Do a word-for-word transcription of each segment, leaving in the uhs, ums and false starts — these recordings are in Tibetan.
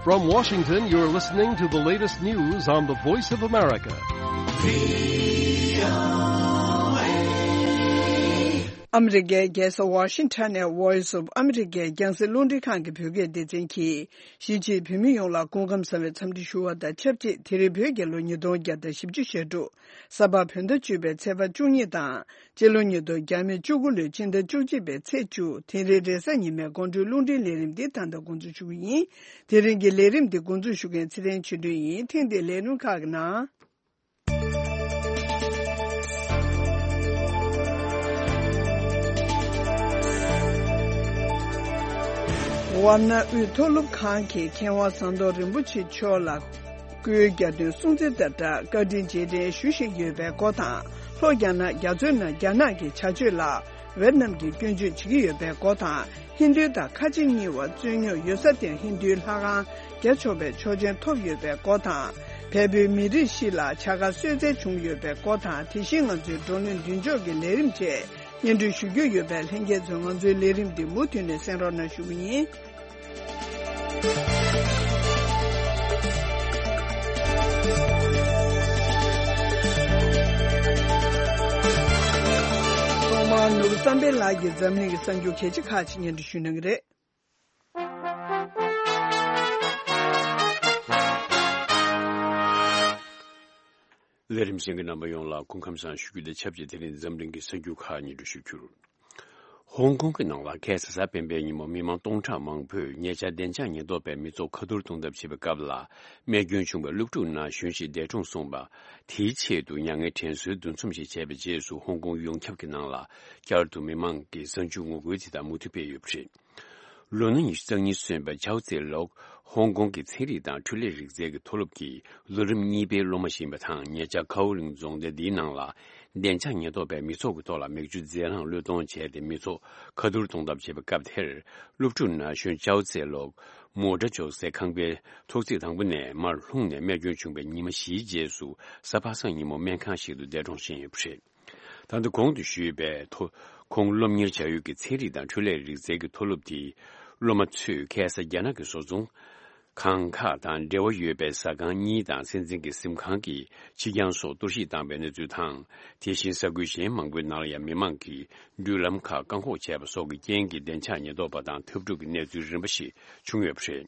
From Washington, you're listening to the latest news on the Voice of America. ཨ་མི་རི་ཀའི་རྒྱལ་ས་ཝ་ཤིང་ཊོན་ནས་Voice of America རྒྱང་སྲིང་རླུང་འཕྲིན་ཁང་གི་བོད་སྐད་སྡེ་ཚན་གྱིས། གཞིས་བྱེས་བོད་མི་ཡོངས་ལ་སྐུ་ཁམས་བཟང་བའི་འཚམས་འདྲི་ཞུ་བ་དང་ཆབས་ཅིག་དེ་རིང་བོད་རྒྱལ་ལོ་ཉིས་སྟོང་བརྒྱ་དང་བཞི་བཅུ་ཞེ་དྲུག་གཟའ་པ་བོད་ཟླ་བཅུ་པའི་ཚེས་པ་བཅུ་གཉིས་དང་། སྤྱི་ལོ་ཉིས་སྟོང་བརྒྱ་མེད་བཅུ་དགུ་ལོའི་ཕྱི་ཟླ་བཅུ་གཅིག་པའི་ཚེས་བཅུ། དེ་རིང་རེས་གཟའ་ཉི་མའི་དགོང་དྲོའི་རླུང་འཕྲིན་ལས་རིམ་འདི་ད་ལྟ་འགོ་འཛུགས་ཞུ་གི་ཡིན། དེ་རིང་གི་ལས་རིམ་འདི་འགོ་འཛུགས་ཞུ་མཁན་ཚེ་རིང་ཆོས་སྒྲོན་ཡིན། ཐེངས་འདིའི་ལས་རིམ་ཁག་གི་ནང་། ཝཱ་ཎ་དབུས་མཐོ་སློབ་ཁང་གི་མཁས་དབང་ཟམ་གདོང་རིན་པོ་ཆེ་མཆོག་ལ། སྐུའི་རྒྱ་སྟོན་སྲུང་བརྩི་དང་སྦྲགས་བཀའ་དྲིན་རྗེས་དྲན་ཞུ་བཞིན་ཡོད་པའི་སྐོར་དང་། ལྷོ་རྒྱ་ནག་རྒྱ་མཚོའི་ནང་རྒྱ་ནག་གི་བྱ་སྤྱོད་ལ་ཝེ་ཏི་ནམ་གྱིས་སྐྱོན་བརྗོད་བྱེད་ཀྱི་ཡོད་པའི་སྐོར་དང་། ཧིན་རྡུ་དང་ཁ་ཆེ་གཉིས་བར་རྩོད་རྙོག་ཡོད་ས་དེར་ཧིན་རྡུའི་ལྷ་ཁང་རྒྱ་ཆེ་བའི་ཆོག་མཆན་ཐོབ་ཡོད་པའི་སྐོར་དང་། བལ་པོའི་མི་རིགས་བཞི་ལ་བྱ་དགའ་གསོལ་སྩལ་བྱུང་ཡོད་པའི་སྐོར་དང་། དེ་བཞིན་ང་ཚོའི་བགྲོ་གླེང་མདུན་ལྕོག་གི་ལས་རིམ་བཅས་སྙན་སྒྲོན་ཞུ་རྒྱུ་ཡོད་པས། ལྷན་རྒྱས་ཚོས་ང་ཚོའི་ལས་རིམ་འདི་མུ་མཐུད་ནས་གསན་རོགས་གནང་ཞུ་གི་ཡིན། ཐོག་མར་ནོར་བུ་བསམ་འཕེལ་ལགས་ཀྱིས་འཛམ་གླིང་གི་གསར་འགྱུར་གལ་ཆེ་ཁག་ཅིག་སྙན་སྒྲོན་ཞུ་གནང་གི་རེད། ལས་རིམ་གསན་མཁན་རྣམ་པ་ཡོངས་ལ་སྐུ་ཁམས་བཟང་ཞུ་རྒྱུ་དང་ཆབས་ཅིག་དེ་རིང་འཛམ་གླིང་གི་གསར་འགྱུར་ཁག་སྙན་སྒྲོན་ཞུ་རྒྱུར། ཧོང་ཀོང་གི་ནང་ལ་ཁ་སང་གཟའ་སྤེན་པའི་ཉིན་མོ་མི་མང་སྟོང་ཕྲག་མང་པོས་ཉེ་ཆར་བདེ་འཇགས་ཉེན་རྟོག་པས་མི་ཚོགས་ཁ་ཐུར་གཏོང་ཐབས་བྱེད་པའི་སྐབས་ལ། རྨས་སྐྱོན་བྱུང་བའི་སློབ་ཕྲུག་ན་གཞོན་ཞིག་འདས་གྲོངས་སོང་བ། དེའི་ཆེད་དུ་མྱ་ངན་དྲན་གསོའི་འདུ་འཛོམས་ཤིག་བྱས་པའི་རྗེས་སུ། ཧོང་ཀོང་ཡོངས་ཁྱབ་ཀྱི་ནང་ལ་བསྐྱར་དུ་མི་མང་གི་གསར་འགྱུར་ངོ་རྒོལ་དེ་དག་མུ་མཐུད་སྤེལ་ཡོད་པ་རེད། ལོ་ན་ཉི་ཤུ་རྩ་གཉིས་སོན་པའི་ཆའོ་ཙེ་ལོག་ཧོང་ཀོང་གི་ཚན་རིག་དང་འཕྲུལ་ལས་རིག་རྩལ་གྱི་མཐོ་སློབ་ཀྱི་ལོ་རིམ་གཉིས་པའི་སློབ་མ་ཞིག་ཡིན་པ་དང་། ཉེ་ཆར་ཁའོ་ལིང་རྫོང་སྡེ་འདིའི་ནང་ལ་བདེ་འཇགས་ཉེན་རྟོག་པས་མི་ཚོགས་ཀྱི་ཐོག་ལ་མེ་མཆོད་རྫས་རླངས་གློད་གཏོང་བྱས་ཏེ། མི་ཚོགས་ཁ་ཐུར་གཏོང་ཐབས་བྱེད་པའི་སྐབས་དེར། སློབ་ཕྲུག་ན་གཞོན་ཅའོ་ཙེ་ལོག་མོ་ཊ་འཇོག་སའི་ཁང་པའི་ཐོག་བརྩེགས་དང་པོ་ནས་མར་ལྷུང་ནས་རྨས་སྐྱོན་བྱུང་བའི་ཉི་མ་བཞིའི་རྗེས་སུ། གཟའ་པ་སངས་ཉིན་མོ་སྨན་ཁང་ཞིག་ཏུ་འདས་གྲོངས་ཕྱིན་ཡོད་པ་རེད། ད་ལྟ་གོང་དུ་ཞུས་པའི་ཐོག་ཁོང་སློབ་གཉེར་བྱ་ཡུལ་གྱི་ཚན་རིག་དང་འཕྲུལ་ལས་རིག་རྩལ་གྱི་མཐོ་སློབ་དེའི་སློབ་མ་ཚོས་ཁ་སང་རྒྱ་ནག་གི་བཟོ་ཚོང་ཁང་ཁག་དང་འབྲེལ་བ་ཡོད་པའི་ཟ་ཁང་གཉིས་དང་། སྲིད་འཛིན་གྱི་གཟིམ་ཁང་གི་ཕྱི་གྱང་སོགས་གཏོར་བཤིག་བཏང་བའི་གནས་ཚུལ་དང་། དེ་བཞིན་ས་ཁུལ་གཞན་མང་པོའི་ནང་ལ་ཡང་མི་མང་གིས་འགྲུལ་ལམ་ཁག་བཀག་འགོག་བྱས་པ་སོགས་ཀྱི་རྐྱེན་གྱིས་བདེ་འཇགས་ཉེན་རྟོག་པ་དང་འཐབ་འཁྲུག་གི་གནས་ཚུལ་རིམ་པ་ཞིག་བྱུང་ཡོད་པ་རེད།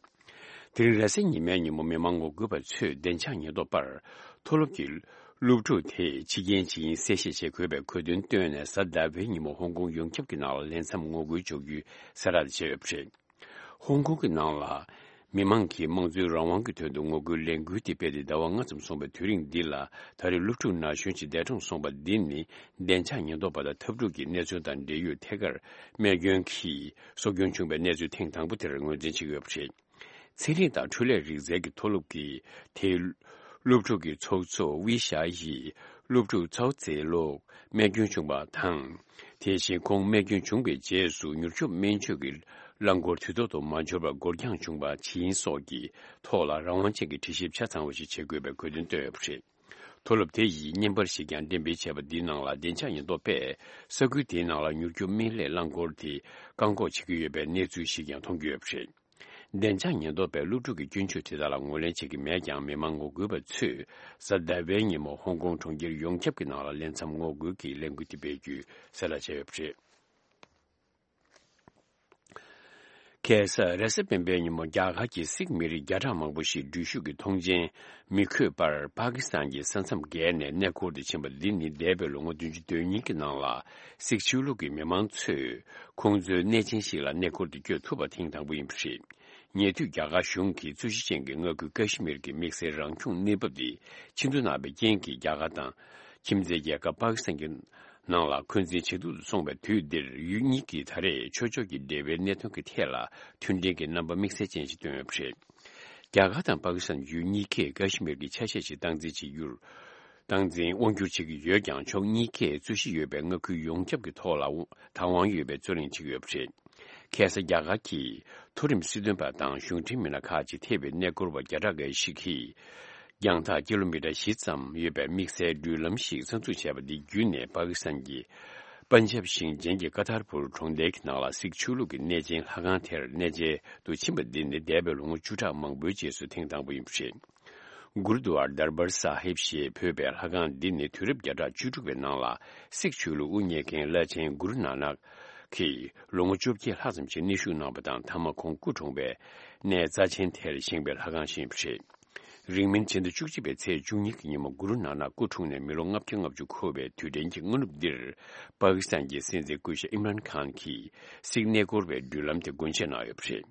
དེ་རིང་རེས་གཟའ་ཉི་མའི་ཉིན་མོ་མི་མང་ངོ་རྒོལ་པ་ཚོས་བདེ་འཇགས་ཉེན་རྟོག་པར་མཐོ་སློབ་ཀྱི་སློབ་ཕྲུག་དེས་འཆི་རྐྱེན་ཇི་ཡིན་གསལ་བཤད་བྱེད་དགོས་པའི་གོ་སྟོན་བཏོན་ནས། གཟའ་ཟླ་བའི་ཉིན་མོ་ཧོང་ཀོང་ཡོངས་ཁྱབ་ཀྱི་ནང་ལ་ལས་མཚམས་ངོ་རྒོལ་འཇོག་རྒྱུའི་གསལ་བསྒྲགས་བྱས་ཡོད་པ་རེད། ཧོང་ཀོང་གི་ནང་ལ་མི་མང་གིས་དམངས་གཙོའི་རང་དབང་གི་དོན་དུ་ངོ་རྒོལ་ལས་འགུལ་དེ་སྤེལ་ཏེ་ཟླ་བ་ལྔ་ཙམ་སོང་བའི་དུས་རིང་འདི་ལ། ད་རེས་སློབ་ཕྲུག་ན་གཞོན་ཞིག་འདས་གྲོངས་སོང་བ་འདི་ནི། བདེ་འཇགས་ཉེན་རྟོག་པ་དང་འཐབ་འཁྲུག་གི་གནས་ཚུལ་དང་འབྲེལ་ཡོད་ཐད་ཀར་རྨས་སྐྱོན་གྱིས་སྲོག་སྐྱོན་བྱུང་བའི་གནས་ཚུལ་ཐེངས་དང་པོ་དེར་ངོས་འཛིན་བྱེད་ཀྱི་ཡོད་པ་རེད། ཚན་རིག་དང་འཕྲུལ་ལས་རིག་རྩལ་གྱི་མཐོ་སློབ་ཀྱི་དེའི་སློབ་ཕྲུག་གི་ཚོགས་གཙོ་ཝི་ཤ་ཡིས། སློབ་ཕྲུག་ཚའོ་ཙེ་ལོག་རྨས་སྐྱོན་བྱུང་བ་དང་། དེ་བཞིན་ཁོང་རྨས་སྐྱོན་བྱུང་བའི་རྗེས་སུ་མྱུར་སྐྱོབ་སྨན་བཅོས་ཀྱི་རླངས་འཁོར་དུས་ཐོག་ཏུ་མ་འབྱོར་བར་འགོར་འགྱངས་བྱུང་བ་ཇི་ཡིན་སོགས་ཀྱི་ཐོག་ལ་རང་དབང་ཅན་གྱི་དྲི་ཞིབ་ཆ་ཚང་བ་ཞིག་བྱེད་དགོས་པའི་གོ་སྟོན་བཏོན་ཡོད་པ་རེད། མཐོ་སློབ་དེ་ཡིས་བརྙན་པར་ཞིག་ཀྱང་འགྲེམས་སྤེལ་བྱས་པ་འདིའི་ནང་ལ། བདེ་འཇགས་ཉེན་རྟོག་པས་ས་ཁུལ་དེའི་ནང་ལ་མྱུར་སྐྱོབ་སྨན་བླའི་རླངས་འཁོར་དེ་བཀག་འགོག་བྱེད་ཀྱི་ཡོད་པའི་གནས་ཚུལ་ཞིག་ཀྱང་མཐོང་རྒྱུ་ཡོད་པ་རེད། བདེ་འཇགས་ཉེན་རྟོག་པས་སློབ་ཕྲུག་གི་སྐྱོན་བརྗོད་དེ་དག་ལ་ངོས་ལེན་བྱེད་ཀྱི་མེད་ཀྱང་། མི་མང་ངོ་རྒོལ་པ་ཚོས་གཟའ་ཟླ་བའི་ཉིན་མོ་ཧོང་ཀོང་གྲོང་ཁྱེར་ཡོངས་ཁྱབ་ཀྱི་ནང་ལ་ལས་མཚམས་ངོ་རྒོལ་གྱི་ལས་འགུལ་དེ་སྤེལ་རྒྱུའི་གསལ་བསྒྲགས་བྱས་ཡོད་པ་རེད། ཁ་སང་རེས་གཟའ་སྤེན་པའི་ཉིན་མོ་རྒྱ་གར་གྱི་སིག་མི་རིགས་བརྒྱ་ཕྲག་མང་པོ་ཞིག་འགྲུལ་བཞུད་ཀྱི་ཐོངས་མཆན་མི་འཁོད་པར་པ་ཀི་སི་ཐན་གྱི་ས་མཚམས་བརྒལ་ནས་གནས་སྐོར་དུ་ཕྱིན་པ་འདི་ནི་འདས་པའི་ལོ་ངོ་བདུན་ཅུ་དོན་གཉིས་ཀྱི་ནང་ལ་སིག་ཆོས་ལུགས་ཀྱི་མི་མང་ཚོས་ཁོང་ཚོའི་གནས་ཆེན་ཞིག་ལ་གནས་སྐོར་དུ་བསྐྱོད་ཐུབ་པ་ཐེངས་དང་པོ་ཡིན་པ་རེད། ཉེ་དུས་རྒྱ་གར་གཞུང་གིས་རྩོད་གཞི་ཅན་གྱི་མངའ་ཁུལ་ཀ་ཤི་མིར་གྱི་དམིགས་བསལ་རང་སྐྱོང་གནས་བབ་དེ་ཕྱིར་འཐེན་གནང་བའི་རྐྱེན་གྱིས། རྒྱ་གར་དང་ཁྱིམ་མཚེས་རྒྱལ་ཁབ་པ་ཀི་སི་ཐན་གྱི་ནང་ལ་འཁོན་འཛིན་ཇེ་སྡུག་ཏུ་སོང་བའི་དུས་འདིར། ཡུལ་གཉིས་ཀྱིས་ད་རེས་ཆོས་ཕྱོགས་ཀྱི་འབྲེལ་བའི་གནད་དོན་གྱི་ཐད་ལ་མཐུན་སྒྲིལ་གྱི་རྣམ་པ་དམིགས་བསལ་ཅན་ཞིག་བཏོན་ཡོད་པ་རེད། རྒྱ་གར་དང་པ་ཀི་སི་ཐན་ཡུལ་གཉིས་ཀས་ཀ་ཤི་མིར་གྱི་ཆ་ཤས་ཤིག་སྟངས་འཛིན་བྱེད་རྒྱུར། སྟངས་འཛིན་དབང་སྒྱུར་བྱེད་ཀྱི་ཡོད་ཀྱང་། ཕྱོགས་གཉིས་ཀས་རྩོད་གཞི་ཡོད་པའི་མངའ་ཁུལ་ཡོངས་ཁྱབ་ཀྱི་ཐོག་ལ་བདག་དབང་ཡོད་པའི་རྩོད་གླེང་བྱེད་ཀྱི་ཡོད་པ་རེད། ཁ་སང་རྒྱ་གར་གྱི་མཐོ་རིམ་སྲིད་དོན་པ་དང་གཞུང་འབྲེལ་མི་སྣ་ཁག་ཅིག་ཐེ་བའི་གནས་སྐོར་བ་བརྒྱ་ཕྲག་འགའ་ཞིག་གིས། རྒྱང་ཐག་ཀི་ལོ་མི་ཊར་བཞི་ཙམ་ཡོད་པའི་དམིགས་བསལ་འགྲུལ་ལམ་ཞིག་གསར་འཛུགས་བྱས་པ་འདི་བརྒྱུད་ནས། པ་ཀི་སི་ཐན་གྱི་ པན་ཇབ་ཞིང་ཆེན་གྱི་ཀ་ཐར་པུར་གྲོང་རྡལ་གྱི་ནང་ལ་སིག་ཆོས་ལུགས་ཀྱི་གནས་ཆེན་ལྷ་ཁང་དེར་གནས་མཇལ་དུ་ཕྱིན་པ་འདི་ནི་འདས་པའི་ལོ་ངོ་བཅུ་ཕྲག་མང་པོའི་རྗེས་སུ་ཐེངས་དང་པོ་ཡིན་པ་རེད། གུར་དུ་ཝར་དར་བར་ས་ཧིབ་ཞེས་འབོད་པའི་ལྷ་ཁང་འདི་ནི་དུས་རབས་བརྒྱ་ཕྲག་བཅུ་དྲུག་པའི་ནང་ལ་སིག་ཆོས་ལུགས་དབུ་བརྙེས་མཁན་བླ་ཆེན་གུ་རུ་ནཱ་ནག་གིས་ལོ་ངོ་བཅོ་བརྒྱད་ལྷག་ཙམ་ཞིག་གནས་བཞུགས་གནང་བ་དང་། མཐའ་མ་ཁོང་སྐུ་འཁྲུངས་པའི་གནས་རྩ་ཆེན་དེར་བཞེངས་པའི་ལྷ་ཁང་ཞིག་ཡིན་པ་རེད། རིང་མིན་ཕྱི་ཟླ་བཅུ་གཅིག་པའི་ཚེས་བཅུ་གཉིས་ཀྱི་ཉིན་མོ་གུ་རུ་ནཱ་ནག་སྐུ་འཁྲུངས་ནས་མི་ལོ་ལྔ་བརྒྱ་ལྔ་བཅུ་འཁོར་བའི་དུས་དྲན་གྱི་སྔ་ནུབ་འདིར། པ་ཀི་སི་ཐན་གྱི་སྲིད་འཛིན་སྐུ་ཞབས་ཨིམ་རན་ཁཱན་གྱིས་སིག་གནས་སྐོར་བའི་མདུན་ལམ་དེ་སྒོ་འབྱེད་གནང་ཡོད་པ་རེད།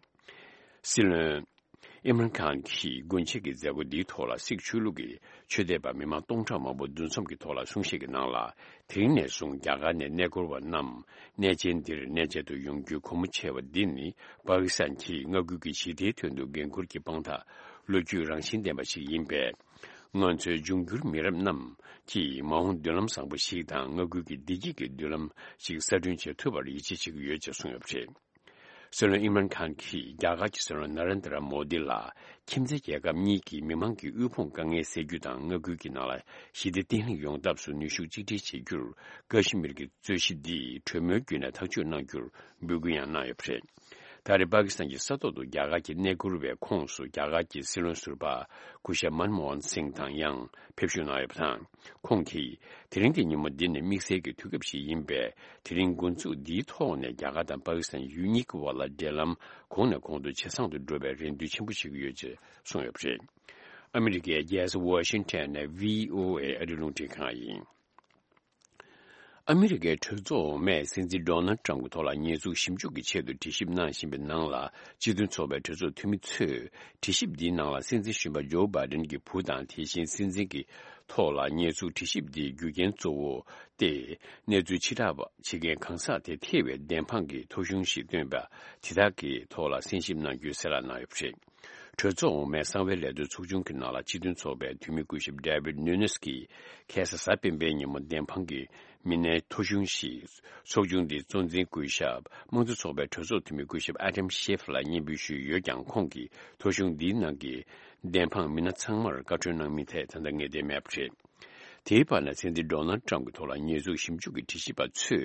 སྲིད་བློན་ཨིམ་རན་ཁཱན་གྱིས་སྒོ་འབྱེད་ཀྱི་མཛད་སྒོ་འདིའི་ཐོག་ལ་སིག་ཆོས་ལུགས་ཀྱི་ཆོས་དད་པ་མི་མང་སྟོང་ཕྲག་མང་པོ་འདུ་འཛོམས་ཀྱི་ཐོག་ལ་གསུང་བཤད་ཀྱི་ནང་ལ། དེ་རིང་ནས་བཟུང་རྒྱ་གར་ནས་གནས་སྐོར་བ་རྣམས་གནས་ཆེན་འདིར་གནས་མཇལ་དུ་ཡོང་རྒྱུའི་སྒོ་མོ་ཕྱེ་བ་འདི་ནི་པ་ཀི་སི་ཐན་གྱིས་མངའ་ཁུལ་གྱི་ཞི་བདེའི་དོན་དུ་འགན་འཁུར་གྱི་དཔང་རྟགས་ལོ་རྒྱུས་རང་བཞིན་ལྡན་པ་ཞིག་ཡིན་པས། ང་ཚོའི་འབྱུང་འགྱུར་མི་རབས་རྣམས་ཀྱིས་མ་འོངས་མདུན་ལམ་བཟང་པོ་ཞིག་དང་མངའ་ཁུལ་གྱི་བདེ་སྐྱིད་ཀྱི་མདུན་ལམ་ཞིག་གསར་སྐྲུན་བྱེད་ཐུབ་པར་ཡིད་ཆེས་བྱེད་ཀྱི་ཡོད་ཅེས་གསུངས་ཡོད་པ་རེད། སྲིད་བློན་ཨིམ་རན་ཁཱན་གྱིས་རྒྱ་གར་གྱི་སྲིད་བློན་ན་རེན་དྲ་མོ་དི་ལ་ཁྱིམ་མཚེས་རྒྱལ་ཁབ་གཉིས་ཀྱི་མི་མང་གི་དབུལ་ཕོངས་དཀའ་ངལ་སེལ་རྒྱུ་དང་མངའ་ཁུལ་གྱི་ནང་ལ་ཞི་བདེ་བརྟན་ལྷིང་ཡོང་ཐབས་སུ་ནུས་ཤུགས་གཅིག་སྒྲིལ་བྱེད་རྒྱུར་ཀ་ཤི་མིར་གྱི་རྩོད་གཞི་འདི་གྲོས་མོལ་བརྒྱུད་ནས་ཐག་གཅོད་གནང་རྒྱུར་འབོད་སྐུལ་ཡང་གནང་ཡོད་པ་རེད། ད་རེས་པ་ཀི་སི་ཐན་གྱི་ས་ཐོག་ཏུ་རྒྱ་གར་གྱི་གནས་སྐོར་བའི་ཁོངས་སུ་རྒྱ་གར་གྱི་སྲིད་བློན་ཟུར་པ་སྐུ་ཞབས་མན་མོ་ཧན་སིང་དང་ཡང་ཕེབས་བཞུགས་གནང་ཡོད་པ་དང་། ཁོང་གིས་དེ་རིང་གི་ཉིན་མོ་འདི་ནི་དམིགས་བསལ་གྱི་དུས་སྐབས་ཤིག་ཡིན་པས། དེ་རིང་འགོ་འཛུགས་འདིའི་ཐོག་ནས་རྒྱ་གར་དང་པ་ཀི་སི་ཐན་ཡུལ་གཉིས་ཀྱི་དབར་ལ་འབྲེལ་ལམ་གོང་ནས་གོང་དུ་ཇེ་བཟང་དུ་འགྲོ་བའི་རེ་འདུན་ཆེན་པོ་བྱེད་ཀྱི་ཡོད་ཅེས་གསུངས་ཡོད་པ་རེད། ཨ་མི་རི་ཀའི་རྒྱལ་ས་ཝ་ཤིང་ཊོན་ནས་བྷི་ཨོ་ཨེ་ཨ་རིའི་རླུང་འཕྲིན་ཁང་ཡིན། ཨ་མི་རི་ཀའི་གྲོས་ཚོགས་འོག་མས་སྲིད་འཛིན་ཌོ་ནལ་ཊམ་གྱི་ཐོག་ལ་ཉེས་འཛུགས་ཞིབ་འཇུག་གི་ཆེད་དུ་དྲི་ཞིབ་གནང་བཞིན་པའི་ནང་ལ། སྤྱི་མཐུན་ཚོགས་པའི་གྲོས་ཚོགས་འཐུས་མི་ཚོས་དྲི་ཞིབ་འདིའི་ནང་ལ་སྲིད་འཛིན་གཞོན་པ་ཇོ་བྷའི་ཌེན་གྱི་བུ་དང་། དེ་བཞིན་སྲིད་འཛིན་གྱི་ཐོག་ལ་ཉེས་འཛུགས་དྲི་ཞིབ་འདིའི་རྒྱུ་རྐྱེན་གཙོ་བོ་སྟེ། གནས་ཚུལ་ཕྱིར་བསྒྲགས་བྱེད་མཁན་གང་ཟག་དེ་ཐེ་བའི་བདེན་དཔང་གི་ཐོ་གཞུང་ཞིག་བཏོན་པ་དེ་དག་གི་ཐོག་ལ་གསན་ཞིབ་གནང་རྒྱུའི་གསལ་བསྒྲགས་གནང་ཡོད་པ་རེད། གྲོས་ཚོགས་འོག་མའི་གསང་བའི་ལས་དོན་ཚོགས་ཆུང་གི་ནང་ལ་སྤྱི་མཐུན་ཚོགས་པའི་འཐུས་མི་སྐུ་ཞབས་ཌེ་བིད་ནུ་ནེས་ཀྱིས་ཁ་སང་གཟའ་སྤེན་པའི་ཉིན་མོ་བདེན་དཔང་གི་མི་སྣའི་ཐོ་གཞུང་ཞིག་ཚོགས་ཆུང་འདིའི་གཙོ་འཛིན་སྐུ་ཞབས་དམངས་གཙོ་ཚོགས་པའི་གྲོས་ཚོགས་འཐུས་མི་སྐུ་ཞབས་ཨ་དམ་ཤེ་ཧྥ་ལ་སྙན་འབུལ་ཞུས་ཡོད་ཀྱང་། ཁོང་གིས་ཐོ་གཞུང་འདིའི་ནང་གི་བདེན་དཔང་མི་སྣ་ཚང་མར་བཀའ་འཁྲོལ་གནང་མིན་ཐད་ད་ལྟ་ངེས་གཏན་མེད་པ་རེད། དེའི་བར་ན་སྲིད་འཛིན་ཌོ་ནལ་ཊམ་གྱི་ཐོག་ལ་ཉེས་འཛུགས་ཞིབ་འཇུག་གི་དྲི་ཞིབ་པ་ཚོས་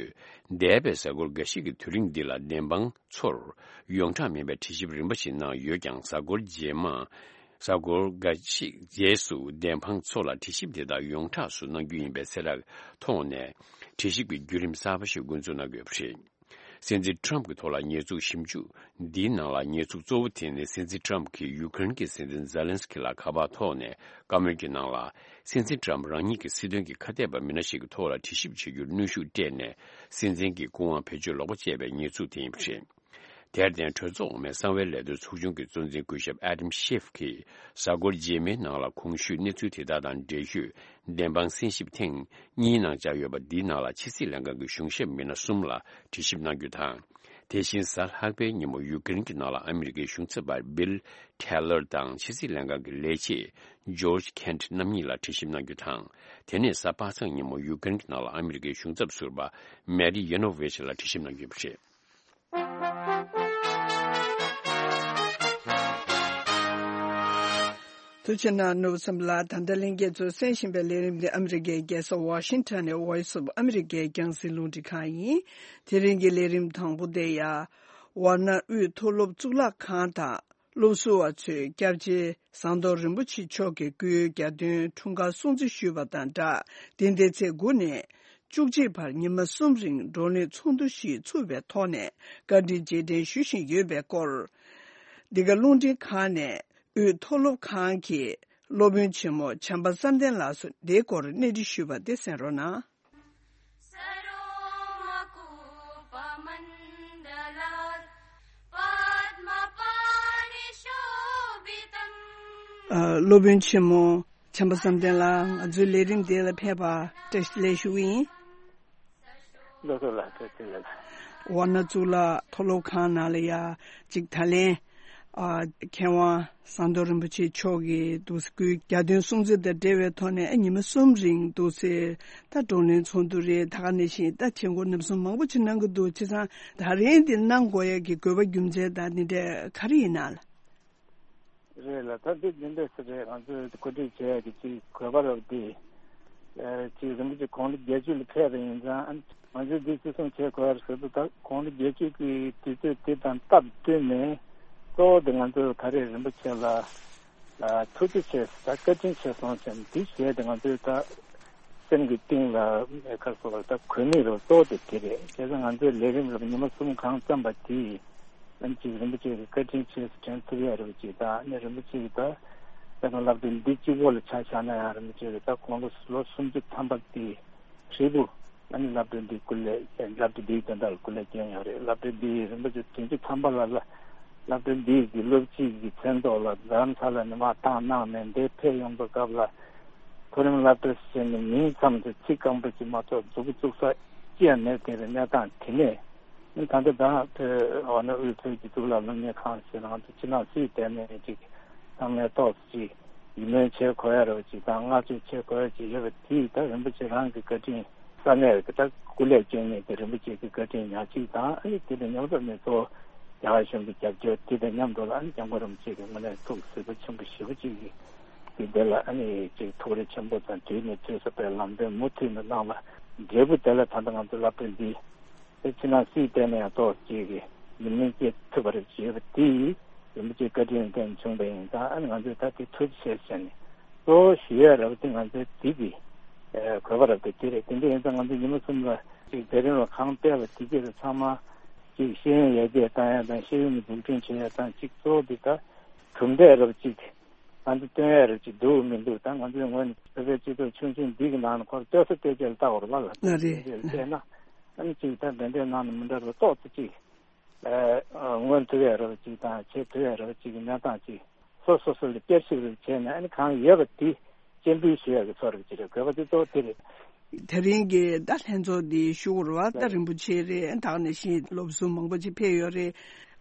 འདས་པའི་གཟའ་འཁོར་འགའ་ཤས་ཀྱི་དུས་རིང་འདི་ལ་བདེན་དཔང་ཚོར་ཡོངས་གྲགས་མིན་པའི་དྲི་ཞིབ་རིམ་པ་ཞིག་གནང་ཡོད་ཀྱང་། གཟའ་འཁོར་རྗེས་མ། གཟའ་འཁོར་འགའ་ཞིག་རྗེས་སུ་བདེན་དཔང་ཚོ་ལ་དྲི་ཞིབ་དེ་དག་ཡོངས་གྲགས་སུ་གནང་རྒྱུ་ཡིན་པའི་གསལ་བསྒྲགས་ཐོག་ནས། དྲི་ཞིབ་ཀྱི་བརྒྱུད་རིམ་གསར་པ་ཞིག་འགོ་འཛུགས་གནང་དགོས་པ་རེད། སྲིད་འཛིན་ཊམ་གྱི་ཐོག་ལ་ཉེས་འཛུགས་ཞིབ་འཇུག་འདིའི་ནང་ལ་ཉེས་འཛུགས་གཙོ་བོ་དེ་ནི། སྲིད་འཛིན་ཊམ་གྱིས་ཡུ་ཀེ་རེན་གྱི་སྲིད་འཛིན་ཛེ་ལན་སི་ཀི་ལ་ཁ་པར་ཐོག་ནས་བཀའ་མོལ་གྱི་ནང་ལ། སྲིད་འཛིན་ཊམ་རང་ཉིད་ཀྱི་སྲིད་དོན་གྱི་ཁ་གཏད་པ་མི་སྣ་ཞིག་གི་ཐོག་ལ་དྲི་ཞིབ་བྱེད་རྒྱུར་གནོན་ཤུགས་སྤྲད་ནས། སྲིད་འཛིན་གྱི་སྐུ་དབང་བེད་སྤྱོད་ལོག་པ་སྤྱད་པའི་ཉེས་འཛུགས་དེ་ཡིན་པ་རེད། དེར་བརྟེན། གྲོས་ཚོགས་འོག་མའི་གསང་བའི་ལས་དོན་ཚོགས་ཆུང་གི་གཙོ་འཛིན་སྐུ་ཞབས་ཨ་དམ་ཤེ་ཧྥ་གིས་གཟའ་འཁོར་རྗེས་མའི་ནང་ལ་གོང་ཞུས་གནས་ཚུལ་དེ་དག་དང་འབྲེལ་ཡོད་བདེན་དཔང་གསན་ཞིབ་ཐེངས་གཉིས་གནང་འཆར་ཡོད་པ། འདིའི་ནང་ལ་ཕྱི་སྲིད་ལྷན་ཁང་གི་གཞུང་ཞབས་མི་སྣ་གསུམ་ལ་དྲི་ཞིབ་གནང་རྒྱུ་དང་། དེ་བཞིན་གཟའ་ལྷག་པའི་ཉིན་མོ་ཡུ་ཀེ་རེན་གྱི་ནང་ལ་ཨ་མི་རི་ཀའི་གཞུང་ཚབ་པ་བྷིལ་ཊེ་ལར་དང་ཕྱི་སྲིད་ལྷན་ཁང་གི་ལས་བྱེད་ཇོརྗ་ཁེན་ཊི་རྣམ་གཉིས་ལ་དྲི་ཞིབ་གནང་རྒྱུ་དང་། དེ་ནས་གཟའ་པ་སངས་ཉིན་མོ་ཡུ་ཀེ་རེན་གྱི་ནང་ལ་ཨ་མི་རི་ཀའི་གཞུང་ཚབ་ཟུར་པ་མེ་རི་ཡེ་ནོ་ཝེ་ཆི་ལ་དྲི་ཞིབ་གནང་རྒྱུ་ཡིན་པ་རེད། ཐུགས་རྗེ་གནང་། ནོར་བུ་བསམ་འཕེལ་ལགས། ད་ལྟ་ལྷན་རྒྱས་ཚོས་གསན་བཞིན་པའི་ལས་རིམ་དེ་ཨ་མི་རི་ཀའི་རྒྱལ་ས་ཝ་ཤིང་ཊོན་ནས་Voice of America་རྒྱང་སྲིང་རླུང་འཕྲིན་ཁང་ཡིན། དེ་རིང་གི་ལས་རིམ་དང་པོ་དེ་ཡང་ཝཱ་ཎ་དབུས་མཐོ་སློབ་གཙུག་ལག་ཁང་དང་སློབ་ཟུར་བ་ཚོས་སྐྱབས་རྗེ་ཟམ་གདོང་རིན་པོ་ཆེ་མཆོག་གི་སྐུའི་གྱ་སྟོན་འཁྲུངས་སྐར་སྲུང་བརྩི་ཞུས་པ་དང་སྦྲགས། འདི་ཟླའི་ཚེས་དགུ་ནས་བཅུ་གཅིག་བར་ཉི་མ་གསུམ་རིང་བགྲོ་གླེང་ཚོགས་འདུ་ཞིག་ཚུགས་པའི་ཐོག་ནས་བཀའ་འདྲི་རྗེས་དྲན་ཞུ་བཞིན་ཡོད་པའི་སྐོར། འདི་ག་རླུང་འཕྲིན་ཁང་ནས་དབུས་མཐོ་སློབ་ཁང་གི་སློབ་དཔོན་ཆེན་མོ་བྱམས་པ་བསམ་གཏན་ལགས་སུ་འདིའི་སྐོར་གནས་འདྲི་ཞུས་པ་དེ་གསན་རོགས་གནང་། ཨ། སློབ་དཔོན་ཆེན་མོ་བྱམས་པ་བསམ་གཏན་ལགས། ང་ཚོའི་ལས་རིམ་འདི་ལ་ཕེབས་པར་བཀྲ་ཤིས་བདེ་ལེགས་ཞུ་གི་ཡིན། ལགས་སོ་ལགས། བཀྲ་ཤིས་བདེ་ལེགས། ཝཱ་ཎ་གཙུག་ལག་མཐོ་སློབ་ཁང་ནང་ལ་ཡ་གཅིག་ད་ལན། ཨ། མཁས་དབང་ཟམ་གདོང་རིན་པོ་ཆེ་མཆོག་གི་འདུག་སེ་སྐུའི་གྱ་སྟོན་སྲུང་བརྩི་དང་འབྲེལ་བའི་ཐོག་ནས་ཨ་ཉི་མ་གསུམ་རིང་འདུག་སེ་ད་བགྲོ་གླེང་ཚོགས་འདུ་རེད། ད་ག་ནང་བཞིན་ད་བྱེད་སྒོ་རྣམ་གསུམ་མང་པོ་ཅིག་གནང་གི་འདུག་བྱས་ཙང་ད་རིང་འདི་གནང་དགོས་ཡ་གི་དགོས་པ་རྒྱུ་མཚན་དང་འདི་འདྲ་ག་རེ་ཡིན་ན་ལགས། རེད་ལགས། ད་འདི་འདི་འདྲ་ཞིག་རེད། ང་ཚོས་གོ་སྒྲིག་བྱས་ཡ་གི་ཅིག་དགོས་པ་རབ་འདི། ཨ། ཅིག་རིན་པོ་ཆེ་དགུང་ལོ་བརྒྱད་ཅུ་ལ་ཕེབས་པ་ཡིན་ཙང་། ང་ཚོས་འདི་བརྩི་སྲུང་བྱེད་དགོས་ཡ་རེད་ཟེར་དུས། ད་དགུང་ལོ་བརྒྱད་ཅུ་གི་དུས་ཚོད་དེ་དང་སྟབས་བསྟུན་ནས། གཙོ་བོ་དེ་ང་ཚོས་ད་རེས་རིན་པོ་ཆེ་ལ་ཨ་ཐུགས་རྗེ་ཆེ་ཟེར། ད་བཀའ་དྲིན་ཆེ་གསུངས་བྱས་ནས། འདི་བྱས་ཏེ་ང་ཚོས་ད་སེམས་ཀྱི་གཏིང་ལ་ཁ་སོ་ལ་ད་གོ་གནས་རུ་གཙོ་བོ་དེ་དེ་རེད། བྱས་ཙང་ང་ཚོའི་ལས་རིམ་རུ་ཉི་མ་གསུམ་གང་བརྩམས་པ་དེ་ཨ་ནི་ཅིག་རིན་པོ་ཆེ་གི་བཀའ་དྲིན་ཆེ་ཟེར་དྲན་ཐུབ་ཡ་རུ་ཅིག། ད་ཨ་ནི་རིན་པོ་ཆེ་གི་ད་ད་ང་སློབ་གྲྭ་འདི་གཅིག་པོ་ལ་ཆ་བཞག་ན་ཡང་། རིན་པོ་ཆེ་གི་ད་དགུང་ལོ་ལོ་སུམ་ཅུ་ཐམ་པ་དེ་ཧྲིལ་པོ་ཨ་ནི་སློབ་གྲྭ་འདིའི་སྐུ་ལས། སློབ་གྲྭ་འདིའི་དོན་དག་ལ་སྐུ་ལས་བསྐྱོན་ཡོད་རེད། སློབ་གྲྭ་འདིའི་རིན་པོ་ཆེ་བདུན་ཅུ་ཐམ་པ་ལ་ལ་སློབ་གྲྭ་འདིའི་གི་སློབ་སྤྱི་གི་མཚན་ཐོག་ལ་རྡ་རམ་ས་ལ་ནས་མར་བཏང་གནང་ནས་འདིར་ཕེབས་ཡོང་པའི་སྐབས་ལ། མཐོ་རིམ་སློབ་གྲྭ་ཟེར་ནས་མིང་ཙམ་དུ་ཚིག་སྐམ་པོ་ཅིག་མ་གཏོགས་མཛུབ་གུ་བཙུགས་ས་ཅི་ཡང་མེད་པའི་གནས་སྟངས་དེ་ནས། ད་ལྟ་ད་བོད་འོ་ན་དབུས་བོད་ཀྱི་གཙུག་ལག་སློབ་གཉེར་ཁང་ཟེར་ནས་ང་ཚོ་ཕྱི་ནང་སུས་བལྟས་ནའི་ཅིག་ཚང་མས་ཏོག་ཙམ་ཅིག་ཡིད་སྨོན་བྱེད་དགོས་ཡ་རོ་ཅིག་དང་བསྔགས་བརྗོད་བྱེད་དགོས་ཡ་ཅིག་ཡོད་པ་དེ་ད་རིན་པོ་ཆེ་རང་གི་བཀའ་དྲིན་ས་གནས་ཀྱི་ད་སྐུ་ལས་བསྐྱོན་མཁན་དེ་རིན་པོ་ཆེ་གི་བཀའ་དྲིན་ཉག་གཅིག་དང་། ཨ་ནི་དེ་ལས་མཉམ་དུ་ནས་གཙོ་བོ་རྒྱ་གར་གཞུང་གི་རྒྱབ་སྐྱོར་དེ་དང་མཉམ་དུ་ལ། ཨ་ནི་སྐྱབས་མགོན་རིན་པོ་ཆེ་གི་དངོས་གནས་ཐུགས་གཟིགས་པ་ཆེན་པོ་ཞེ་པོ་ཅིག་གིས་དེ་འདི་ལ་ཨ་ནི་ཅིག་ཐུགས་རེ་ཆེན་པོ་དང་དུས་ནས་དུས་སུ་དཔེ་ལམ་སྟོན་མུ་མཐུད་ནས་གནང་བ་འབྲས་བུ་དེ་ལ་ད་ལྟ་ང་ཚོ་སློབ་གྲྭ་འདི་དེ་ཕྱི་ནང་སུས་བལྟས་ན་ཡང་ཏོག་ཅིག་གི་ཡིད་སྨོན་སྐྱེ་ཐུབ་པ་རེད་ཅེས་པ་དེ་ཡིས་རིན་པོ་ཆེའི་བཀའ་དྲིན་ལྡན་བྱུང་བ་ཡིན་ཙང་། ཨ་ནི་ང་ཚོས་ད་དེ་ཐུགས་རྗེ་ཆེ་ཟེར་ནས། གཙོ་བོ་ཞུ་ཡ་རབ་དེ་ང་ཚོའི་འདི་གི་ཨ་དགོས་པ་རབ་དེ་དེ་རེད། དེ་འདྲ་ཡིན་ཙང་ང་ཚོ་ཉི་མ་གསུམ་ལ་ཅིག་དེ་རིང་ལ་གང་སྤེལ་བ་དེ་གྱད་ཚང་མ་ཅིག་ཤེས་ཡོན་ཡར་རྒྱས་བཏང་ཡ་དང་། ཤེས་ཡོན་འཛུགས་སྐྲུན་བྱེད་ཡ་དང་། ཅིག་གཙོ་བོ་དེ་ད་གྲུབ་འབྲས་རབ་ཅིག་ང་ཚོ་སྟོན་ཡ་རབ་ཅིག་འདུག་མི་འདུག་ད་ང་ཚོའི་ངོས་ནས་བོད་པའི་སྤྱི་ཚོགས་ཆུང་ཆུང་འདི་གི་ནང་ནས་ཁོར་ལྟོས་ས་ལྟོས་བཅས་ལ་ལྟ་བར་བ་ལ། ལ་རེད། བལྟས་ན་ཨ་ནི་ཅིག་ད་འདི་འདྲའི་ནང་ནས་མི་འདྲ་བ་ཏོག་ཙམ་ཅིག་ཨ་མངོན་ཐུབ་ཡ་རབ་ཅིག་དང་། བྱེད་ཐུབ་ཡ་རབ་ཅིག་གི་གནས་སྟངས་ཅིག་སོ་སོ་སོ་ལ་བསྐྱར་ཞིབ་རེ་བྱས་ནས། ཨ་ནི་གང་ཡོད་པ་དེ་སྤྱན་འབུལ་ཞུ་ཡ་གི་ཚོར་བ་ཅིག་རེད། དགོས་པ་དེ་གཙོ་བོ་དེ་རེད། དེ་རིང་གི་ད་ལྷན་ཚོགས་འདི་ཞུ་དགོས་རེད་བ། ད་རིན་པོ་ཆེ་རེད། ད་ག་ནང་བཞིན་སློབ་ཟུར་མང་པོ་ཅིག་ཕེབས་ཡོད་རེད།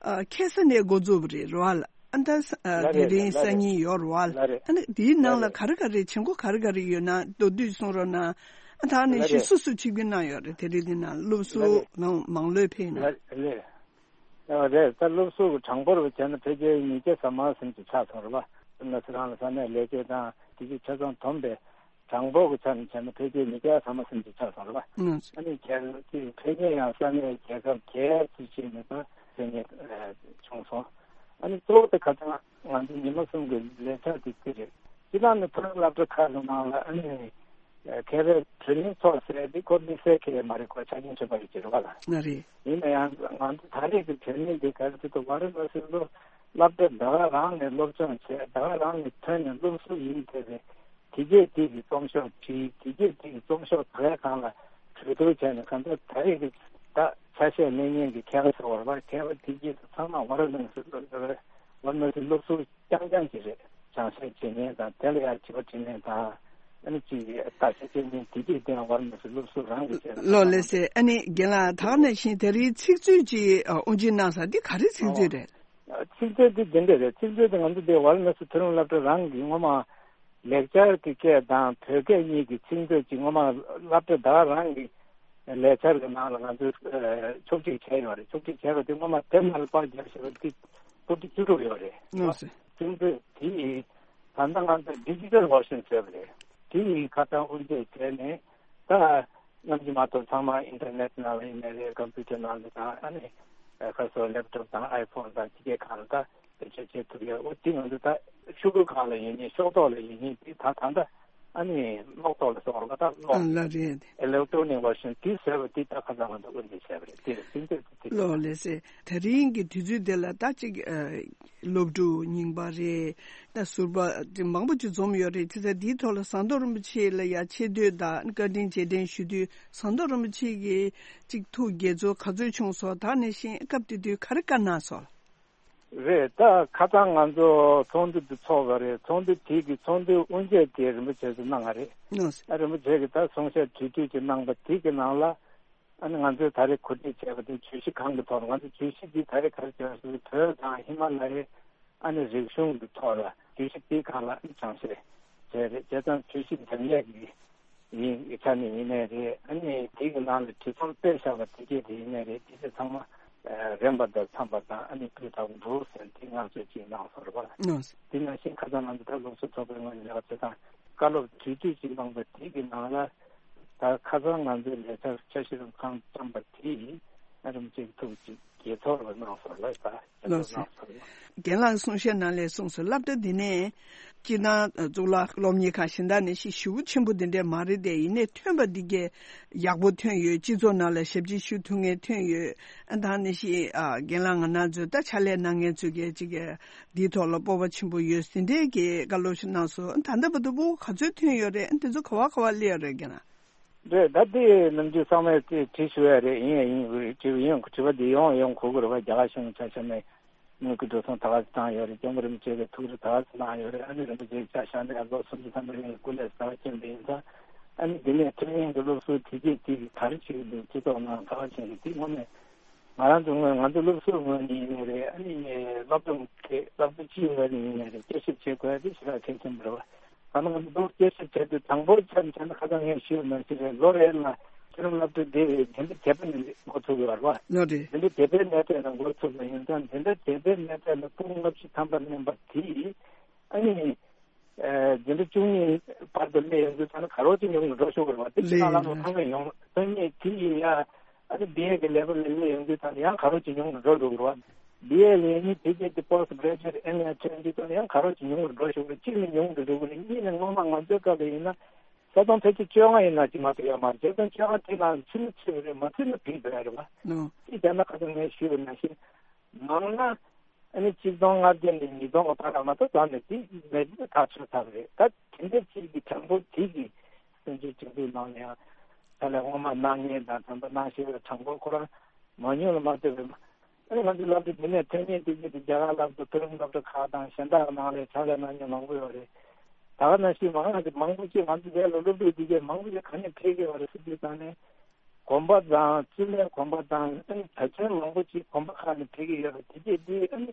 ཨ་ཁ་སང་ནས་འགོ་འཛུགས་པ་རེད་རེད་བ། ཨ་ད་ས་ཨ་ལ་དེ་རེད། རིང་ལ་སང་རེད། ཉིན་ཡོད་རེད་བ། ལ་རེད། ཨ་ནི་དེའི་ནང་ལ་ལ་རེད། ག་རེ་ག་རེ་བྱེད་སྒོ་ག་རེ་ག་རེ་ཡོད་ན་མདོར་བསྡུས་གསུང་རོགས་གནང་། ཨ་ད་ག་ནང་ལ་བཞིན་རེད། སུ་སུ་ཆིབས་བསྒྱུར་གནང་ཡོད་རེད། དེ་རིང་འདི་ནང་སློབ་ལ་ཟུར་རེད། མང་མང་ལོས་ཕེབས་ན། ལ་རེད། ཨ་རེད། ད་སློབ་ཟུར་གྱི་གྲངས་འབོར་བ་བྱས་ན་ཕལ་ཆེར་ཉིས་བརྒྱ་ཟ་མ་ཟིན་ཅིག་ཆགས་སོང་རེད་བ། ང་ཚོ་རང་ལ་ས་གནས་ལས་བྱེད་དང་དེ་ཚོ་ཆ་ཚང་བསྡོམས་པའི་གྲངས་འབོར་གྱི་ཆ་ནས་བྱས་ན་ཕལ་ཆེར་ཉིས་བརྒྱ་ཟ་མ་ཟིན་ཅིག་ཆགས་སོང་རེད་བ། ཨ་ནི་ཁྱེད་ཀྱི་ཕལ་ཆེར་ཡང་ས་གནས་རྒྱལ་ཁབ་བརྒྱད་ཙམ་ཅིག་ནས་ད་ཕེབས་མཁན་བྱུང་སོང་། ཨ་ནི་གཙོ་བོ་དེ་ཁ་སང་ང་ཚོ་ཉི་མ་གསུམ་གྱི་ལས་འཆར་དེ་དེ་རེད། སྤྱི་བཏང་ནས་མཐོ་རིམ་སློབ་གྲྭ་ཁག་གི་ནང་ལ་ཨ་ནི་མཁས་པའི་བགྲོ་གླེང་ཚོགས་ཟེར་དེ་ཁོ་དམིགས་བསལ་གྱི་མ་རེད། ཁོ་ཆ་རྐྱེན་བྱུང་བ་རེད་ཅེས་རེད་བ་ལ། ང་རེད། ཡིན་ན་ཡང་ང་ཚོ་ད་རེས་ཀྱི་བགྲོ་གླེང་འདི་ག་རེ་ཟེར་དུས། ཝཱ་ར་ཎ་སི་ལོ་སློབ་གྲྭ་ད་ག་རང་ནས་སློབ་སྦྱོང་བྱས། ད་ག་རང་ནས་ཐོན་ནས་སློབ་ཟུར་ཡིན་བསྡད་པའི་དེ་གྱད་དེ་གི་རྩོམ་ཤོག་བྲིས། དེ་གྱད་དེ་གི་རྩོམ་ཤོག་ད་གའི་སྒང་ལ་གྲོས་བསྡུར་བྱས་ནས། གང་ལྟར་ད་རེས་ཀྱི་ད་ཆ་ཤས་ལེན་མཁན་གྱི་མཁས་པ་ཟེར་བ་རེད་བ། མཁས་པ་དེ་གྱད་ཚང་མ་ཝཱ་ར་ཎ་སི་ལོ་ཝཱ་ར་ཎ་སི་སློབ་ཟུར་རྐྱང་རྐྱང་ཅིག་རེད། སྦྱང་བཤད་བྱེད་མཁན་དང་། དེ་ལ་ཡང་དྲི་བ་དྲི་མཁན་དང་། ཨ་ནི་ཅིག་བརྟག་དཔྱད་བྱེད་མཁན་དེ་གྱད་དེའང་ཝཱ་ར་ཎ་སི་སློབ་ཟུར་རང་གིས་བྱས་ན། ལགས་ལགས་སེ། ཨ་ནི་རྒན་ལགས་ད་ག་ནང་བཞིན་དེ་རིང་ཚིག་མཛོད་ཅིག་ཨ་དབུ་འབྱེད་གནང་ས་འདི་ག་རེ་ཚིག་མཛོད་རེད། ཚིག་མཛོད་འདི་འདི་འདྲ་རེད། ཚིག་མཛོད་འདི་ང་ཚོ་འདི་ཝཱ་ར་ཎ་སི་མཐོ་རིམ་སློབ་གྲྭ་རང་གི་སྔོན་མ་ལེགས་སྦྱར་གྱི་སྐད་དང་བོད་སྐད་གཉིས་ཀྱི་ཚིག་མཛོད་ཅིག་སྔོན་མ་སློབ་གྲྭ་ད་ག་རང་གི་ལས་འཆར་གྱི་ནང་ལ་ང་ཚོས་ཨ་ཕྱོགས་སྒྲིག་བྱས་ཡོད་རེད། ཕྱོགས་སྒྲིག་བྱས་པ་དེ་སྔོན་མ་དེབ་ནང་ལ་པར་བརྒྱབ་བཞག་པ་དེ་ཕྲུ་གུ་བཅུ་དྲུག་ཡོད་རེད། ལགས་སེ། ཚིག་མཛོད་དེ་ཡིས་ད་ལྟ་ང་ཚོ་ཌི་ཇི་ཊལ་བར་ཤན་ཟེར་བ་རེད། དེ་ཡིས་ཁ་སང་དབུ་འབྱེད་བྱས་ནས། ད་ནམ་རྒྱུན་མ་གཏོགས་ཚང་མ་ཨིན་ཊར་ནེཊ་ནང་ལ་ཡིན་ནའི་རེད། ཀམ་པུ་ཊར་ནང་ལ་དང་། ཨ་ནི་ཁ་སང་ལེབ་ཊོབ་དང་ཨའི་ཕོན་དང་དེ་གའི་སྒང་ལ་ད་བེད་སྤྱོད་བྱེད་ཐུབ་ཡ། འོ་དེ་ང་ཚོ་ད་ཤོག་གུ་སྒང་ལ་ཡིན་ནའི་ཤོག་ཐོག་ལ་ཡིན་ནའི་དེ་ད་ད་ལྟ་ཨ་ནི་གློག་ཐོག་ལ་སོང་བ་ད་གློག་ཨ་ལགས་རེད། ཨི་ལེག་ཊོ་ནིག་བར་ཤན་དེ་ཟེར་བ་དེ་ད་ཁ་སང་ང་ཚོ་དབུ་འབྱེད་བྱས་པ་རེད། དེ་རེད། ཚིག་མཛོད་དེ་ལགས་ལགས་སེ། དེ་རིང་གི་དུས་ཚོད་དེ་ལ་ད་ཅིག་ཨ་སློབ་ཕྲུག་རྙིང་པ་རེད། ད་ཟུར་པ་དེ་མང་པོ་ཅིག་འཛོམས་ཡོད་རེད། བྱས་ཙང་འདིའི་ཐོག་ལ་ཟམ་གདོང་རིན་པོ་ཆེ་ལ་ཡ་ཆེ་བསྟོད་དང་བཀའ་དྲིན་རྗེས་དྲན་ཞུ་དུས། ཟམ་གདོང་རིན་པོ་ཆེ་གིས་ཅིག་ཐུགས་དགྱེས་ཚོར་ག་ཚོད་བྱུང་སོང་། ད་ག་ནང་བཞིན་སྐབས་དེ་དུས་ག་རེ་བཀའ་གནང་སོང་། རེད། ད་ཁ་སང་ང་ཚོ་ཚོགས་འདུ་འདི་ཚོགས་པ་རེད། ཚོགས་འདུ་དེ་གི་ཚོགས་འདུའི་དབུ་འབྱེད་དེ་རིན་པོ་ཆེ་ཚོས་གནང་བ་རེད། ཨ་རིན་པོ་ཆེ་གིས་ད་གསུང་བཤད་གྲོས་བསྡུར་ཅིག་གནང་པ་དེ་གི་ནང་ལ། ཨ་ནི་ང་ཚོས་ད་རེས་གོ་སྒྲིག་བྱས་པ་དེ་བརྗོད་གཞི་གང་གི་ཐོག་ལ། ང་ཚོ་བརྗོད་གཞི་འདི་ད་རེས་ག་རེ་བྱས་པ་ཟེར་ན། བོད་དང་ཧི་མ་ལ་ཡའི་ཨ་ནི་རིག་གཞུང་གི་ཐོག་ལ་བརྗོད་གཞི་འདིའི་སྒང་ལ་ཨ་ནི་སྦྱང་བཤད་བྱས་རེད། བྱས་ཙང་བརྗོད་གཞི་འདེམས་ལས་ཀྱི་ཡིན་ཆ་ནས་ཡིན་ནའི་རེད། ཨ་ནི་དེ་གི་ནང་ལ་བྲིས་རྩོམ་སྤེལ་བཞག་པ་དེ་གས་དེ་ཡིན་ནའི་རེད། དེ་ཚོ་ཚང་མ་རིམ་པ་དང་འཚམས་པ་དང་། ཨ་ནི་སྤུས་དག་འདུག་ཟེར་དེ་བསྔགས་བརྗོད་ཅིག་གནང་སོང་རེད་པ། དེ་ནང་བཞིན་ཁ་སང་ང་ཚོ་ད་སློབ་གསོ་ཚོགས་པའི་ངོས་ནས་ལས་ཀ་བྱེད་སྟངས་བཀའ་སློབ་གྲོས་བསྡུར་ཅིག་གནང་པ་དེ་གི་ནང་ལ། ད་ཁ་སང་ང་ཚོའི་ལས་འཆར་འཆར་གཞི་རིམ་ཁག་བརྩམས་པ་དེ་ཡིན་རིམ་གཅིག་ཐུགས་གཅིག་དགྱེས་ཚོར་བ་གནང་སོང་ལ་ད་དགྱེས་ལགས་ཚོར་སོ། གནང་སོང་། རྒན་ལགས་གསུང་བཤད་ནང་ལས་གསུངས་སོང་། སློབ་གྲྭ་འདི་ནས་སྤྱིར་བཏང་གཙུག་ལག་སློབ་གཉེར་ཁང་གཞན་དག་ནས་ཞིག་ཞེ་པོ་ཆེན་པོ་འདི་འདྲས་མ་རེད་དེ། ཡིན་ནའི་ཐོན་པ་འདི་གས་ཡག་པོ་ཐོན་ཡོད། སྤྱི་ཚོགས་ནང་ལ་ཞབས་ཕྱི་ཞུ་ཐུབ་མཁན་ཐོན་ཡོད། ཨ་ད་ནི་ཞིག་ཨ་རྒན་ལགས་ང་རང་ཚོའི་ད་ཕྱག་ལས་གནང་མཁན་ཚོས་གས་ཅིག་གས་འདིའི་ཐོག་ལ་སྤོབས་པ་ཆེན་པོ་ཡོད་ཟིན་འདྲས་ཀྱི་བཀའ་སློབ་ཞིག་གནང་སོང་། ཨ་ད་ལྟ་བར་དུ་སྤོབས་པ་ག་ཚོད་ཐོན་ཡོད་རེད། ཨ་འདི་ཚོ་ག་བ་ག་བ་སླེབས་ཡོད་རེད་རྒན་ལགས། རེད། ད་ལྟའི་ནམ་རྒྱུན་ཚང་མས་དེ་དྲི་ཞུ་ཡ་རེད། ཡིན་ཡ་ཡིན་དགོས་རེད། དྲི་བ་ཡིན་དྲི་བ་འདི་ཡོང་ཡོང་གོ་གི་རེད་བ། རྒྱ་གར་གཞུང་ཆ་བཞག་ནས་དངུལ་གྱི་འགྲོ་སོང་ད་ག་ཚོད་བཏང་ཡོད་རེད། སྐྱབས་མགོན་རིན་པོ་ཆེ་གི་ཐུགས་རེ་ད་ག་ཚོད་གནང་ཡོད་རེད། ཨ་ནི་རིན་པོ་ཆེ་ཆ་བཞག་ནས་ལོ་སུམ་ཅུ་ཐམ་པ་རིང་གི་སྐུ་ལས་ཟབ་ཅན་འདི་ཡིན་ཙང་། ཨ་ནི་འདི་ནས་ཐོན་མཁན་གྱི་སློབ་ཟུར་དེ་གས་དེ་གི་ག་རེ་བྱེད་ཀྱི་འདུག་སྤྱི་ཚོགས་ནང་ད་ག་བྱེད་ཀྱི་འདུག་དངོས་གནས་ང་རང་ཚོ་ངོས་ང་ཚོ་སློབ་ཟུར་ངོས་ནས་ཡིན་ནའི་རེད། ཨ་ནི་སློབ་སྦྱོང་གི་སློབ་ཕྲུག་སྤྱིའི་ངོས་ནས་ཡིན་ནའི་རེད། བསྐྱར་ཞིབ་བྱེད་དགོས་ཡ་དེ་ཞེ་དྲག་གལ་ཆེན་པོ་རེད་བ། ད་ནང་འདུག་སྐད་ཆ་བྱས་དུས་དང་པོ་ཆ་ནས་ཆ་ནས་ཁ་སང་ངས་ཞུས་ནང་བཞིན་རེད། ལོ་རེ་ལ་ཆུ་རུམ་སློབ་ཕྲུག་དེ་འཛིན་གྲྭ་བརྒྱད་པ་ནས་འགོ་ཚུགས་ཡོད་རེད་བ། ལོ་རེ། འཛིན་གྲྭ་བརྒྱད་པའི་གནས་སྟངས་ནས་འགོ་ཚུགས་པ་ཡིན་ཙང་། འཛིན་གྲྭ་བརྒྱད་པའི་གནས་སྟངས་ནས་ཕྲུ་གུ་ལྔ་བཅུ་ཐམ་པ་ལེན་པ་དེ་ཨ་ནི་འཛིན་གྲྭ་བཅུ་གཉིས་བར་དུ་སླེབས་ཡོང་དུས་ད་ནི་ག་རོ་ཅིག་ཉུང་དུ་འགྲོ་ཤོག་གི་རེད་བ། དེ་ཕྱི་ནང་ལམ་ལ་ཐོན་མཁན་ཡོང་ཐོན་མཁན་དེ་ཡིན་ཡ། ཨ་ནི་བི་ཨེ་གི་ལེ་ཝལ་ལ་སླེབས་ཡོང་དུས་ད་ནི་ཡང་ག་རོ་ཅིག་ཉུང་དུ་འགྲོ་འགྲོ་གི་རེད་བ། བི་ཨེ་ལེན་ནི་དེ་གས་དེ་པོ་སི་ཊི་གྷ་རེ་ཇུ་ཨེཊ་ཨེམ་ཨེ་ཐོན་དུས་ད་ནི་ཡང་ག་རོ་ཅིག་ཉུང་དུ་འགྲོ་ཤོག་གི་རེད། གཅིག་ནི་ཉུང་དུ་འགྲོ་གི་རེད། གཉིས་ནི་སྔོན་མ་ང་ཚོའི་སྐབས་ལ་ཡིན་ན་ས་སྟོང་ཕལ་ཆེར་བཅོ་ལྔ་ཡིན་ན་ཅིག་མ་གཏོགས་ཡོད་མ་རེད། བཅོ་ལྔ་ཐེངས་ལ་ཚུད་ན་ཚུད་རེད། མ་ཚུད་ན་བྲིས་འགྲོ་ཡ་རེད་བ། ནོ། དེ་བྱས་ན་ཁ་སང་ངས་ཞུས་པ་ནང་བཞིན་མང་ན། ཨ་ནི་གཅིག་སྟོང་ལྔ་བརྒྱ་ནས་ཉིས་སྟོང་གི་བར་ལ་མ་གཏོགས་ད་ནི་དེ་མེད་ན་ཐག་ཆོད་ཚར་བ་རེད། ད་དེ་འདྲ་ཅིག་གི་གྲངས་འབོར་དེ་གི་བཙན་བྱོལ་སྤྱི་འཐུས་ནང་ནས་ཡང་ད་ལས་སྔོན་མ་གནང་མཁན་དང་ད་ལྟ་གནང་བཞིན་པའི་གྲངས་འབོར་ཁོ་རང་མང་ཉུང་ལ་མ་ལྟོས་པའི། ཨ་ནི་ང་ཚོའི་སློབ་གྲྭ་འདི་ནས་ཐོན་མཁན་དེ་གི་དེ་རྒྱ་གར་སློབ་གྲྭ་མཐོ་རིམ་སློབ་གྲྭ་ཁག་དང་གཞན་དག་ནང་ལས་ཕྱག་ལས་གནང་མཁན་མང་པོ་ཡོད་རེད། ད་ག་ནང་བཞིན་མང་ང་ཚོ་མང་པོ་ཅིག་ང་ཚོ་རྒྱལ་ལ་སློབ་ཕྲུག་དེ་གས་མང་པོ་ཅིག་ག་ནས་ཕེབས་ཀྱི་ཡོད་རེད་ཟེར་དུས་ད་ནས། གོམ་པ་དང་བཙུན་མའི་གོམ་པ་དང་ཨ་ནི་བོད་ཆེན་མང་པོ་ཅིག་གོམ་པ་ཁག་ནས་ཕེབས་ཀྱི་ཡོད་པ་དེ་གས་འདི་ཨ་ནི་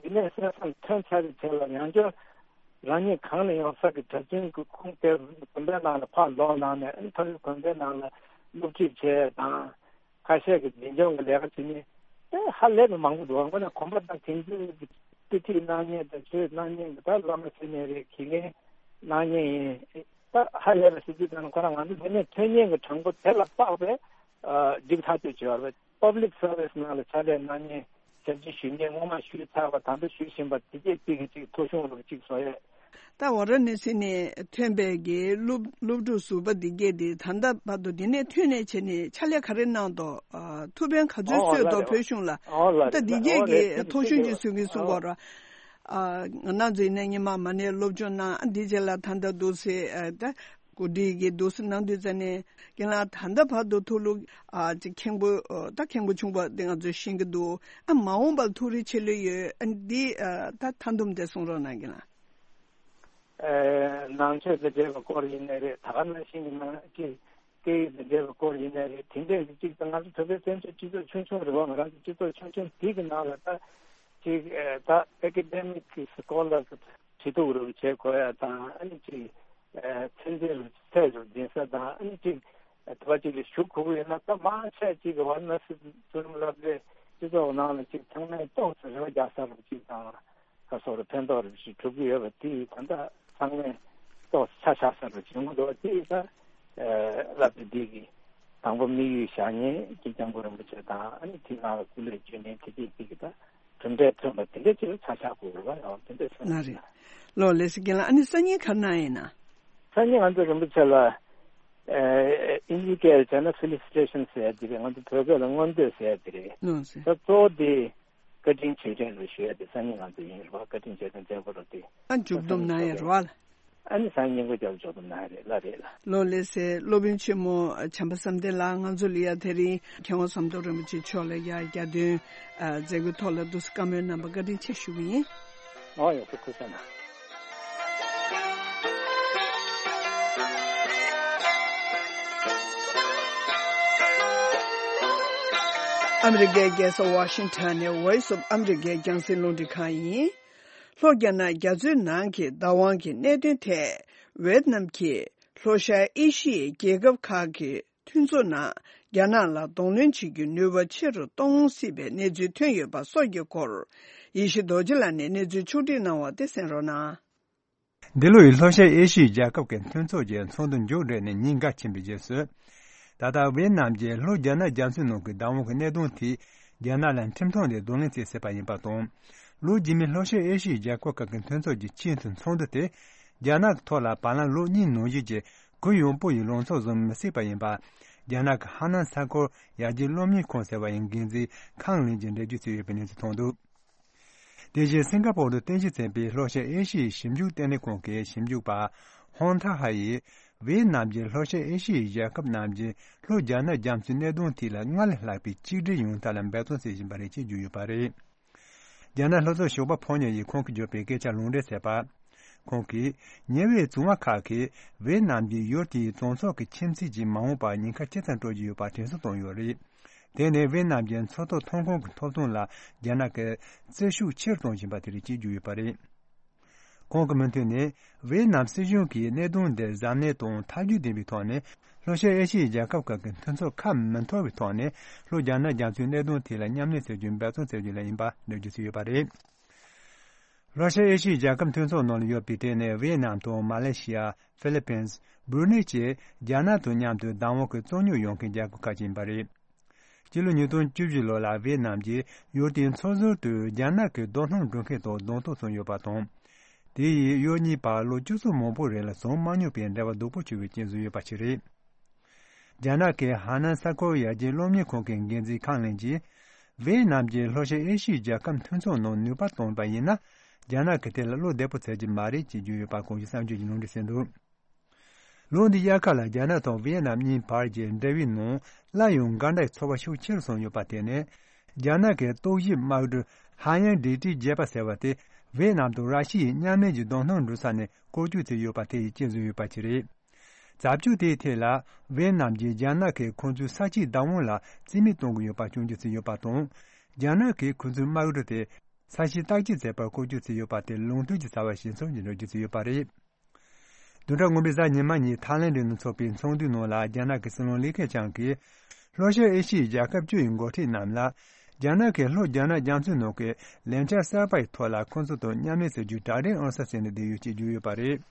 འདི་ནས་གསན་བསམ་ཐོན་ཚར་བའི་རྗེས་ལ་ཡང་བསྐྱར་རང་ཉིད་གང་ནས་ཡོང་ས་གི་གྲྭ་བཙུན་གྱི་ཁུངས་དེ་དགོན་པའི་ནང་ལ་ཕར་ལོག་གནང་ནས་ཨ་ནི་མཐོ་རིམ་དགོན་པའི་ནང་ལ་སློབ་ཁྲིད་བྱས་དང་ཁ་ཤས་ཀྱི་འཛིན་སྐྱོང་གི་ལས་ཀ་བྱེད་ནས་ཨེ་ཧ་ལས་པའི་མང་པོ་འདུག་དངོས་གནས་གོམ་པ་དང་དེང་དུས་ཀྱི་དཔེ་ཁྲིད་གནང་མཁན་དང་ཆོས་གནང་མཁན་གྱི་ད་བླ་མ་ཟེར་ནའི་རེད། དགེ་རྒན་གནང་མཁན་ཡིན། ད་ཧ་ལས་པ་ཟེར་དུས་ད་ནི་ཁོ་རང་ང་ཚོ་འདི་ནས་ཐོན་མཁན་གྱི་གྲངས་འབོར་དེ་ལ་དཔག་པའི་ཨ་འགྲིག་ཐག་ཆོད་བྱས་པ་རེད། པབ་ལིག་སར་ཝི་སི་ནང་ལ་ཕྱག་ལས་གནང་མཁན་ཞབས་ཕྱི་ཞུ་མཁན་སྔོན་མ་ཞུས་ཚར་བ་ད་ལྟ་ཞུ་བཞིན་པ་དེ་གས་གཅིག་གིས་གཅིག་ཐོ་གཞུང་རུ་གཅིག་བཟོ་ཡས། ད་ཝཱ་ར་ཎ་སི་ནས་ཐོན་པའི་གི་སློབ་སློབ་ཕྲུག་ཟུར་པ་འདི་གས་དེ་ད་ལྟ་བར་དུ་འདི་ནས་ཐོན་ནས་བྱས་ནས་ཕྱག་ལས་ག་རེ་གནང་འདུག་ཨ་ཐུགས་ཕན་ག་ཚོད་ཨོ་གསོས་ལ་འདུག་རེད། བོད་གཞུང་ལ། ཨོ་ལ་ད་རེད་འདི་ལ། གས་ཨོ་གི་རེད། ཐུགས་ཐོ་གཞུང་རེད་ཅིག་གསོ་གི་གསུང་ཨོ། གོ་ར། ཨ་ང་རང་ཚོ་ཡིན་ན་སྔོན་མ་མ་ཎི་སློབ་སྦྱོང་གནང་། ཨ་འདི་རྗེས་ལ་ད་ལྟ་འདུག་སེ་ཨ་ད་གོ་སྒྲིག་གི་འདུག་སེ་གནང་དུས་ཙ་ནས་རྒན་ལགས་ད་ལྟ་བར་དུ་ཐུགས་ལུགས་ཨ་ཅིག་མཁན་པོ་ཨ་ད་མཁན་པོ་ཆུང་པ་འདི་ང་ཚོས་ཤེས་ཀྱི་འདུག་ཨ་མ་འོངས་པར་ཐུགས་རེ་ཆེ་ལོས་ཡོད། ཨ་འདི་ཨ་ད་ད་དུམ་དེ་གསུང་རོགས་གནང་རྒན་ལགས། ཨ་ནང་ཆོས་དང་འབྲེལ་བའི་སྐོར་ཡིན་ནའི་རེད། ད་ག་ནང་བཞིན་གྱི་ནང་ཅིག་སྐད་ཡིག་དང་འབྲེལ་བའི་སྐོར་ཡིན་ནའི་རེད། དེ་འདྲས་ཀྱི་གཅིག་ད་ང་ཚོ་བོད་པའི་བཙན་བྱོལ་སྤྱི་ཚོགས་ཆུང་ཆུང་རེད་བ། ང་རང་ཚོ་སྤྱི་ཚོགས་ཆུང་ཆུང་དེ་གི་ནང་ལ་ད་ཅིག་ཨ་ད་ཨེ་ཀ་ཌེ་མིག་གི་སི་ཀོ་ལར་གི་ཁྲི་གདུགས་རུ་བྱེད་དགོས་ཡ་དང་། ཨ་ནི་ཅིག་ཨ་ཚན་རྩལ་རུ་ཚད་རུ་འཛིན་ས་དང་། ཨ་ནི་ཅིག་ཨ་དེ་བ་ཅིག་ལ་ཞུགས་དགོས་ཀྱི་ཡོད་ན་ད་མང་ཆེ་ཅིག་གི་ཝཱ་ར་ཎ་སི་མཐོ་རིམ་སློབ་གྲྭའི་སྤྱི་ཚོགས་ནང་ལ་ཅིག་ཚང་མས་ཏོག་ཙམ་རེ་བ་རྒྱག་ས་རུ་ཅིག་དང་། ཁ་སོགས་ལ་ཕན་ཐོགས་རིམ་བཞིན་གྲུབ་ཀྱི་ཡོད་པ་དེ་ད་ལྟ་ཚང་མས་ཏོག་ཙམ་ཆ་བཞག་ས་རུ་བྱུང་འདུག་དེ་ད་ཨ་སློབ་གྲྭ་འདི་གི་དང་པོ་དམིགས་ཡུལ་བཞག་མཁན་གྱི་སྐྱབས་མགོན་རིན་པོ་ཆེ་དང་། ཨ་ནི་དེ་ནང་ལ་སྐུ་ལས་བསྐྱོན་མཁན་དེ་གས་དེ་གི་ད་གྲུབ་འབྲས་ཐོན་པ་དེ་འདྲ་ཅིག་ལ་ཆ་བཞག་དགོས་རེད་བ། ཡང་དེ་འདྲ་ཟེར་ན་ལགས་རེད། ལགས་ལགས་སོ། རྒན་ལགས་ཨ་ནི་སང་ཉིན་ག་རེ་གནང་ཡིན་ན། སང་ཉིན་ང་ཚོ་རིན་པོ་ཆེ་ལ་ཨ་ཨིན་ཇི་སྐད་བྱས་ན་ཕེ་ལི་སི་ཊེ་ཤན་ཟེར་ཡ་དེ་རེད། ང་ཚོ་བོད་སྐད་ལ་སྔོན་བསྟོད་ཟེར་ཡ་དེ་རེད། ལགས་སོ། ད་གཙོ་བོ་དེ་བཀའ་དྲིན་རྗེས་དྲན་རེད་ཞུ་ཡ་དེ་སང་ཉིན་ང་ཚོ་ཡིན་རེད་བ། བཀའ་དྲིན་རྗེས་དྲན་མཛད་སྒོ་རེད་དེ། ཨ་མཇུག་བསྡོམས་གནང་ཡ་རེད་བ། ཨ་ནི་སང་ཉིན་གོ་རྒྱབ་མཇུག་བསྡོམས་གནང་ཡ་རེད། ལགས་རེད་ལགས། ལགས་ལགས་སོ། སློབ་དཔོན་ཆེན་མོ་བྱམས་པ་བསམ་གཏན་ལགས་ང་ཚོ་ལ་ཡ་དེ་རིང་མཁས་དབང་ཟམ་གདོང་རིན་པོ་ཆེ་མཆོག་ལ་ཡ་རྒྱ་སྟོན་ཨ་མཛད་སྒོའི་ཐོག་ལ་འདུག་སེ་བཀའ་མོལ་གནང་བར་བཀའ་དྲིན་ཆེ་ཞུ་གི་ཡིན། ཨོ་ཡ་ཐུགས་རྗེ་གནང་། ཨ་མི་རི་ཀའི་རྒྱལ་ས་ཝ་ཤིང་ཊོན་ནས་Voice of America་རྒྱང་སྲིང་རླུང་འཕྲིན་ཁང་ཡིན། ལྷོ་རྒྱ་ནག་རྒྱ་མཚོའི་ནང་གི་བདག་དབང་གི་གནད་དོན་ཐད། ཝེད་ནམ་གྱིས་ལྷོ་ཤར་ཨེ་ཤི་ཡའི་རྒྱལ་ཁབ་ཁག་གི་མཐུན་ཚོགས་ནང་རྒྱ་ནག་ལ་གདོང་ལེན་བྱེད་རྒྱུའི་ནུས་པ་ཆེ་རུ་གཏོང་སྲིད་པའི་གནས་ཚུལ་ཐོན་ཡོད་པ་སོགས་ཀྱི་སྐོར། ཡེ་ཤེས་རྡོ་རྗེ་ལགས་ནས་གནས་ཚུལ་ཕྱོགས་སྒྲིག་གནང་བ་དེ་གསན་རོགས་གནང་། འདི་ལོ་ཡི་ལྷོ་ཤར་ཨེ་ཤི་ཡའི་རྒྱལ་ཁབ་ཀྱི་མཐུན་ཚོགས་ཀྱི་ཚོགས་འདུ་མཇུག་སྒྲིལ་ནས་ཉིན་འགའ་ཕྱིན་པའི་རྗེས་སུ། ད་ལྟ་ཝེ་ནམ་གྱིས་ལྷོ་རྒྱ་ནག་རྒྱ་མཚོའི་ནང་གི་བདག་དབང་གི་གནད་དོན་དེ་རྒྱ་ནག་ལ་ཁྲིམས་ཐོག་ནས་གདོང་ལེན་བྱེད་སྲིད་པ་ཡིན་པ་དང་། ལོ་རྗེས་མའི་ལྷོ་ཤར་ཨེ་ཤི་ཡའི་རྒྱལ་ཁབ་ཁག་གི་མཐུན་ཚོགས་ཀྱི་ཆེས་མཐོའི་ཚོགས་འདུ་དེ་རྒྱ་ནག་གི་ཐོག་ལ་བར་ལམ་ལོ་གཉིས་ནང་བཞིན་གྱི་གུ་ཡངས་པོ་ཡི་ལངས་ཕྱོགས་བཟུང་མི་སྲིད་པ་ཡིན་པ། རྒྱ་ནག་གི་ཧ་ནན་ས་ཁུལ་ཡར་རྒྱས་སློབ་གཉེར་ཁང་ཟེར་བ་ཡི་འགན་འཛིན་ཁང་ལིན་གྱིས་འགྲེལ་བརྗོད་བྱས་ཡོད་པའི་གནས་ཚུལ་ཐོན་འདུག་དེ་བཞིན་སིང་ག་པོར་དུ་རྟེན་གཞི་བྱས་པའི་ལྷོ་ཤར་ཨེ་ཤི་ཡའི་ཞིབ་འཇུག་ལྟེ་གནས་ཁང་གི་ཞིབ་འཇུག་པ་ཧོང་ཐ་ཧ་ཡིས། ཝེ་ནམ་གྱིས་ལྷོ་ཤར་ཨེ་ཤི་ཡའི་རྒྱལ་ཁབ་རྣམས་ཀྱིས་ལྷོ་རྒྱ་ནག་རྒྱ་མཚོའི་གནད་དོན་ཐད་ལ་སྔར་ལས་ལྷག་པའི་གཅིག་སྒྲིལ་ཡོང་ཐབས་ལ་འབད་བརྩོན་བྱེད་བཞིན་པ་རེད་ཅེས་བརྗོད་ཡོད་པ་རེད། རྒྱ་ནག་ལྷོ་ཕྱོགས་ཞོགས་པ་ཕོ་ཉ་ཡིས་ཁོང་གིས་བརྗོད་པའི་སྐད་ཆ་ལུང་འདྲེན་བྱས་པ། ཁོང་གིས་ཉེ་བའི་བཙོན་པ་ཁག་གིས་ཝེ་ནམ་གྱི་ཡུལ་དེའི་གྲོས་ཚོགས་ཀྱི་ཁྱིམ་མཚེས་ཀྱི་མ་འོངས་པར་ཉེན་ཁ་ཇི་ཙམ་སྤྲོད་ཀྱི་ཡོད་པ་དྲན་གསོ་བཏང་ཡོད་རེད། དེ་ནི་ཝེ་ནམ་གྱི་མཚོ་ཐོག་ཐོན་ཁུངས་ཀྱི་ཐོབ་ཐང་ལ་རྒྱ་ནག་གིས་བརྩི་ཤུགས་ཆེ་རུ་གཏོང་བཞིན་པ་དེ་རེད་ཅེས་བརྗོད་ཡོད་པ་རེད། ཁོང་གི་མུ་མཐུད་ནས། ཝེ་ནམ་སྲིད་གཞུང་གིས་གནད་དོན་འདིར་གཟབ་ནན་དང་ཐབས་ཇུས་ལྡན་པའི་ཐོག་ནས་ལྷོ་ཤར་ཨེ་ཤི་ཡའི་རྒྱལ་ཁབ་ཁག་གི་མཐུན་ཚོགས་ཁ་མི་འཐོར་བའི་ཐོག་ནས་ལྷོ་རྒྱ་ནག་རྒྱ་མཚོའི་གནད་དོན་ཐད་ལ་མཉམ་ལས་བྱ་རྒྱུའི་འབད་བརྩོན་བྱ་རྒྱུ་ལ་ཡིན་པ་འགྲེལ་བརྗོད་བྱས་ཡོད་པ་རེད། ལྷོ་ཤར་ཨེ་ཤི་ཡའི་རྒྱལ་ཁབ་མཐུན་ཚོགས་ནང་ལ་ཡོད་པའི་གྲས་ནི་ཝེ་ནམ་དང་མ་ལེ་ཤི་ཡ། ཧྥི་ལི་པིན། སྦུ་ནེ་བཅས་རྒྱ་ནག་དང་མཉམ་དུ་བདག་དབང་གི་རྩོད་རྙོག་ཡོང་མཁན་རྒྱལ་ཁབ་ཁག་ཅིག་ཡིན་པ་རེད། སྤྱི་ལོ་ཉིས་སྟོང་བཅུ་བཞི་ལོ་ལ་ཝེ་ནམ་གྱིས་ཡུལ་དེའི་མཚོ་ཟུར་དུ་རྒྱ་ནག་གི་རྡོ་སྣུམ་འགྲོ་མཁན་དང་གདོང་ཐུག་བྱུང་ཡོད་པ་དང་། དེ་ཡིས་ཡུལ་གཉིས་བར་ལོ་བཅུ་ཚོ་མང་པོའི་རིང་ལ་བྱུང་མ་མྱོང་པའི་འབྲེལ་བ་སྡུག་པོ་བྱུང་བའི་རྐྱེན་བཟོས་ཡོད་པ་ཞིག་རེད། རྒྱ་ནག་གི་ཧ་ནན་ས་ཁུལ་ཡར་རྒྱས་སློབ་གཉེར་ཁང་གི་འགན་འཛིན་ཁང་ལིན་གྱིས། ཝེ་ནམ་གྱིས་ལྷོ་ཤར་ཨེ་ཤི་ཡའི་རྒྱལ་ཁབ་མཐུན་ཚོགས་ནང་ནུས་པ་བཏོན་པ་ཡིན་ན། རྒྱ་ནག་གི་ཐད་ལ་བློ་བདེ་པོ་བྱེད་ཀྱི་མ་རེད་ཅེས་བརྗོད་ཡོད་པ་གོང་ཞུས་གསར་འགྱུར་གྱིས་ལུང་འདྲེན་བྱས་འདུག་ལོ་འདིའི་དབྱར་ཁ་ལ་རྒྱ་ནག་དང་ཝེ་ནམ་གཉིས་བར་གྱི་འབྲེལ་བའི་ནང་སླར་ཡང་འགལ་ཟླའི་ཚོར་བ་ཤུགས་ཆེ་རུ་སོང་ཡོད་པ་དེ་ནི། རྒྱ་ནག་གི་རྟོག་ཞིབ་དམག་གྲུ་ཧ་ཡང་ཌི་ཏི་བརྒྱད་པ་ཟེར་བ་དེ་ཝེ་ནམ་དང་ར་ཤི་ཡའི་མཉམ་ལས་ཀྱི་རྡོ་སྣུམ་འགྲུལ་ས་ནས་བཀོལ་སྤྱོད་བྱས་ཡོད་པ་དེ་ཡིས་རྐྱེན་བཟོས་ཡོད་པ་ཞིག་རེད། རྩབ་ཆུ་དེའི་ཐད་ལ་ཝེ་ནམ་གྱིས་རྒྱ་ནག་གིས་ཁོང་ཚོའི་ས་ཆའི་བདག་དབང་ལ་རྩིས་མེད་གཏོང་གི་ཡོད་པ་སྐྱོན་བརྗོད་བྱས་ཡོད་པ་དང་། རྒྱ་ནག་གིས་ཁོང་ཚོའི་དམག་གྲུ་དེ་ས་གཞི་བརྟག་དཔྱད་བྱེད་པར་བཀོལ་སྤྱོད་བྱས་ཡོད་པ་དེ་ལུང་མཐུན་གྱི་བྱ་བ་ཞིག་ཡིན་ཚུལ་གྱི་འགྲེལ་བརྗོད་བྱས་ཡོད་པ་རེད། བདུན་ཕྲག་སྔོན་པའི་གཟའ་ཉི་མ་ཉིན་ཐའི་ལེན་ཌི་ནང་འཚོགས་པའི་ཚོགས་འདུའི་ནང་ལ་རྒྱ་ནག་གི་སྲིད་བློན་ལི་ཁེ་ཆང་གིས། ལྷོ་ཤར་ཨེ་ཤི་ཡའི་རྒྱལ་ཁབ་བཅུ་ཡི་འགོ་ཁྲིད་རྣམས་ལ། རྒྱ་ནག་གིས་ལྷོ་རྒྱ་ནག་རྒྱ་མཚོའི་ནང་གི་ལས་འཆར་གསར་པ་ཡི་ཐོག་ལ་ཁོང་ཚོ་དང་མཉམ་ལས་བྱ་རྒྱུའི་གྲ་སྒྲིག་འོང་ས་ཟེར་ནས་བསྡད་ཡོད་ཅེས་བརྗོད་ཡོད་པ་རེད།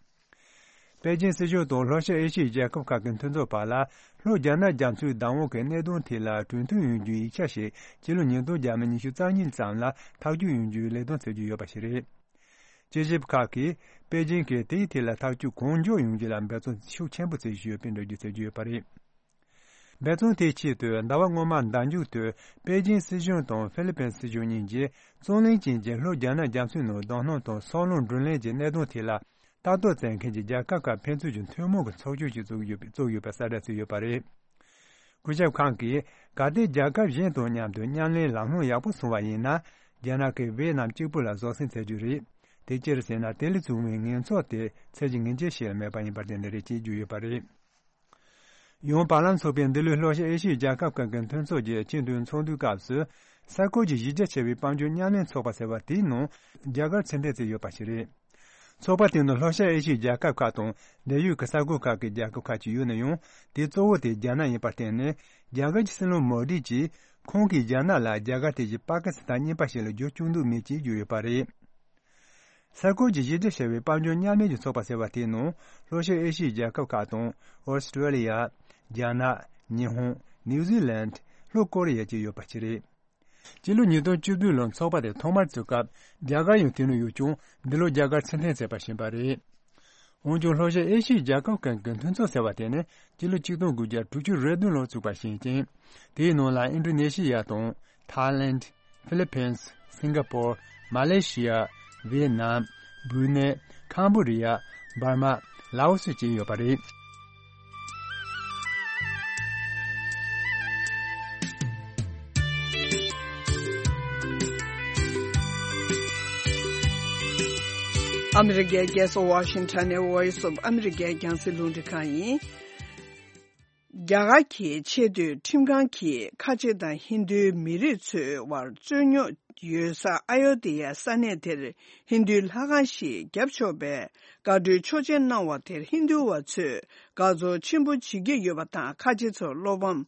པེ་ཅིན་སྲིད་གཞུང་དང་ལྷོ་ཤར་ཨེ་ཤི་ཡའི་རྒྱལ་ཁབ་ཁག་གི་མཐུན་ཚོགས་བར་ལ་ལྷོ་རྒྱ་ནག་རྒྱ་མཚོའི་བདག་དབང་གི་གནད་དོན་ཐད་ལ་གྲོས་མཐུན་ཡོང་རྒྱུའི་ཡིག་ཆ་ཞིག་སྤྱི་ལོ་ཉིས་སྟོང་ཉི་ཤུ་རྩ་གཉིས་ཙམ་ལ་ཐག་གཅོད་ཡོང་རྒྱུའི་ལས་དོན་བྱེད་ཀྱི་ཡོད་པ་ཞིག་རེད། དཔྱད་ཞིབ་ཁག་གིས་པེ་ཅིན་གྱིས་དེའི་ཐད་ལ་ཐག་གཅོད་གང་མགྱོགས་ཡོང་རྒྱུ་ལ་འབད་བརྩོན་ཤུགས་ཆེན་པོ་བྱེད་བཞིན་ཡོད་པའི་འགྲེལ་བརྗོད་བྱེད་ཀྱི་ཡོད་པ་རེད། འབད་བརྩོན་དེའི་ཆེད་དུ་ཟླ་བ་སྔོན་མ་ཟླ་མཇུག་ཏུ་པེ་ཅིན་སྲིད་གཞུང་དང་ཧྥི་ལི་པིན་སྲིད་གཞུང་གཉིས་ཀྱིས་རྩོད་གླེང་ཅན་གྱི་ལྷོ་རྒྱ་ནག་རྒྱ་མཚོའི་ནང་རྡོ་སྣུམ་དང་སོལ་རླུང་བསྒྲུན་ལེན་གྱི་གནད་དོན་ཐད་ལ་ལྟ་རྟོག་བྱེད་མཁན་གྱི་རྒྱལ་ཁབ་ཁག་ཕན་ཚུན་གྱི་ཐུན་མོང་གི་ཚོགས་ཆུང་ཞིག་བཙུགས་ཡོད་པའི་བཙུགས་ཡོད་པའི་གསལ་བསྒྲགས་བྱས་ཡོད་པ་རེད། སྐུ་ཞབས་ཁང་གིས་གལ་ཏེ་རྒྱལ་ཁབ་གཞན་དང་མཉམ་དུ་མཉམ་ལས་ལམ་ལྷོང་ཡག་པོ་སོང་བ་ཡིན་ན། རྒྱ་ནག་གིས་ཝེ་ནམ་གཅིག་པུ་ལ་བཟོད་བསྲན་བྱ་རྒྱུ་རེད། དེ་ཅི་རེད་ཟེར་ན། དེ་ལས་བྱུང་བའི་ངན་ཚོགས་དེ་ཚད་གཞི་ངེས་ཅན་ཞིག་ལ་མེད་པ་ཡིན་པར་བརྟེན་ནས་རེད་ཅེས་བརྗོད་ཡོད་པ་རེད། ཡང་བར་ལམ་ཚོགས་པའི་འདི་ལོའི་ལྷོ་ཤར་ཨེ་ཤི་ཡའི་རྒྱལ་ཁབ་ཁག་གི་མཐུན་ཚོགས་ཀྱི་སྤྱི་འཐུས་ཚོགས་འདུའི་སྐབས་སུ། ས་ཁུལ་གྱི་གཞི་རྒྱ་ཆེ་བའི་དཔལ་འབྱོར་མཉམ་ལས་ཚོགས་པ་ཟེར་བ་དེའི་ནང་རྒྱ་གར་ཕྱིར་འཐེན་བྱས་ཡོད་པ་ཞིག་རེད། ཚོགས་པ་དེ་ནི་ལྷོ་ཤར་ཨེ་ཤི་ཡའི་རྒྱལ་ཁབ་ཁག་དང་འབྲེལ་ཡོད་ཀྱི་ས་ཁུལ་ཁག་གི་རྒྱལ་ཁབ་ཁག་ཅིག་ཡོད་ན་ཡང་། དེའི་གཙོ་བོ་དེ་རྒྱ་ནག་ཡིན་པར་བརྟེན་ནས། རྒྱ་གར་གྱི་སྲིད་བློན་མོ་དི་གྱིས་ཁོང་གིས་རྒྱ་ནག་ལ་རྒྱ་གར་དེ་བཞིན་པ་ཀི་སི་ཐན་གཉིས་པ་ཞིག་ལ་འགྱུར་བཅུག་འདོད་མེད་ཅེས་བརྗོད་ཡོད་པ་རེད། ས་ཁུལ་གྱི་གཞི་རྒྱ་ཆེ་བའི་དཔལ་འབྱོར་མཉམ་ལས་ཀྱི་ཚོགས་པ་ཟེར་བ་དེའི་ནང་ལྷོ་ཤར་ཨེ་ཤི་ཡའི་རྒྱལ་ཁབ་ཁག་དང་། ཨོ་སི་ཀྲོ་ལི་ཡ། རྒྱ་ནག་ཉི་ཧོང་། ནིའུ་ཛི་ལན། ལྷོ་ཀོ་རི་ཡ་བཅས་ཡོད་པ་ཞིག་རེད། སྤྱི་ལོ་ཉིས་སྟོང་བཅུ་བདུན་ལོར་ཚོགས་པ་དེ་ཐོག་མར་བཙུགས་སྐབས་རྒྱ་གར་ཡང་དེ་ནང་ཡོད་ཀྱང་། འདི་ལོ་རྒྱ་གར་ཕྱིར་འཐེན་བྱས་པ་ཞིག་ཡིན་པ་རེད། འོན་ཀྱང་ལྷོ་ཤར་ཨེ་ཤི་ཡའི་རྒྱལ་ཁབ་ཁག་གི་མཐུན་ཚོགས་ཟེར་བ་དེ་ནི་སྤྱི་ལོ་ཆིག་སྟོང་དགུ་བརྒྱ་དྲུག་ཅུ་རེ་བདུན་ལོར་བཙུགས་པ་ཞིག་ཡིན་ཅིང་། དེའི་ནང་ལ་ཨིན་ཌོ་ནེ་ཤི་ཡ་དང་། ཐའི་ལེན། ཧྥི་ལི་པིན། སིང་ག་པོར། མ་ལེ་ཤི་ཡ། ཝེ་ནམ། སྦུ་ནེ། ཁམ་བྷོ་ཌི་ཡ། འབར་མ། ལའོ་སི་བཅས་ཡོད་པ་རེད། ཨ་མི་རི་ཀའི་རྒྱལ་ས་ཝ་ཤིང་ཊོན་ནས་Voice of America རྒྱང་སྲིང་རླུང་འཕྲིན་ཁང་ཡིན། རྒྱ་གར་གྱི་ཆེས་མཐོའི་ཁྲིམས་ཁང་གིས་ཁ་ཆེ་དང་ཧིན་རྡུའི་མི་རིགས་ཚོའི་དབར་རྩོད་རྙོག་ཡོད་ས་ཨ་ཡོ་དྷི་ཡ་ས་གནས་དེར་ཧིན་རྡུའི་ལྷ་ཁང་ཞིག་བརྒྱབ་ཆོག་པའི་བཀའ་འཁྲོལ་ཆོག་མཆན་གནང་བ་དེར་ཧིན་རྡུ་བ་ཚོས་དགའ་ཚོར་ཆེན་པོ་བྱེད་ཀྱི་ཡོད་པ་དང་། ཁ་ཆེ་ཚོར་བློ་ཕམ་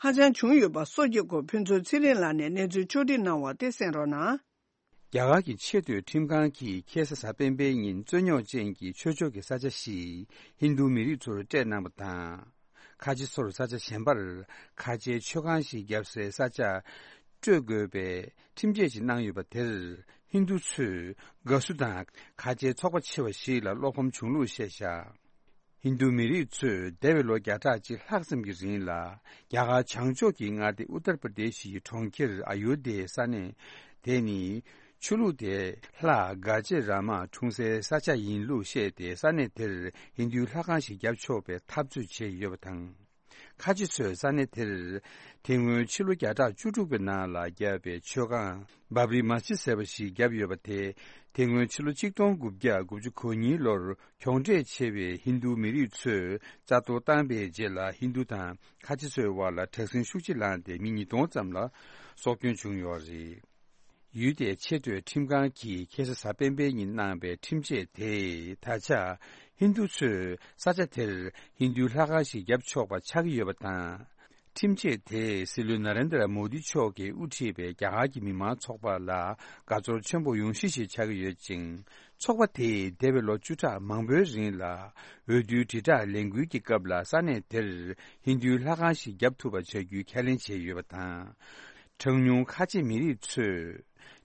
ཧ་ཅང་བྱུང་ཡོད་པ་སོགས་ཀྱི་སྐོར་ཕུན་ཚོགས་ཚེ་རིང་ལགས་ནས་གནས་ཚུལ་ཕྱོགས་སྒྲིག་གནང་བ་དེ་གསན་རོགས་གནང་། རྒྱ་གར་གྱི་ཆེས་མཐོའི་ཁྲིམས་ཁང་གིས་ཁ་སང་གཟའ་སྤེན་པའི་ཉིན་རྩོད་རྙོག་ཅན་གྱི་ཆོས་ཕྱོགས་ཀྱི་ས་ཆ་ཞིག་ཧིན་རྡུ་མི་རིགས་ཚོར་སྤྲད་གནང་བ་དང་། ཁ་ཆེ་ཚོར་ས་ཆ་གཞན་པར་ཁ་ཆེའི་མཆོད་ཁང་ཞིག་བརྒྱབ་སའི་ས་ཆ་སྤྲོད་དགོས་པའི་ཁྲིམས་ཆད་ཅིག་གནང་ཡོད་པ་དེར་ཧིན་རྡུ་ཚོས་དགའ་བསུ་དང་ཁ་ཆེའི་ཚོགས་པ་ཆེ་བ་ཞིག་ལ་བློ་ཕམ་བྱུང་ལུགས་བཤད་བཞག་ཧིན་རྡུ་མི་རིགས་ཚོས་འདས་པའི་ལོ་བརྒྱ་ཕྲག་གཅིག་ལྷག་ཙམ་གྱི་རིང་ལ་རྒྱ་གར་བྱང་ཕྱོགས་ཀྱི་མངའ་སྡེ་ཨུ་ཏར་པྲ་དེ་ཤི་ཡི་གྲོང་ཁྱེར་ཨ་ཡོ་དྷྱའི་ས་གནས་དེ་ནི་ཆོས་ལུགས་དེ་ལྷ་གྷ་ཇེ་ར་མ་འཁྲུངས་སའི་ས་ཆ་ཡིན་ལུགས་བཤད་དེ། ས་གནས་དེར་ཧིན་རྡུའི་ལྷ་ཁང་ཞིག་བརྒྱབ་ཆོག་པའི་འཐབ་རྩོད་བྱས་ཡོད་པ་དང་། ཁ་ཆེ་ཚོས་ས་གནས་དེར་དེ་སྔོན་ཕྱི་ལོ་བརྒྱ་ཕྲག་བཅུ་དྲུག་པའི་ནང་ལ་བརྒྱབ་པའི་མཆོད་ཁང་བྷབ་རི་མ་ཇི་ཟེར་བ་ཞིག་བརྒྱབ་ཡོད་པ་དེ། དེ་སྔོན་ཕྱི་ལོ་ཆིག་སྟོང་དགུ་བརྒྱ་དགུ་བཅུ་གོ་གཉིས་ལོར་གྱོང་འབྲས་ཆེ་བའི་ཧིན་རྡུ་མི་རིགས་ཚོས་རྩ་གཏོར་བཏང་པའི་རྗེས་ལ་ཧིན་རྡུ་དང་ཁ་ཆེ་ཚོའི་དབར་ལ་དྲག་ཟིང་ཤུགས་ཆེ་ལངས་ཏེ་མི་ཉིས་སྟོང་ཙམ་ལ་སྲོག་སྐྱོན་བྱུང་ཡོད་རེད། ཡུལ་དེའི་ཆེས་མཐོའི་ཁྲིམས་ཁང་གིས་ཁ་སང་གཟའ་སྤེན་པའི་ཉིན་གནང་པའི་ཁྲིམས་ཆད་དེས་ད་ཆ་ཧིན་རྡུ་ཚོས་ས་ཆ་དེར་ཧིན་རྡུའི་ལྷ་ཁང་ཞིག་བརྒྱབ་ཆོག་པ་ཆགས་ཀྱི་ཡོད་པ་དང་། ཁྲིམས་ཆད་དེས་སྲིད་བློན་ན་རེན་དྲ་མོ་དི་མཆོག་གིས་དབུ་ཁྲིད་པའི་རྒྱ་གར་གྱི་མི་མང་ཚོགས་པ་ལ་དགའ་ཚོར་ཆེན་པོ་ཡོང་གཞི་ཞིག་ཆགས་ཀྱི་ཡོད་ཅིང་། ཚོགས་པ་དེས་འདས་པའི་ལོ་བཅུ་ཕྲག་མང་པོའི་རིང་ལ་འོས་བསྡུའི་དྲིལ་བསྒྲགས་ལས་འགུལ་གྱི་སྐབས་ལ་ས་གནས་དེར་ཧིན་རྡུའི་ལྷ་ཁང་ཞིག་བརྒྱབ་ཐུབ་པ་བྱ་རྒྱུའི་ཁས་ལེན་བྱས་ཡོད་པ་དང་། གྲངས་ཉུང་ཁ་ཆེ་མི་རིགས་ཚོས་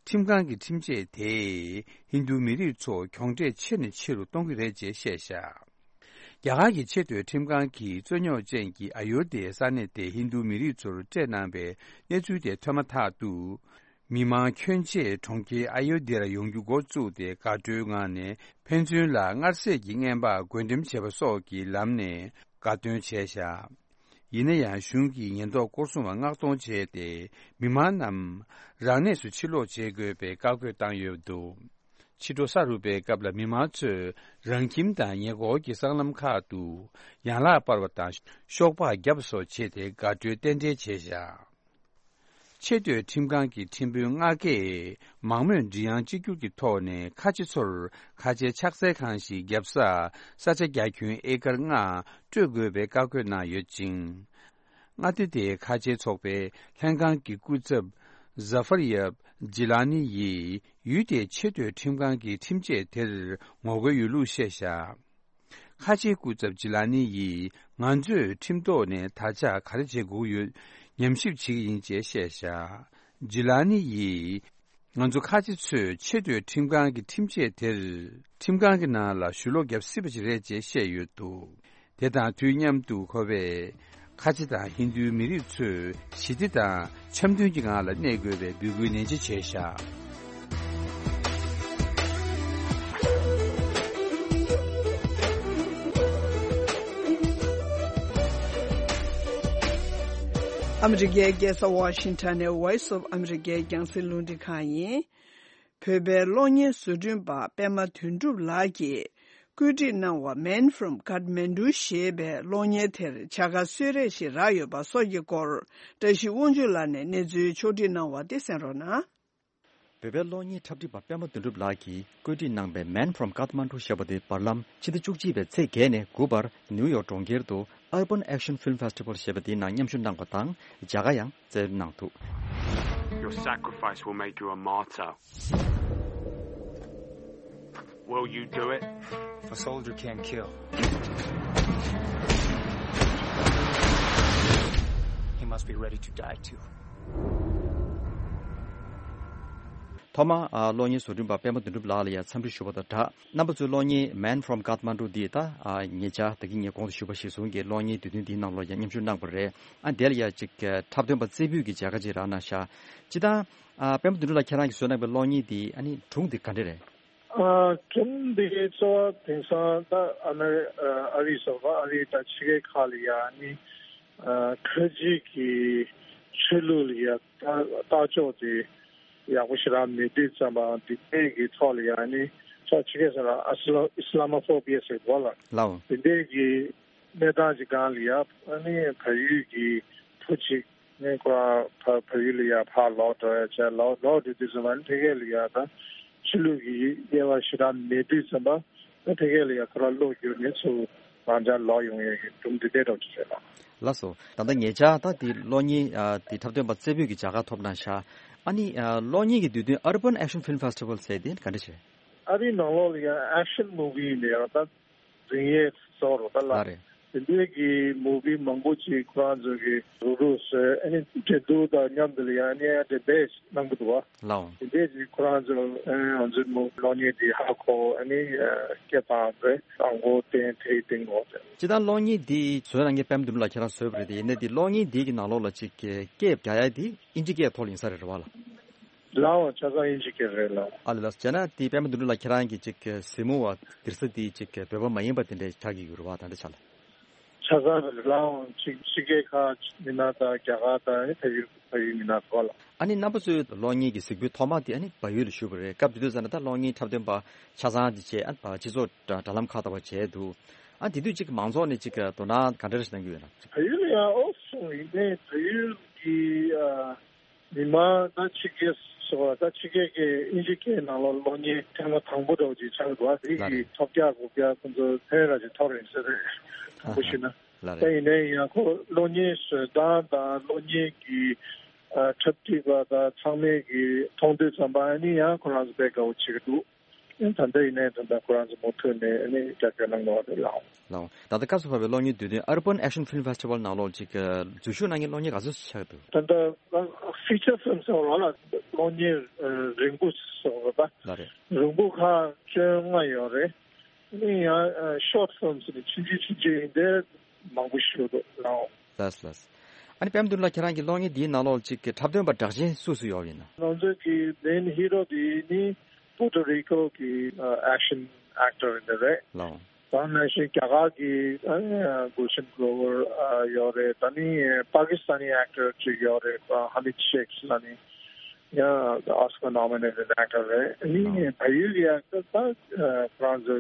ཁྲིམས་ཁང་གི་ཁྲིམས་ཆད་དེས་ཧིན་རྡུ་མི་རིགས་ཚོ་གྱོང་འབྲས་ཆེ་ནས་ཆེ་རུ་གཏོང་གི་རེད་ཅེས་བཤད་བཞག་རྒྱ་གར་གྱི་ཆེས་མཐོའི་ཁྲིམས་ཁང་གིས་རྩོད་རྙོག་ཅན་གྱི་ཨ་ཡོ་དྷྱའི་ས་གནས་དེ་ཧིན་རྡུ་མི་རིགས་ཚོར་སྤྲད་གནང་པའི་གནས་ཚུལ་དེ་ཐོས་མ་ཐག་ཏུ། མི་མང་ཁྱོན་ཆེ་གྲོང་ཁྱེར་ཨ་ཡོ་དྷྱར་ཡོང་རྒྱུ་འགོ་བཙུགས་ཏེ་དགའ་སྤྲོའི་ངང་ནས་ཕན་ཚུན་ལ་མངར་ཟས་ཀྱི་རྔན་པ་བགོ་འགྲེམས་བྱེད་པ་སོགས་ཀྱི་ལམ་ནས་དགའ་སྟོན་བྱས་བཞག་ཡིན་ན་ཡང་གཞུང་གིས་ཉེན་རྟོག་སྐོར་སྲུང་བ་མངགས་གཏོང་བྱས་ཏེ་མི་མང་རྣམས་རང་གནས་སུ་ཕྱིར་ལོག་བྱེད་དགོས་པའི་བཀའ་བཀོད་བཏང་ཡོད་འདུག་ཕྱི་དྲོ་ས་རུབ་པའི་སྐབས་ལ་མི་མང་ཚོས་རང་ཁྱིམ་དང་ཉེ་འཁོར་གྱི་སྲང་ལམ་ཁག་ཏུ་ཡན་ལག་སྤར་བ་དང་ཤོག་སྦག་བརྒྱབ་པ་སོགས་བྱས་ཏེ་དགའ་སྤྲོའི་རྟེན་འབྲེལ་བྱས་བཞག་ཆེས་མཐོའི་ཁྲིམས་ཁང་གི་ཁྲིམས་དཔོན་ལྔ་ཀས་མང་མོས་མགྲིན་དབྱངས་གཅིག་གྱུར་གྱི་ཐོག་ནས་ཁ་ཆེ་ཚོར་ཁ་ཆེའི་ཕྱག་འཚལ་ཁང་ཞིག་བརྒྱབ་ས་ས་ཆ་རྒྱ་ཁྱོན་ཨེ་ཀར་ལྔ་སྤྲོད་དགོས་པའི་བཀའ་བཀོད་གནང་ཡོད་ཅིང་། མངའ་སྡེ་དེའི་ཁ་ཆེའི་ཚོགས་པའི་ལྷན་ཁང་གི་སྐུ་ཚབ་ཟ་ཧྥར་ཡབ་ཇི་ལ་ནི་ཡིས་ཡུལ་དེའི་ཆེས་མཐོའི་ཁྲིམས་ཁང་གི་ཁྲིམས་ཆད་དེར་ངོ་རྒོལ་ཡོད་ལུགས་བཤད་བཞག་ཁ་ཆེའི་སྐུ་ཚབ་ཇི་ལ་ནི་ཡིས་ང་ཚོས་ཁྲིམས་ཐོག་ནས་ད་ཆ་ག་རེ་བྱེད་དགོས་ཡོད་ཉམས་ཞིབ་བྱེད་ཀྱི་ཡིན་ཅེས་བཤད་བཞག་ཇི་ལ་ནི་ཡིས་ང་ཚོ་ཁ་ཆེ་ཚོས་ཆེས་མཐོའི་ཁྲིམས་ཁང་གི་ཁྲིམས་ཆད་དེར་ཁྲིམས་ཁང་གི་ནང་ལ་ཞུ་ལོག་བརྒྱབ་སྲིད་པ་ཞིག་རེད་ཅེས་བཤད་ཡོད་འདུག་དེ་དང་དུས་མཉམ་དུ་ཁོ་པས་ཁ་ཆེ་དང་ཧིན་རྡུའི་མི་རིགས་ཚོས་ཞི་བདེ་དང་འཆམ་མཐུན་གྱི་ངང་ལ་གནས་དགོས་པའི་འབོད་སྐུལ་ནན་ཆེ་བྱས་བཞག་ཨ་མི་རི་ཀའི་རྒྱལ་ས་ཝ་ཤིང་ཊོན་ནས་Voice of America རྒྱང་སྲིང་རླུང་འཕྲིན་ཁང་ཡིན། བོད་པའི་གློག་བརྙན་བཟོ་སྐྲུན་པ་པད་མ་དོན་གྲུབ་ལགས་ཀྱིས་བཀོད་སྒྲིག་གནང་བ་Man from Kathmandu ཞེས་པའི་གློག་བརྙན་དེར་བྱ་དགའ་གསོལ་རས་ཤིག་རག་ཡོད་པ་སོགས་ཀྱི་སྐོར་བཀྲ་ཤིས་དབང་ཕྱུག་ལགས་ནས་གནས་ཚུལ་ཕྱོགས་སྒྲིག་གནང་བ་དེ་གསན་རོགས་གནང་། བོད་པའི་གློག་བརྙན་འཁྲབ་ཁྲིད་པ་པད་མ་དོན་གྲུབ་ལགས་ཀྱིས་བཀོད་སྒྲིག་གནང་པའི་Man from Kathmandu ཞེས་པ་དེ་བར་ལམ་ཕྱི་ཟླ་བཅུ་གཅིག་པའི་ཚེས་བརྒྱད་ནས་དགུ་བར་ནིའུ་ཡོག་གྲོང་ཁྱེར་དུ་Urban Action Film Festival ཞེས་པ་དེའི་ནང་མཉམ་ཞུགས་གནང་བ་དང་། མཇལ་ཁ་ཡང་སྩལ་གནང་འདུག Your sacrifice will make you a martyr. Will you do it? A soldier can't kill. He must be ready to die too. ཐོག་མར་ཨ་གློག་བརྙན་བཟོ་སྐྲུན་པ་པད་མ་དོན་གྲུབ་ལགས་ལ་ཡང་འཚམས་འདྲི་ཞུ་བ་དང་སྦྲགས། རྣམ་པ་ཚོས་གློག་བརྙན་Man from Kathmandu འདི་ད་ཨ་ཉེ་ཆར་ད་གིན་ངས་གོང་དུ་ཞུས་པ་གཞིར་བཟུང་གིས་གློག་བརྙན་དུས་སྟོན་འདིའི་ནང་ལོགས་ཡང་མཉམ་ཞུགས་གནང་བ་རེད། ཨ་དེ་ལ་ཡང་ཅིག་འཁྲབ་སྟོན་པ་རྩེ་ཕུད་ཀྱི་མཇལ་ཁ་ཅིག་རག་གནང་ཤག་སྤྱིར་བཏང་ཨ་པད་མ་དོན་གྲུབ་ལགས་ཁྱེད་རང་གིས་བཟོས་གནང་པའི་གློག་བརྙན་འདི་ཨ་ནི་སྒྲུང་འདི་ག་འདྲ་རེད། ཨ་སྒྲུང་འདི་གཙོ་བོ་དེང་སང་ད་ཨ་མེ་རི་ཨ་རི་སོགས་ཨ་རི་དང་ཕྱི་རྒྱལ་ཁག་ལ་ཡང་ནི་ཨ་ཁ་ཆེ་གི་ཆོས་ལུགས་ལ་ཡང་ལྟ་ལྟ་ཕྱོགས་དེ་ཡག་པོ་ཞེ་དྲག་མེད་དུས་ཙམ་པ་འདི་འདྲས་ཀྱི་ཐོག་ལ་ཡང་ནི་ཕྱོགས་ཕྱི་རྒྱལ་ས་ལ་ཨ་སི་ལ་ཨི་སི་ལ་མ་ཧྥོ་བི་ཡ་ཟེར་གོ་ལ་ལའོ། འདི་འདྲས་ཀྱི་གནས་སྟངས་ཀྱི་སྒང་ལ་ཡང་ཨ་ནི་བལ་ཡུལ་གྱི་བུ་གཅིག་ནི་ཁོ་རང་བལ་བལ་ཡུལ་ལ་ཡང་ཕར་ལོག་འགྲོ་ཡ་བྱས་ལོག་ལོག་འགྲོ་དུས་ཙམ་པ་ནི་ཕ་གི་ལ་ཡང་ད་ཆོས་ལུགས་ཀྱི་དབྱེ་བ་ཞེ་དྲག་མེད་དུས་ཙམ་པ་ནི་ཕ་གི་ལ་ཡང་ཁོ་རང་བློ་འགྱུར་ནས་ཚུར་རང་ཅག་ལོག་ཡོང་ཡས་ཀྱི་སྒྲུང་འདི་འདྲས་འདྲ་བོ་ཅིག་རེད་ལགས། ལགས་སོ། ད་ལྟ་ཉེ་ཆར་ད་འདི་གློག་བརྙན་ཨ་འདི་འཁྲབ་སྟོན་པ་རྩེ་ཕུད་ཀྱི་མཇལ་ཁ་ཐོབ་གནང་ཤག་ཨ་ནི་ཨ་གློག་བརྙན་གྱི་དུས་སྟོན་Urban Action Film Festival ཟེར་དེ་ག་འདྲ་ཞིག་རེད། ཨ་རིའི་ནང་ལོགས་ལ་ཡང་ཨེག་ཤན་མུ་ཝི་ནས་ཡང་ད་འཛིན་ཡས་གཙོ་བོ་རུ་ད་ལ་ལ་རེད། དེ་འདྲའི་གི་མུ་བི་མང་པོ་ཅིག་ཁོ་རང་ཚོ་གི་རུག་རུག་བཟོས། ཨ་ནི་འགྲན་བསྡུར་དང་མཉམ་དུ་ལ་ཡང་ཨ་ནི་ཡང་དེ་འདྲས་གནང་གི་འདུག་བ། ལའོ། དེ་འདྲས་ཀྱི་ཁོ་རང་ཚོ་ཨ་ང་ཚོའི་མུ་གློག་བརྙན་དེ་ཧ་གོ། ཨ་ནི་སྐད་བཏང་རེད། ཨང་གོ་བསྟན་དེའི་སྟེང་གོ་དེ། སྤྱིར་བཏང་གློག་བརྙན་འདི་བཟོས་གནང་མཁན་པད་མ་དོན་གྲུབ་ལགས་ཁྱེད་རང་བཟོས་པ་རེད་དེ། ཡིན་ནའི་འདི་གློག་བརྙན་འདི་གི་ནང་ལོགས་ལ་ཅིག་སྐད་རྒྱག་ཡ་འདི་ཨིན་ཇི་སྐད་ཐོག་ལ་ཡིན་ས་རེད་རེད་བ་ལ། ལའོ། ཆ་ཚང་ཨིན་ཇི་སྐད་རེད་ལའོ། ཨ་ལ་ལ། བྱས་ན་དེ་པད་མ་དོན་གྲུབ་ལགས་ཁྱེད་རང་གི་ཅིག་གཟིགས་མོ་བ་དེར་ས་དེ་ཅིག་བོད་པ་མ་ཡིན་པ་དེ་འདྲའི་ཆགས་ཀྱི་ཡོད་རེད་བ། ད་འདྲ་ཆགས་ལ། ཆ་ཚང་རེད་ལའོ། ཕྱི་ཕྱི་རྒྱལ་ཁག་མི་སྣ་དང་རྒྱ་གར་དང་ཨ་ནི་བལ་ཡུལ་བལ་ཡུལ་མི་སྣ་ཚོ་ལ། ཨ་ནི་རྣམ་པ་ཚོའི་གློག་བརྙན་གྱི་གཟིགས་འབུལ་ཐོག་མ་དེ་ཨ་ནི་བལ་ཡུལ་ལ་ཞུགས་པ་རེད། སྐབས་དེ་དུས་ཙམ་ན་ད་གློག་བརྙན་འཁྲབ་སྟོན་པ་ཆ་ཚང་དེ་བྱས། ཨ་ནི་སྤྱི་ཚོགས་དྲ་དྲ་ལམ་ཁག་ལྟ་བུ་བྱས་འདུག་ཨ་དེ་དུས་ཅིག་མང་ཚོགས་ནས་ཅིག་དོ་སྣང་ག་འདྲ་ཞིག་གནང་གི་ཡོད་ན། བལ་ཡུལ་ལ་ཡང་ཨོ་སོང་ཡིན་ནའི་བལ་ཡུལ་གྱི་ཨ། མི་མང་ད་ཕྱི་རྒྱལ་སོགས་ད་ཕྱི་རྒྱལ་གྱི་ཨིན་ཇི་སྐད་ནང་ལོགས་གློག་བརྙན་ཐེངས་མ་དང་པོ་འདྲ་བོ་ཅིག་ཆགས་འདུག་ཨ་དེ་ལ་གི་རེད། ཐོབ་རྒྱག་དགོས་རྒྱག་ཁོང་ཚོ་ཕན་ར་ཅིག་ཐོབ་རེད་ཟེར་རེད། དང་པོ་ཞུས་ན། ལ་ད་རེད། ཡིན་ནའི་ཡང་ཁོ་གློག་བརྙན་བཟོ་སྟངས་དང་གློག་བརྙན་གྱི་ཨ་འཁྲབ་ཁྲིད་པ་དང་ཚང་མས་ཀྱི་མཐོང་དུས་ཙམ་པ་ཨ་ནི་ཡང་ཁོ་རང་ཚོ་དཔེ་དགའ་བོ་བྱེད་ཀྱི་འདུག་ཨ་ད་ལྟ་ཡིན་ནའི་ད་ལྟ་ཁོ་རང་ཚོ་མུ་མཐུད་ནས་ཨ་ནི་རྒྱབ་སྐྱོར་གནང་གི་ཡོད་རེད་ལགས། ལགས། ད་ལྟ་སྐབས་སུ་བབས་པའི་གློག་བརྙན་འདུས་སྡེ་Urban Action Film Festival ནང་ལོགས་ཅིག་འཛུལ་ཞུགས་གནང་མཁན་གློག་བརྙན་ག་ཚོད་ཅིག་ཆགས་འདུག་ད་ལྟ་feature film ཟེར་བ་ལ་གློག་བརྙན་རིང་པོ་ཟེར་བ་ད་ལ་རེད། རིང་པོ་ཁག་བཅོ་ལྔ་ཡོད་རེད། ཨ་ནི་ཡང་short films ནི་ཆུང་ཆུང་ཆུང་ཆུང་ཡིན་དེ་མང་པོ་ཞིག་འདུག་ལགས། ལགས་ལགས། ཨ་ནི་པད་མ་དོན་གྲུབ་ལགས་ཁྱེད་རང་གི་གློག་བརྙན་འདིའི་ནང་ལོགས་ཅིག་གི་འཁྲབ་སྟོན་པ་གྲགས་ཅན་སུ་སུ་ཡོད་ཡིན་ན། ང་ཚོའི་གི་main hero དེ་ནི་Puerto Rico གི་action actor ཡིན་དེ་རེད། ལགས། ད་ནང་བཞིན་རྒྱ་གར་གྱི་ཨ་ནི་Gulshan Grover ཨ་ཡོད་རེད། ད་ནི་Pakistani actor ཅིག་ཡོད་རེད། ཨ་Hamid Sheikh ལབ་ནི་ཡང་Oscar nominated actor རེད། ཨ་ནི་ལགས། བལ་ཡུལ་གྱི་actor ད་ཨ་ཁོ་རང་ཚོ་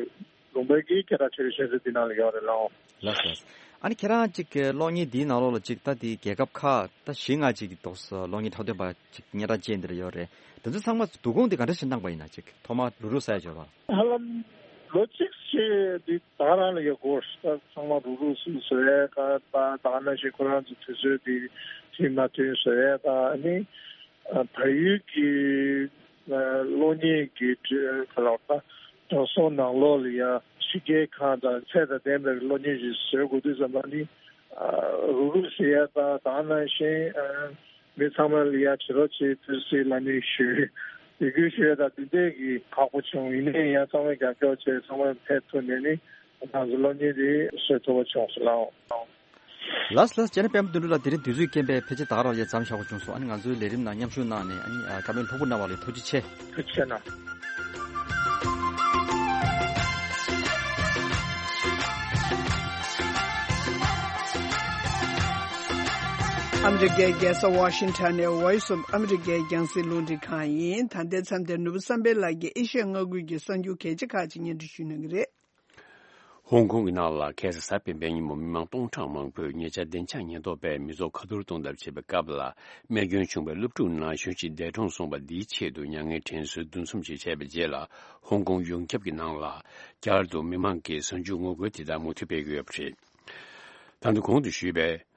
ལུང་པའི་གི་སྐད་གྲགས་ཆེ་ཤོས་དེ་འདི་ནང་ལ་ཡོད་རེད་ལགས། ལགས་ལགས། ཨ་ནི་ཁྱེད་རང་ཅིག་གི་གློག་བརྙན་འདིའི་ནང་ལོགས་ལ་ཅིག་ད་དེ་རྒྱལ་ཁབ་ཁག་ད་བཞི་ལྔ་ཅིག་གི་ཐོག་གློག་བརྙན་འཁྲབ་སྟོན་པ་ཅིག་སྙན་གྲགས་ཅན་འདི་ར་ཡོད་རེད། དེ་ཚོ་ཚང་མ་བསྡུ་སྐོང་འདི་ག་འདྲ་ཞིག་གནང་པ་ཡིན་ན། ཅིག་ཐོག་མ་རུག་རུག་ས་ཡ་འབྱོར་བ། ཧ་ལམ་ལོ་གཅིག་ཅིག་འདི་ད་རང་ལ་ཡོད་དགོས། ད་ཚང་མ་རུག་རུག་སུ་བཟོ་ཡས་ད་ད་ག་ནང་བཞིན་ཁོ་རང་ཚོ་དུས་ཚོད་འདི་མཐུན་མ་མཐུན་བཟོ་ཡས་ད་ཨ་ནི་བལ་ཡུལ་གྱི་གློག་བརྙན་གྱི་ག་ལ་ད་དྲང་སྲོང་ནང་ལོགས་ལ་ཡ་ཕྱི་རྒྱལ་ཁག་དང་ཚད་དང་ལྡན་པའི་གློག་བརྙན་ཞིག་བཟོ་དགོས་དུས་ཙམ་པ་ནི་རུག་རུག་ཟེར་ཡ་ད་ད་ག་ནང་བཞིན། མི་ཚང་མ་ལ་ཡ་བྱེད་རོགས་བྱེད་ཕུལ་སྲིད་ལ་ནི་ཞུ། ཡི་གུ་ཞུ་ཡ་ད་དེ་འདྲས་ཀྱི་ཁག་པོ་བྱུང་། ཡིན་ནའི་ཡང་ཚང་མས་རྒྱབ་སྐྱོར་བྱས་ཚང་མས་ཕེབས་ཐུབ་ནས་ནི་ང་ཚོ་གློག་བརྙན་དེ་བཟོ་ཐུབ་པ་བྱུང་སོང་ལགས། ལགས་ལགས། བྱས་ན་པད་མ་དོན་གྲུབ་ལགས་དེ་རིང་དུས་ཚོད་རྐྱེན་པས་ཕལ་ཆེར་ད་ག་རང་ལས་མཚམས་བཞག་པ་བྱུང་སོང་། ཨ་ནི་ང་ཚོའི་ལས་རིམ་ནང་མཉམ་ཞུགས་གནང་ནས་ཨ་ནི་བཀའ་མོལ་ལྷུག་པོ་གནང་བ་ལ་ཐུགས་རྗེ་ཆེ། ཐུགས་རྗེ་ཆེ་གནང་། ཨ་མི་རི་ཀའི་རྒྱལ་ས་ཝ་ཤིང་ཊོན་ནས་Voice of America རྒྱང་སྲིང་རླུང་འཕྲིན་ཁང་ཡིན། ད་ལྟའི་མཚམས་དེར་ནོར་བུ་བསམ་འཕེལ་ལགས་ཀྱིས་ཨེ་ཤི་ཡ་མངའ་ཁུལ་གྱི་གསར་འགྱུར་གལ་ཆེ་ཁག་ཅིག་སྙན་སྒྲོན་ཞུ་གནང་གི་རེད། ཧོང་ཀོང་གི་ནང་ལ་ཁ་སང་གཟའ་སྤེན་པའི་ཉིན་མོ་མི་མང་སྟོང་ཕྲག་མང་པོས་ཉེ་ཆར་བདེ་འཇགས་ཉེན་རྟོག་པས་མི་ཚོགས་ཁ་ཐོར་གཏོང་ཐབས་བྱེད་པའི་སྐབས་ལ། རྨས་སྐྱོན་བྱུང་བའི་སློབ་ཕྲུག་ནང་གཞོན་ཞིག་འདས་གྲོངས་སོང་བ་འདིའི་ཆེད་དུ་མྱ་ངན་དྲན་གསོའི་འདུ་འཛོམས་ཤིག་བྱས་པའི་རྗེས་ལ། ཧོང་ཀོང་ཡོངས་ཁྱབ་ཀྱི་ནང་ལ་བསྐྱར་དུ་མི་མང་གིས་གཟའ་མཇུག་ངོ་རྒོལ་དེ་དག་མུ་མཐུད་སྤེལ་གྱི་ཡོད་པ་རེད། ད་དུང་གོང་དུ་ཞུས་པའི་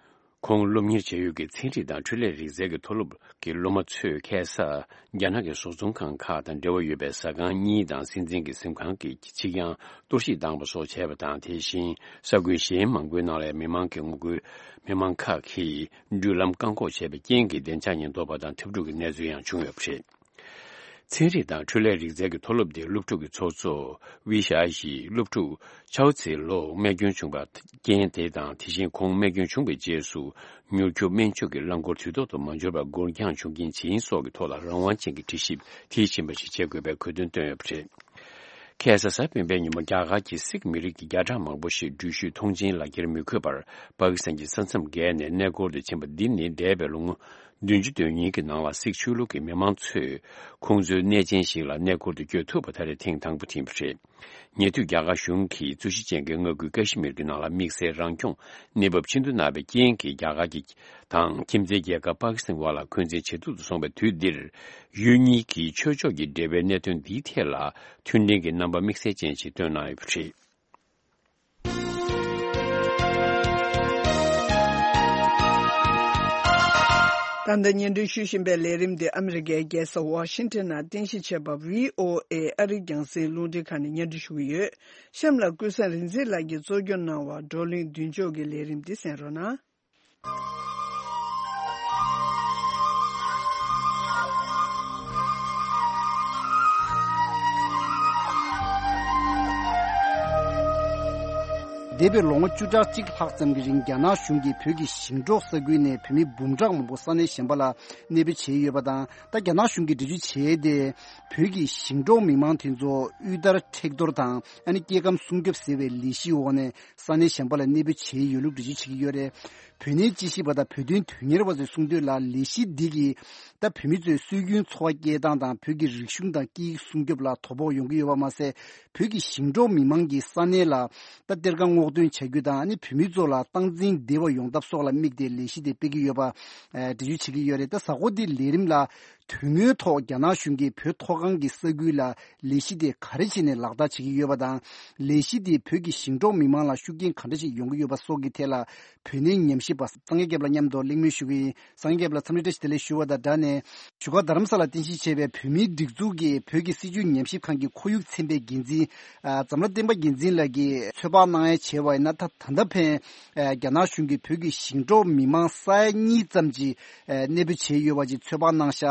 ཁོང་སློབ་གཉེར་བྱ་ཡུལ་གྱི་ཚན་རིག་དང་འཕྲུལ་ལས་རིག་རྩལ་གྱི་མཐོ་སློབ་ཀྱི་སློབ་མ་ཚོས་ཁ་སང་རྒྱ་ནག་གི་བཟོ་ཚོང་ཁང་ཁག་དང་འབྲེལ་བ་ཡོད་པའི་ཟ་ཁང་གཉིས་དང་སྲིད་འཛིན་གྱི་གཟིམ་ཁང་གི་ཕྱི་གྱང་གཏོར་བཤིག་བཏང་པ་སོགས་བྱས་པ་དང་། དེ་བཞིན་ས་ཁུལ་གཞན་མང་པོའི་ནང་ལ་མི་མང་གི་ངོ་རྒོལ། མི་མང་ཁག་གིས་འགྲུལ་ལམ་བཀག་འགོག་བྱས་པའི་རྐྱེན་གྱིས་བདེ་འཇགས་ཉེན་རྟོག་པ་དང་འཐབ་འཁྲུག་གི་གནས་ཚུལ་ཡང་བྱུང་ཡོད་པ་རེད། ཚན་རིག་དང་འཕྲུལ་ལས་རིག་རྩལ་གྱི་མཐོ་སློབ་དེའི་སློབ་ཕྲུག་གི་ཚོགས་གཙོ་ཝི་ཤ་ཡིས་སློབ་ཕྲུག་ཆའོ་ཚེ་ལོ་རྨས་སྐྱོན་བྱུང་བའི་རྐྱེན་དེ་དང་། དེ་བཞིན་ཁོང་རྨས་སྐྱོན་བྱུང་བའི་རྗེས་སུ་མྱུར་སྐྱོབ་སྨན་བཅོས་ཀྱི་རླངས་འཁོར་དུས་ཐོག་ཏུ་མ་འབྱོར་བར་འགོར་འགྱངས་བྱུང་རྐྱེན་ཇི་ཡིན་སོགས་ཀྱི་ཐོག་ལ་རང་དབང་ཅན་གྱི་དྲི་ཞིབ་མཐིལ་ཕྱིན་པ་ཞིག་བྱེད་དགོས་པའི་དགོས་འདུན་བཏོན་ཡོད་པ་རེད། ཁ་སང་གཟའ་སྤེན་པའི་ཉིན་མོ་རྒྱ་གར་གྱི་སིག་མི་རིགས་ཀྱི་བརྒྱ་ཕྲག་མང་པོ་ཞིག་འགྲུལ་བཞུད་ཐོངས་མཆན་ལག་འཁྱེར་མི་དགོས་པར་པ་ཀི་སི་ཐན་གྱི་ས་མཚམས་བརྒལ་ནས་གནས་སྐོར་དུ་ཕྱིན་པ་འདི་ནི་འདས་པའི་ལོ་ངོ་བདུན་ཅུ་དོན་གཉིས་ཀྱི་ནང་ལ་སིག་ཆོས་ལུགས་ཀྱི་མི་མང་ཚོས་ཁོང་ཚོའི་གནས་ཆེན་ཞིག་ལ་གནས་སྐོར་དུ་བསྐྱོད་ཐུབ་པ་ད་རེས་ཐེངས་དང་པོ་དེ་ཡིན་པ་རེད། ཉེ་དུས་རྒྱ་གར་གཞུང་གིས་རྩོད་གཞི་ཅན་གྱི་མངའ་ཁུལ་ཀ་ཤི་མིར་གྱི་ནང་ལ་དམིགས་བསལ་རང་སྐྱོང་གནས་བབ་ཆེན་པོ་གནང་བའི་རྐྱེན་གྱིས། རྒྱ་གར་གྱི་དང་ཁྱིམ་མཚེས་རྒྱལ་ཁབ་པ་ཀི་སི་ཐན་བར་ལ་འཁོན་འཛིན་ཇེ་སྡུག་ཏུ་སོང་བའི་དུས་འདིར། ཡུལ་གཉིས་ཀྱི་ཆོས་ཕྱོགས་ཀྱི་འབྲེལ་བའི་གནད་དོན་འདིའི་ཐད་ལ་མཐུན་སྒྲིལ་གྱི་རྣམ་པ་དམིགས་བསལ་ཅན་ཞིག་བཏོན་གནང་ཡོད་པ་རེད། ད་ལྟ་སྙན་སྒྲོན་ཞུ་བཞིན་པའི་ལས་རིམ་འདི་ཨ་མི་རི་ཀའི་རྒྱལ་ས་ཝ་ཤིང་ཊོན་ནང་རྟེན་གཞི་བྱས་པ་བྷི་ཨོ་ཨེ་ཨ་རིའི་རྒྱང་སྲིང་རླུང་འཕྲིན་ཁང་ནས་སྙན་སྒྲོན་ཞུ་གི་ཡོད། གཤམ་ལ་ཀུན་བཟང་རིག་འཛིན་ལགས་ཀྱིས་གཙོ་སྐྱོང་གནང་བ་བགྲོ་གླེང་མདུན་ལྕོག་གི་ལས་རིམ་འདི་གསན་རོགས་གནང་། འདས་པའི་ལོ་ངོ་བཅུ་ཕྲག་གཅིག་ལྷག་ཙམ་གྱི་རིང་རྒྱ་ནག་གཞུང་གིས་བོད་ཀྱི་ཞིང་འབྲོག་ས་ཁུལ་ནས་བོད་མི་འབུམ་ཕྲག་མང་པོ་ས་གནས་གཞན་པ་ལ་གནས་སྤོས་བྱས་ཡོད་པ་དང་། ད་རྒྱ་ནག་གཞུང་གིས་འགྲེལ་བརྗོད་བྱས་ཏེ། བོད་ཀྱི་ཞིང་འབྲོག་མི་མང་དེ་ཚོ་དབུལ་ཐར་མཁྲེགས་གཏོར་དང་ཨ་ནི་སྐྱེ་ཁམས་སྲུང་སྐྱོབ་ཟེར་བའི་ལས་གཞིའི་འོག་ནས་ས་གནས་གཞན་པ་ལ་གནས་སྤོས་བྱས་ཡོད་ལུགས་འགྲེལ་བརྗོད་བྱེད་ཀྱི་ཡོད་རེད། བོད་གནས་དཔྱད་ཞིབ་པ་དང་བོད་དོན་དོན་གཉེར་བ་ཚོས་གསུངས་དོན་ལ། ལས་གཞི་འདི་གིས་ད་བོད་མི་ཚོའི་སྲོལ་རྒྱུན་འཚོ་བ་སྐྱེལ་སྟངས་དང་བོད་ཀྱི་རིག་གཞུང་དང་སྐད་ཡིག་སྲུང་སྐྱོབ་ལ་དོ་ཕོག་ཡོང་གི་ཡོད་པ་མ་ཟད། བོད་ཀྱི་ཞིང་འབྲོག་མི་མང་གིས་ས་གནས་ལ་ད་གཏེར་ཁ་སྔོག་འདོན་བྱ་རྒྱུ་དང་ཨ་ནི་བོད་མི་ཚོ་ལ་སྟངས་འཛིན་བདེ་བ་ཡོང་ཐབས་སོགས་ལ་དམིགས་ཏེ་ལས་གཞི་དེ་སྤེལ་གྱི་ཡོད་པ་འགྲེལ་བརྗོད་བྱེད་ཀྱི་ཡོད་རེད། ད་གཟའ་འཁོར་འདིའི་ལས་རིམ་ལ། དོན་དངོས་ཐོག་རྒྱ་ནག་གཞུང་གིས་བོད་མཐོ་སྒང་གི་ས་ཁུལ་ལ་ལས་གཞི་དེ་ག་རེ་བྱས་ནས་ལག་བསྟར་བྱེད་ཀྱི་ཡོད་པ་དང་། ལས་གཞི་དེས་བོད་ཀྱི་ཞིང་འབྲོག་མི་མང་ལ་ཤུགས་རྐྱེན་ག་འདྲ་ཞིག་ཡོང་གི་ཡོད་པ་སོགས་ཀྱི་ཐད་ལ། བོད་གནས་ཉམས་ཞིབ་པ་སངས་རྒྱས་སྐྱབས་ལགས་མཉམ་དུ་གླེང་མོལ་ཞུ་གི་ཡིན། སངས་རྒྱས་སྐྱབས་ལགས་འཚམས་འདྲི་བཀྲ་ཤིས་བདེ་ལེགས་ཞུ་བ་དང་སྦྲགས་ནས། བཞུགས་སྒར་རྡ་རམ་ས་ལར་རྟེན་གཞི་བྱས་པའི་བོད་མིའི་སྒྲིག་འཛུགས་ཀྱི་བོད་ཀྱི་སྲིད་བྱུས་ཉམས་ཞིབ་ཁང་གི་ཁོར་ཡུག་ཚན་པའི་འགན་འཛིན། ཨ། འཛམ་ལྷ་བསྟན་པ་རྒྱལ་མཚན་ལགས་ཀྱིས་ཚོད་དཔག་གནང་ཡ་བྱས་པ་ཡིན་ན། ད་ད་ལྟ་ཕན། ཨ། རྒྱ་ནག་གཞུང་གིས་བོད་ཀྱི་ཞིང་འབྲོག་མི་མང་ས་ཡ་གཉིས་ཙམ་གྱི། ཨ། གནས་སྤོས་བྱས་ཡོད་པ་ཅིག་ཚོད་དཔག་གནང་ཤག་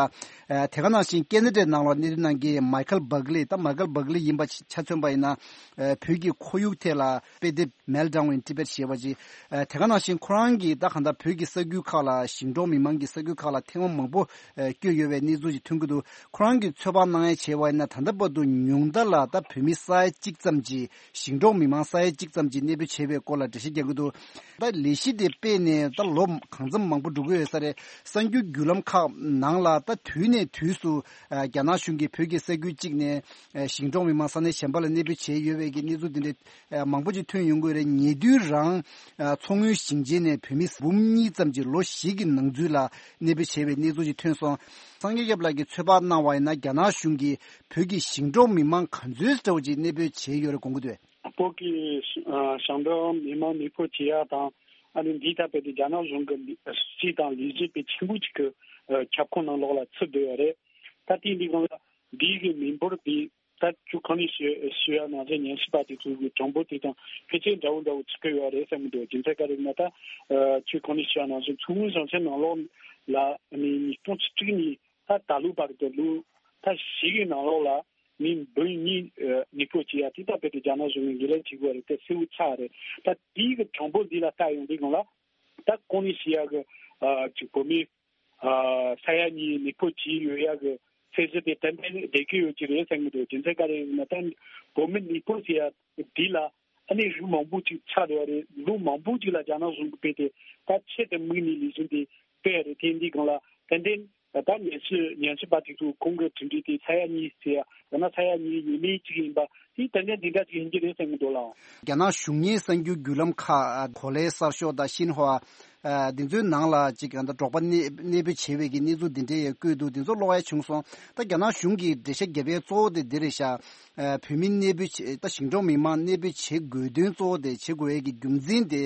ཨ། དེ་ག་ནང་བཞིན་ཁེ་ན་ཌའི་ནང་ལ་གནས་སྡོད་གནང་མཁན་མའི་ཁལ་བྷག་ལི། ད་མའི་ཁལ་བྷག་ལི་ཡིན་པ་ཆ་མཚོན་པ་ཡིན་ན། ཨ། བོད་ཀྱི་ཁོར་ཡུག་ཐད་ལ་དཔེ་དེབ་Meltdown in Tibet ཞེས་པ་ཅིག་ཨ། དེ་ག་ནང་བཞིན་ཁོ་རང་གིས་ད་གང་ལྟར་བོད་ཀྱི་ས་ཁུལ་ཁག་ལ། ཞིང་འབྲོག་མི་མང་གི་ས་ཁུལ་ཁག་ལ་ཐེངས་མ་མང་པོ། ཨ། བསྐྱོད་ཡོད་པའི་གནས་ཚུལ་ཞིག་ཐོན་གྱི་འདུག་ཁོ་རང་གིས་ཚོད་དཔག་གནང་ཡ་བྱས་པ་ཡིན་ན། ད་ལྟ་བར་དུ་ཉུང་མཐའ་ལ་ད་བོད་མི་ས་ཡ་གཅིག་ཙམ་གྱིས། ཞིང་འབྲོག་མི་མང་ས་ཡ་གཅིག་ཙམ་གྱིས་གནས་སྤོས་བྱས་པའི་སྐོར་ལ་འགྲེལ་བཤད་རྒྱག་གི་འདུག་ད་ལས་གཞི་དེ་སྤེལ་ནས་ད་ལོ་གང་འཚམ་མང་པོ་འགྲོ་གི་ཡོད་ས་རེད། གསར་འགྱུར་བརྒྱུད་ལམ་ཁག་ནང་ལ་ད་དུས་ནས་དུས་སུ། ཨ། རྒྱ་ནག་གཞུང་གིས་བོད་ཀྱི་ས་ཁུལ་གཅིག་ནས། ཨ། ཞིང་འབྲོག་མི་མང་ས་གནས་གཞན་པ་ལ་གནས་སྤོས་བྱས་ཡོད་པའི་གི་གནས་ཚུལ་དེ་འདྲ། ཨ། མང་པོ་ཅིག་ཐོན་ཡོང་གི་ཡོད་རེད། ཉེ་དུས་རང་། ཨ། མཚོ་སྔོན་ཞིང་ཆེན་ནས་བོད་མི་འབུམ་གཉིས་ཙམ་གྱིས་ལོ་བཞི་གི་ནང་ཚུད་ལ་གནས་སྤོས་བྱས་པའི་གནས་ཚུལ་ཅིག་ཐོན་སོང་། སངས་རྒྱས་སྐྱབས་ལགས་ཀྱིས་ཚོད་དཔག་གནང་བ་ཡིན་ན། རྒྱ་ནག་གཞུང་གིས་བོད་ཀྱི་ཞིང་འབྲོག་མི་མང་ག་ཚོད་འདྲ་བོ་ཅིག་གནས་སྤོས་བྱས་ཡོད་རེད་དགོངས་ཀྱི་འདུག་བོད་ཀྱི་ཞིང་འབྲོག་མི་མང་གནས་སྤོས་བྱེད་ཡ་དང་། ཨ་ནི་འདིའི་ཐད་དཔེ་དེ་རྒྱ་ནག་གཞུང་གི་སྲིད་དང་ལས་གཞི་དཔེ་ཆེན་པོ་ཅིག་གི་ཁྱབ་ཁོངས་ནང་ལོགས་ལ་ཚུད་བསྡད་ཡོད་རེད། ད་དེ་འདི་སྒང་ལ་འདིའི་གི་མི་འབོར་དེ། ད་ཁྱོད་གང་ནས་ཞུ་ཞུ་ཡ་ནང་བཞིན་ཉམས་ཞིབ་པ་དེ་ཚོ་གི་གྲངས་འབོར་དེ་དང་ཕལ་ཆེར་འདྲ་བོ་འདྲ་བོ་ཚུད་ཀྱི་ཡོད་རེད་བསམ་གྱི་འདུག་རྒྱུ་མཚན་ག་རེ་ཡིན་ན། ད་ཁྱོད་གང་ནས་ཞུ་ཡ་ནང་བཞིན་མཚོ་སྔོན་ཞིང་ཆེན་ནང་ལོགས་ལ་ནི་ཉིས་སྟོང་བཅུ་དྲུག་ནས་ད་ད་ལོ་བར་དུ་ལོ་ད་བཞི་གི་ནང་ལོགས་ལ་མི་འབུམ་གཉིས་གནས་སྤོས་བྱེད་ཡ་དེ་ད་དཔེ་དེ་རྒྱ་ནག་གཞུང་གིས་འགན་ལེན་བྱེད་དགོས་རེད། དེ་གསལ་བོ་ཆགས་རེད། ད་དེའི་གི་གྲངས་འབོར་འདི་ལ་ལྟ་ཡོང་དུས་སྒང་ལ་ད་གང་ནས་ཞུ་ཡ་གི་ཅིག་བོད་མི། ཨ། ས་ཡ་གཉིས་གནས་སྤོས་བྱས་ཡོད་ཡ་གི་ཚད་གཞི་དེ་ཏན་ཏན་བསྡད་ཀྱི་ཡོད་ཀྱི་རེད་བསམ་གྱི་འདུག་རྒྱུ་མཚན་ག་རེ་ཡིན་ན། ད་བོད་མི་གནས་སྤོས་ཟེར་ཡ་འདི་ལ་ཨ་ནི་རིགས་མང་པོ་ཅིག་ཆགས་ཡོད་རེད། ལོ་མང་པོ་ཅིག་ལ་རྒྱ་ནག་གཞུང་གིས་དཔེ་དེ་ད་ཆེད་དུ་དམིགས་ནས་ལས་གཞི་འདི་སྤེལ་རེད། དེ་འདི་སྒང་ལ་ཏན་ཏན་ད་ཉམས་ཞིབ་ཉམས་ཞིབ་པ་དེ་ཚོ་ཁོང་གི་གྲུབ་འབྲས་དེ་ས་ཡ་གཉིས་ཟེར་ཡ། ཡང་ན་ས་ཡ་གཉིས་ཡས་མས་ཅིག་ཡིན་པ་དེ་ཏན་ཏན་འདི་འདྲ་ཅིག་ཡིན་གྱི་རེད་བསམ་གྱི་འདུག་ལགས། རྒྱ་ནག་གཞུང་གཉེར་གསར་འགྱུར་བརྒྱུད་ལམ་ཁག་གོ་ལའི་གསར་ཤོག་དང་ཤིན་ཧྭ། ཨ། འདི་ཚོའི་ནང་ལ་ཅིག་ད་འབྲོག་པ་གནས་གནས་སྤོས་བྱས་པའི་གི་གནས་ཚུལ་འདི་འདྲའི་ཡང་བཀོད་འདུག་འདི་ཚོ་ཀློག་ཡ་བྱུང་སོང་། ད་རྒྱ་ནག་གཞུང་གིས་འགྲེལ་བཤད་བརྒྱབ་ཡའི་གཙོ་བོ་དེ་འདི་རེད་ཤག་ཨ། བོད་མི་གནས་སྤོས་བྱེད། ད་ཞིང་འབྲོག་མི་མང་གནས་སྤོས་བྱེད་དགོས་དོན་གཙོ་བོ་དེ། བྱེད་དགོས་ཡས་ཀྱི་རྒྱུ་མཚན་དེ།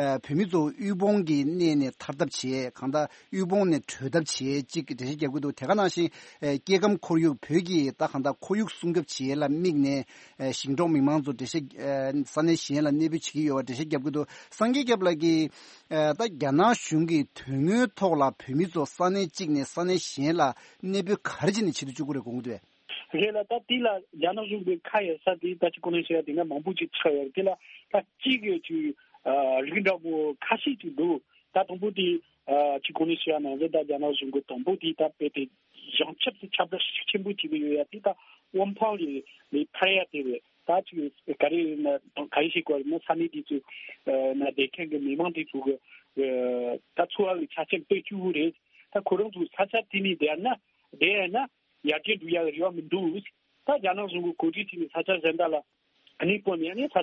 ཨ། བོད་མི་ཚོ་དབུལ་ཕོངས་ཀྱི་གནས་ནས་ཐར་ཐབས་བྱེད། གང་ལྟར་དབུལ་ཕོངས་ནས་གྲོལ་ཐབས་བྱེད་ཅིག་འགྲེལ་བཤད་བརྒྱབ་ཀྱི་འདུག་དེ་ག་ནང་བཞིན། ཨ། སྐྱེ་ཁམས་ཁོར་ཡུག་བོད་ཀྱི་ད་གང་ལྟར་ཁོར་ཡུག་སྲུང་སྐྱོབ་བྱེད་ཡས་ལ་དམིགས་ནས། ཨ། ཞིང་འབྲོག་མི་མང་ཚོ་འགྲེལ་བཤད། ཨ། ས་གནས་གཞན་ལ་གནས་སྤོས་བྱེད་ཀྱི་ཡོད་པ་འགྲེལ་བཤད་བརྒྱབ་ཀྱི་འདུག་སངས་རྒྱས་སྐྱབས་ལགས་ཀྱིས། ཨ། ད་རྒྱ་ནག་གཞུང་གིས་དོན་དངོས་ཐོག་ལ་བོད་མི་ཚོ་ས་གནས་གཅིག་ནས་ས་གནས་གཞན་ལ་གནས་སྤོས་ག་རེ་བྱས་ནས་བྱེད་དུ་བཅུག་གི་རེད་དགོངས་ཀྱི་འདུག་རེད་ལ། ད་དེ་ལ་རྒྱ་ནག་གཞུང་གི་ཁ་ཡོད་ས་དེ་ད་ཅི་གོང་ནས་བཤད་ཡ་དེ་འདྲ་མང་པོ་ཅིག་ཆགས་ཡོད་རེད། དེ་ལ་ད་གཅིག་གི་ཅིག་ཨ། རིགས་འདྲ་པོ་ཁ་ཤས་ཅིག་འདུག་ད་དང་པོ་དེ་ཨ། ཅི་གོང་ནས་བཤད་ཡ་ནང་བཞིན་ད་རྒྱ་ནག་གཞུང་གི་དང་པོ་དེ་ད་དཔེ་དེ་བྱང་ཆུབ་སེ་ཁྱབ་བསྒྲགས་ཤུགས་ཆེན་པོ་བྱེད་ཀྱི་ཡོད་ཡ་དེ་ད་དབང་ཕང་ལས་ལས་ཐར་ཡ་དེ་རེད། ད་ཅིག་ག་རེ་ཡིན་ན་ག་རེ་ཞིག་གོ་རེད་ན། ས་གནས་དེ་ཚོའི་ན་བསྡད་མཁན་གྱི་མི་མང་དེ་ཚོ་གི་ད་འཚོ་བ་གི་ཆ་རྐྱེན་དཔེ་སྐྱིད་པོ་རེད། ད་ཁོ་རང་ཚོ་ས་ཆ་དེ་ནས་བསྡད་ན་བསྡད་ཡ་ན། ཡར་རྒྱས་འགྲོ་ཡག་རེ་བ་མི་འདུག་ད་རྒྱ་ནག་གཞུང་གིས་གོ་སྒྲིག་བྱས་ནས་ས་ཆ་གཞན་དག་ལ་གནས་སྤོས་ནས། ཨ་ནི་ས་ཆ་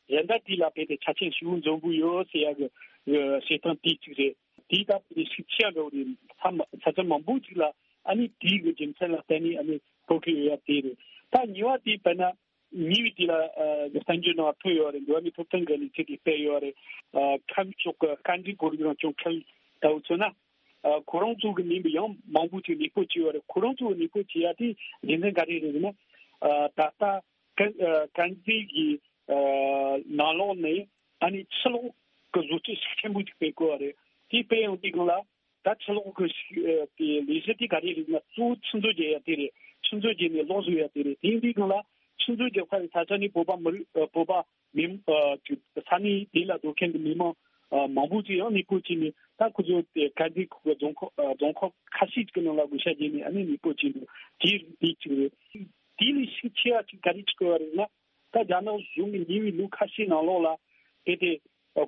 གཞན་དག་དེ་ལ་དཔེ་དེ་ཆ་རྐྱེན་ཞེ་པོ་འཛོམས་པོ་ཡོད་ཟེར་ཡག་གི་བྱེད་སྟངས་དེ་གཅིག་རེད། དེའི་སྟབས་དེ་ཤུགས་ཆེ་འགྲོ་རེད། ས་མ་ས་ཆ་མང་པོ་ཅིག་ལ་ཨ་ནི་དེའི་གི་རྒྱུ་མཚན་ལ་བརྟེན་ནས་ཨ་ནི་སྤོ་གི་ཡོད་ཡ་དེ་རེད། ད་གཉིས་པ་དེ་དཔེར་ན་གཉིས་པ་དེ་ལ་གསར་འགྱུར་ནང་ཐོན་ཡོད་རེད། འགྲོ་བ་མིའི་ཐོབ་ཐང་གི་ལས་ཁུངས་ཀྱིས་སྤེལ་ཡོད་རེད། ཁམས་ཕྱོགས་ཀྱི་བཀའ་འདྲི་སྐོར་གྱི་རང་སྐྱོང་ཁུལ་ལྟ་བུ་མཚོན་ན། ཨ་ཁོ་རང་ཚོ་གི་མིན་པའི་ཡང་མང་པོ་ཅིག་གནས་སྤོ་བྱས་ཡོད་རེད། ཁོ་རང་ཚོ་གི་གནས་སྤོ་བྱས་ཡ་དེ་རྒྱུ་མཚན་ག་རེ་རེད་ཟེར་ན། ཨ་ད་ལྟ་ཀན་ཨ་ཀན་ཛི་གི་ཨ་ནང་ལོགས་ནས་ཨ་ནི་ཕྱི་ལོགས་ཀྱི་བཟོ་བཅོས་ཤུགས་ཆེན་པོ་ཅིག་སྤེལ་དགོས་པ་རེད། དེ་སྤེལ་ཡོང་དུས་སྒང་ལ། ད་ཕྱི་ལོགས་ཀྱི་ཤུགས་ཨ་དེ་ལས་གཞི་དེ་ག་རེ་རེད་ཟེར་ན། གཙོ་བོ་ཆུ་མཛོད་བརྒྱབ་ཡ་དེ་རེད། ཆུ་མཛོད་བརྒྱབ་ནས་གློག་བཟོ་ཡ་དེ་རེད། དེ་ཡིན་དུས་སྒང་ལ་ཆུ་མཛོད་རྒྱབ་ཁ་ཡི་ས་ཆ་ནས་བོད་པ་མི་རིགས་ཨ་བོད་པ་མི་ཨ་ཅིག་ས་གནས་དེ་ལ་སྡོད་མཁན་གྱི་མི་མང་ཨ་མང་པོ་ཅིག་ཡང་གནས་སྤོ་བྱས་ནས། ད་ཁོ་ཚོ་དེ་ཀན་ཛི་ཁུལ་གྱི་རྫོང་ཁག་ཨ་རྫོང་ཁག་ཁ་ཤས་ཅིག་གི་ནང་ལ་བགོ་བཤའ་བརྒྱབ་ནས་ཨ་ནི་གནས་སྤོ་བྱས་འདུག་དེ་དེ་གཅིག་རེད། དེ་ལས་ཤུགས་ཆེ་བ་ཅིག་ག་རེ་ཅིག་དགོས་པ་རེད་ན། ད་རྒྱ་ནག་གཞུང་གིས་ཉེ་བའི་ལོ་ཁ་ཤས་ནང་ལོགས་ལ་དེ་དེ་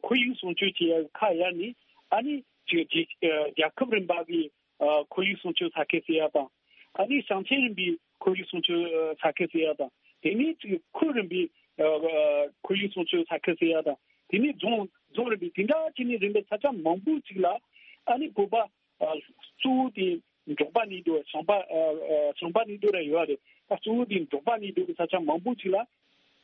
ཁོར་ཡུག་སྲུང་སྐྱོབ་བྱེད་ཡ་ཁ་གཡར་ནས། ཨ་ནི་ཅིག་རྒྱལ་རྒྱལ་ཁབ་རིམ་པ་གི་ཨ་ཁོར་ཡུག་སྲུང་སྐྱོབ་ས་ཁུལ་ཟེར་ཡ་དང་། ཨ་ནི་ཞིང་ཆེན་རིམ་པའི་ཁོར་ཡུག་སྲུང་སྐྱོབ་ས་ཁུལ་ཟེར་ཡ་དང་། དེ་ནས་ཅིག་ཁུལ་རིམ་པའི་ཨ་ཁོར་ཡུག་སྲུང་སྐྱོབ་ས་ཁུལ་ཟེར་ཡ་དང་། དེ་ནས་རྫོང་རྫོང་རིམ་པའི་དེ་འདྲ་བྱས་ནས་རིམ་པས་ས་ཆ་མང་པོ་ཅིག་ལ་ཨ་ནི་བོད་པ་ཨ་གཙོ་བོ་དེ་འབྲོག་པ་གནས་སྡོད། ཞིང་པ་ཨ་ཨ་ཞིང་པ་གནས་སྡོད་ར་ཡོད་རེད། ད་གཙོ་བོ་དེ་འབྲོག་པ་གནས་སྡོད་ཀྱི་ས་ཆ་མང་པོ་ཅིག་ལ་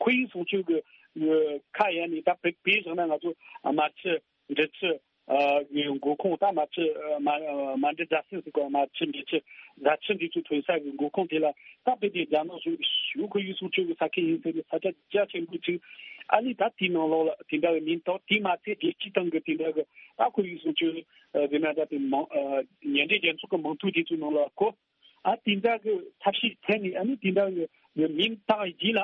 ཁོར་ཡུག་སྲུང་སྐྱོབ་ཀྱི་ཨ་ཁ་གཡར་ནས། ད་དཔེ་དཔེ་བཞག་ན་ང་ཚོ་ཨ་མར་ཆུ་འབྲི་ཆུ་ཨ་གི་མགོ་ཁུངས། ད་མར་ཆུ་ཨ་མ་ཨ་མ་འབྲི་རྫ་སྲིན་ཟེར་གོ། མར་ཆུ་འབྲི་ཆུ་རྫ་ཆུ་འདི་ཚོ་ཐོན་ས་གི་མགོ་ཁུངས་དེ་ལ། ད་དཔེ་དེ་རྒྱ་ནག་གཞུང་གི་ཞུ་ཁོར་ཡུག་སྲུང་སྐྱོབ་ཀྱི་ས་ཁུལ་ཡིན་ཟེར་ནས་ས་ཆ་རྒྱ་ཆེན་པོ་ཅིག་ཨ་ནི་ད་དེའི་ནང་ལོགས་ལ་དེ་འདྲ་བའི་མིང་བཏགས། དེ་མ་ཚད་རྒྱལ་སྤྱིའི་སྟེང་གི་དེ་འདྲ་གི་ཨ་ཁོར་ཡུག་སྲུང་སྐྱོབ་ཨ་ཟེར་ན་ད་དེ་མང་ཨ་མཉམ་འབྲེལ་རྒྱལ་ཚོགས་ཀྱི་མིང་ཐོ་དེ་ཚོའི་ནང་ལ་ཁོ་ཨ་དེ་འདྲ་གི་ཐབས་ཤེས་འཐེན་ནས། ཨ་ནི་དེ་འདྲ་གི་མིང་བཏགས་རྗེས་ལ།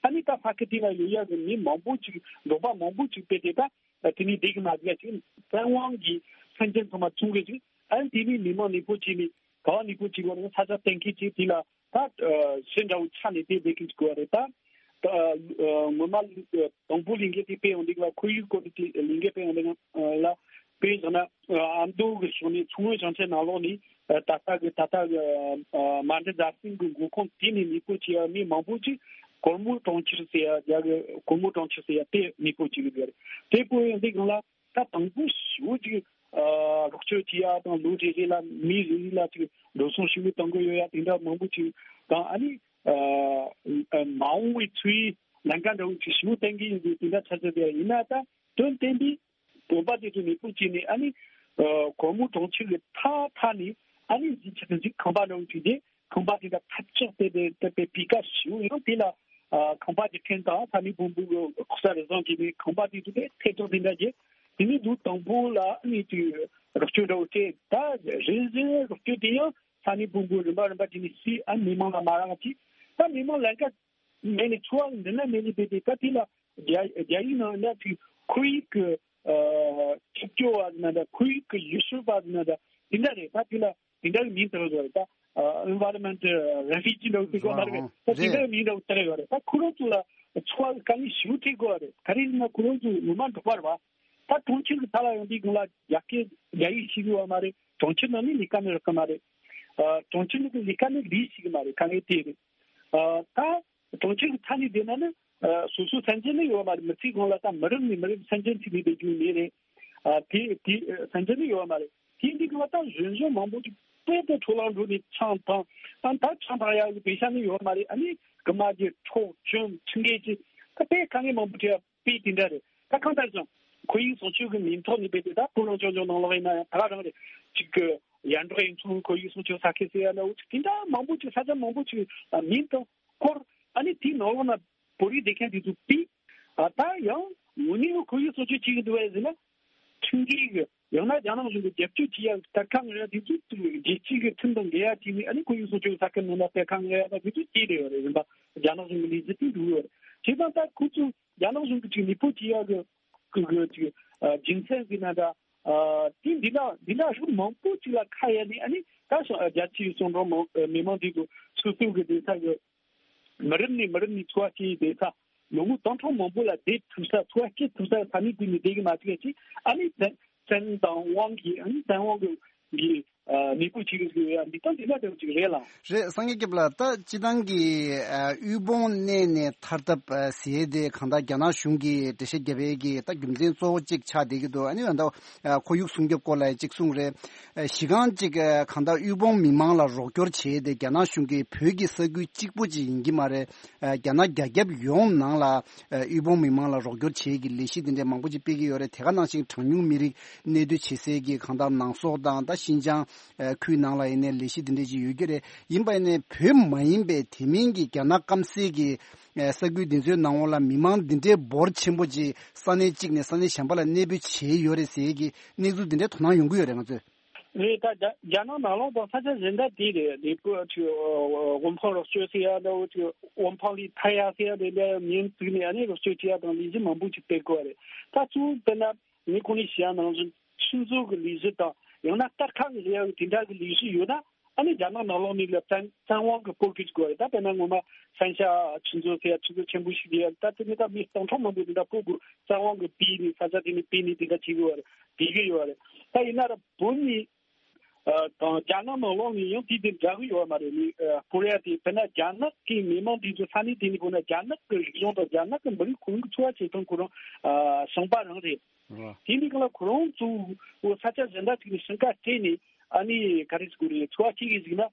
ཨ་ནི་ད་ས་ཁུལ་དེ་ལ་ཡོད་ཡ་གི་མི་མང་པོ་ཅིག་འབྲོག་པ་མང་པོ་ཅིག་དཔེ་དེ་ད་དེ་ནས་བསྡད་གི་མ་བསྡད་ཅིག་བཙན་དབང་གིས་སེམས་ཅན་ཚང་མ་བཙོང་གི་ཅིག་ཨ་ནི་དེ་ནས་མི་མང་གནས་སྤོ་བྱས་ནས། ག་བ་གནས་སྤོ་བྱེད་དགོས་རེད། ས་ཆ་གཏན་འཁེལ་བྱས། དེ་ལ་ད་ཨ་གཞི་འདྲ་བོ་ཆགས་ནས་དེ་བསྡད་གི་འཇུག་དགོས་རེད། ད་ད་ཨ་ངོ་མ་ཨ་དང་པོ་ལས་འགུལ་དེ་སྤེལ་ཡོང་དུས་ལ། ཁོར་ཡུག་སྐོར་གྱི་ལས་འགུལ་སྤེལ་ཡོང་དུས་ལ། དཔེ་བཞག་ན་ཨ་ཨ་མདོ་གི་ཕྱོགས་ནས་མཚོ་སྔོན་ཞིང་ཆེན་ནང་ལོགས་ནས། ཨ་ད་ལྟ་གི་ད་ལྟ་གི་ཨ་མ་འབྲི་རྫ་སྲིན་གྱི་མགོ་ཁུངས་དེ་ནས་གནས་སྤོ་བྱེད་ཡ་མི་མང་པོ་ཅིག་གོར་མོ་གྲོང་ཁྱེར་ཟེར་ཡ། རྒྱ་གི་གོར་མོ་གྲོང་ཁྱེར་ཟེར་ཡ་དེ་གནས་སྤོ་བྱེད་གི་ཡོད་རེད། དེ་སྤོ་ཡོང་དུས་སྒང་ལ་ད་དང་པོ་ཞེ་པོ་ཅིག་ཨ་རོགས་སྐྱོར་བྱེད་ཡ་དང་། ལོ་རེ་རེ་ལ་མི་རེ་རེ་ལ་ཅིག་འགྲོ་སོང་ཞེ་པོ་གཏོང་གི་ཡོད་ཡ་དེ་འདྲ་མང་པོ་ཅིག་དང་། ཨ་ནི་ཨ་ཨ་མ་འོངས་པའི་འཚོ་བའི་ལམ་ཁ་འདྲ་བོ་ཅིག་ཞེ་པོ་བསྟན་གི་ཡོད་པའི་དེ་འདྲ་ཆགས་ཚར་བསྡད་ཡ་ཡིན་ན། ད་དོན་བསྟན་པའི་བོད་པ་དེ་ཚོ་གནས་སྤོ་བྱས་ནས། ཨ་ནི་ཨ་གོར་མོ་གྲོང་ཁྱེར་གྱི་མཐའ་མཐའ་ནས། ཨ་ནི་གཞིས་ཆགས་གཞིས་ཁང་པ་འདྲ་བོ་བྱས་ཏེ། ཁང་པ་དེ་འདྲ་ཐབས་ཆག་དེ་དེ་དེ་དཔེ་སྤུས་ཀ་ཞེ་པོ། ཡང་དེ་ལ་ཨ་ཁང་པ་དེ་ཁྲེང་ཏང་ས་གནས་བོན་པོ་གི་ལྐོག་ཟ་རུལ་སུངས་བྱས་ནས། ཁང་པ་དེ་ཚོ་དེ་ཐལ་དྲགས་དེ་འདྲ་བྱས། དེ་ནས་ལོ་དང་པོ་ལ་ཨ་ནི་དེ་རོགས་སྐྱོར་འདྲ་བོ་སྤྲད། ད་རེས་རེ་རོགས་སྐྱོར་དེ་ཡང་ས་གནས་བོན་པོ་རིམ་པ་རིམ་པ་བྱས་ནས་བྱས། ཨ་མི་མང་ལ་མ་རག་བྱས། ད་མི་མང་ལམ་ཁ་མེད་ནས། འཚོ་བ་འདི་ན་མེད་ནས་བསྡད་དེ། ད་དེ་ལ་རྒྱ་རྒྱ་ཡིག་ནང་ན་ཅིག་ཁོར་ཡུག་གི་ཨ་ཆུ་སྐྱོར་བ་ཟེར་ན་འདྲ། ཁོར་ཡུག་གི་ཡུལ་ཤུལ་བ་ཟེར་ན་འདྲ། དེ་འདྲ་རེད། ད་དེ་ལ་དེ་འདྲ་གི་མིང་བཏགས་ཡོད་རེད། ད་ཨ་environment refugee འདྲ་བོ་ཟེར་གོ་མ་རེད། ད་དེ་འདྲ་གི་མིང་འདྲ་བོ་བཏགས་ཡོད་རེད། ད་ཁོ་རང་ཚོ་ལ་འཚོ་བ་དཀའ་ངལ་ཞེ་པོ་འཕྲད་དགོས་རེད། ག་རེ་ཡིན་ན་ཁོ་རང་ཚོ་ངོ་མ་འབྲོག་པ་རེད་པ། ད་གྲོང་ཁྱེར་གི་མཐའ་ལ་ཡོང་དུས་སྒང་ལ་རྒྱ་སྐད་རྒྱ་ཡིག་ཤེས་ཀྱི་ཡོད་མ་རེད། གྲོང་ཁྱེར་ནང་ནས་ལས་ཀ་ནི་རག་གི་མ་རེད། ཨ་གྲོང་ཁྱེར་ནང་གི་ལས་ཀ་ནི་ལས་ཤེས་ཀྱི་མ་རེད། དཀའ་ངལ་དེ་རེད། ཨ་ད་གྲོང་ཁྱེར་གྱི་མཐའ་ནས་བསྡད་ན་ནི་ཨ་སོ་སོའི་སེམས་ཅན་ནི་ཡོད་མ་རེད། མི་ཚེ་གང་ལ་ད་མི་རབས་ནས་མི་རབས་སེམས་ཅན་ཚུད་ནས་བསྡད་རྒྱུ་མེད་རེད། ཨ་དེ་དེ་སེམས་ཅན་ནི་ཡོད་མ་རེད། དེ་འདི་གང་ལ་ད་གཞོན་གཞོན་མང་པོ་ཅིག་དཔེ་དེ་འཕྲོ་བརླག་འགྲོ་ནས་ཆང་འཐུང་། ཨ་ད་ཆང་འཐུང་ཡག་གི་པེ་ཤ་ནི་ཡོད་མ་རེད། ཨ་ནི་རྐུ་མ་བྱེད། འཕྲོག་བཅོམ། ཁྲིམས་འགལ་གྱི་ད་དཔེ་དཀའ་ངལ་མང་པོ་འཕྲད་ཡ་དཔེ་དེ་འདྲ་རེད། ད་གང་ལྟར་ཀྱང་ཁོར་ཡུག་སྲུང་སྐྱོབ་ཀྱི་མིང་ཐོག་ནས་དཔེ་དེ་ད་སྤོ་ལོ་ཅོ་ཅོ་ནང་ལོགས་ཡིན་ན་ཡང་ད་ག་རང་རེད། ཅིག་གི་ཡར་འབྲོག་གཡུ་མཚོ་ཁོར་ཡུག་སྲུང་སྐྱོབ་ས་ཁུལ་ཟེར་ཡ་ན། འོ་ཅིག་དེ་འདྲ་མང་པོ་ཅིག་ས་ཆ་མང་པོ་ཅིག་མིང་དང་སྐོར། ཨ་ནི་དེའི་ནང་ལོགས་ན་བོད་རིགས་བསྡད་མཁན་དེ་ཚོ་དཔེ། ཨ་ད་ཡང་དངོས་གནས་ཁོར་ཡུག་སྲུང་སྐྱོབ་བྱེད་ཀྱི་འདུག་བས་ཟེར་ན། ཁྲིམས་འགལ་གྱི། ཡང་ན་རྒྱ་ནག་གཞུང་གིས་རྒྱབ་སྐྱོར་བྱེད་ཡག་གཏེར་ཁ་འོང་ཡ་དེ་ཚོ་རྒྱལ་སྤྱིའི་གི་ཁྲིམས་དང་འགལ་ཡ་བྱས་ནས། ཨ་ནི་ཁོར་ཡུག་སྲུང་སྐྱོབ་ས་ཁུལ་ནང་ལ་གཏེར་ཁ་འོང་ཡ་ད་དེ་ཚོ་སྐྱེས་བསྡད་ཡོད་རེད། རིམ་པ་རྒྱ་ནག་གཞུང་གི་ལས་འཛིན་དེ་འགྲོ་གི་ཡོད་རེད། བྱས་ཙང་ད་ཁོ་ཚོ་རྒྱ་ནག་གཞུང་གིས་ཅིག་གནས་སྤོ་བྱེད་ཡག་གི་གི་གི་ཅིག་ཨ་རྒྱུ་མཚན་ཟེར་ན་འདྲ། ཨ་དེ་འདི་འདྲ་འདི་འདྲ་ཤུགས་མང་པོ་ཅིག་ལ་ཁ་གཡར་ནས། ཨ་ནི་ད་སོ་རྒྱ་ཆེའི་གསོན་འབྲོག་མི་མང་དེ་ཚོ་སོ་སོ་གི་སྡོད་ས་གི་མི་རབས་ནས་མི་རབས་ནས་འཚོ་བ་སྐྱེལ་བསྡད་ས། ལོ་ངོ་སྟོང་ཕྲག་མང་པོ་ལ་བསྡད་ཐུབ་ས། འཚོ་བ་སྐྱེལ་ཐུབ་ས་ས་གནས་དེ་ནས་བསྡད་གི་མ་བཅུག་ཅིག་ཨ་ནི་བཙན་བཙན་དབང་གིས། ཨ་ནི་བཙན་དབང་གི་གི་ ཨ་མེད་པོ་བྱེད་ཀྱི་ཡོད་ཡ། འདི་ལྟ་འདི་ལ་དེ་ཅིག་རེད་ལ། རེད། སངས་རྒྱས་སྐྱབས་ལགས། ད་སྤྱི་བཏང་གི་ཨ་དབུལ་ཕོངས་གནས་ནས་ཐར་ཐབས་ཨ་ཟེར་དེ་གང་ལྟར་རྒྱ་ནག་གཞུང་གིས་འགྲེལ་བཤད་བརྒྱབ་པའི་གི་ད་རྒྱུ་མཚན་གཙོ་བོ་གཅིག་ཆགས་བསྡད་ཀྱི་འདུག་ཨ་ནི་ད་ཨ་ཁོར་ཡུག་སྲུང་སྐྱོབ་སྐོར་ལ་གཅིག་གསུངས་རེད། ཨ་གཞི་རྐང་གཅིག་ཨ་གང་ལྟར་དབུལ་ཕོངས་མི་མང་ལ་རོགས་སྐྱོར་བྱས་ཏེ་རྒྱ་ནག་གཞུང་གིས་བོད་ཀྱི་ས་ཁུལ་གཅིག་པོ་ཅིག་ཡིན་གྱི་མ་རེད། ཨ་རྒྱ་ནག་རྒྱ་ཁྱབ་ཡོངས་ནང་ལ་ཨ་དབུལ་ཕོངས་མི་མང་ལ་རོགས་སྐྱོར་བྱེད་ཀྱི་ལས་གཞི་དེ་འདྲའི་མང་པོ་ཅིག་སྤེལ་གྱི་ཡོད་རེད། དེ་ག་ནང་བཞིན་གྲངས་ཉུང་མི་རིགས་གནས་སྡོད་བྱེད་སའི་གི་གང་ལྟར་ནང་སོག་དང་ད་ཤིན་ཅང་ཨ་ཁུལ་ནང་ལ་ཡིན་ནའི་ལས་གཞི་དེ་འདྲ་ཅིག་ཡོད་ཀྱི་རེད། ཡིན་པ་ཡིན་ནའི་བོད་མ་ཡིན་པའི་དེ་མིན་གྱི་རྒྱ་ནག་སྐམ་སའི་གི་ཨ་ས་ཁུལ་དེ་ཚོའི་ནང་ལོགས་ལ་མི་མང་འདི་འདྲའི་འབོར་ཆེན་པོ་ཅིག་ས་གནས་གཅིག་ནས་ས་གནས་གཞན་པ་ལ་གནས་སྤོས་བྱས་ཡོད་རེད་ཟེར་གྱི་གནས་ཚུལ་འདི་འདྲའི་དོ་སྣང་ཡོང་གི་ཡོད་རེད་ང་ཚོས། རེད། ད་རྒྱ་རྒྱ་ནག་ནང་ལོགས་དང་ས་ཆ་གཞན་དག་དེ་རེད། ལས་ཀ་ཅིག་དབུལ་ཕོངས་རོགས་སྐྱོར་ཟེར་ཡ་འདྲ་བོ་ཅིག་དབུལ་ཕོངས་ལས་ཐར་ཡ་ཟེར་ཡ་དེ་འདྲ་མིང་བཙུགས་ནས་ཨ་ནི་རོགས་སྐྱོར་བྱེད་ཡ་དང་ལས་གཞི་མང་པོ་ཅིག་སྤེལ་དགོས་རེད། ད་གཙོ་བོ་དཔེར་ན་ངས་གོང་ནས་བཤད་ཡ་ནང་བཞིན་ཆུ་མཛོད་ཀྱི་ལས་གཞི་དང་ཡང་ན་སྟར་ཁ་གི་ལས་ཡ་དེ་འདྲ་གི་ལས་གཞི་ཡོད་ན་ཨ་ནི་རྒྱ་ནག་ནང་ལོགས་ནས་ལ་བཙན་བཙན་དབང་གི་སྤོ་གི་དགོས་རེད། ད་དཔེར་ན་ངོ་མ་ཧྥན་ཤ་ཆུ་མཛོད་ཟེར་ཡ་ཆུ་མཛོད་ཆེན་པོ་ཞིག་ཡོད་རེད། ད་དེ་ནི་ད་མི་སྟོང་ཕྲག་མང་པོ་དེ་འདྲ་སྤོ་དགོས་བཙན་དབང་གི་སྤོས་ནས་ས་ཆ་དེ་ནས་སྤོས་ནས་དེ་འདྲ་བྱེད་དགོས་རེད། དེ་གི་ཡོད་རེད། ད་ཡིན་ན་ར་བོད་ནས་ཨ་དང་རྒྱ་ནག་ནང་ལོགས་ནས་ཡང་དེ་དེ་འདྲ་གི་ཡོད་མ་རེད། ནི་ཨ་ཀོ་རི་ཡ་དེ་དཔེར་ན་རྒྱ་ནག་གི་མི་མང་དེ་ཚོ་ས་གནས་དེ་ནས་ཁོ་ན་རྒྱ་ནག་གི་རིག་གཞུང་དང་རྒྱ་ནག་གི་མི་རིགས་ཁོ་རང་གི་འཚོ་བ་བྱེད་སྟངས་ཁོ་རང་ཨ་ཞིང་པ་རང་རེད། རེད། དེ་འདི་གང་ལ་ཁོ་རང་ཚོ་ས་ཆ་གཞན་དག་ཅིག་ནས་ཞིང་ཁ་སྤྲད་ནས་ཨ་ནི་ག་རེ་ཟེར་དགོས་རེད། འཚོ་བ་སྐྱེལ་གི་ཟིག་ན་ཨ་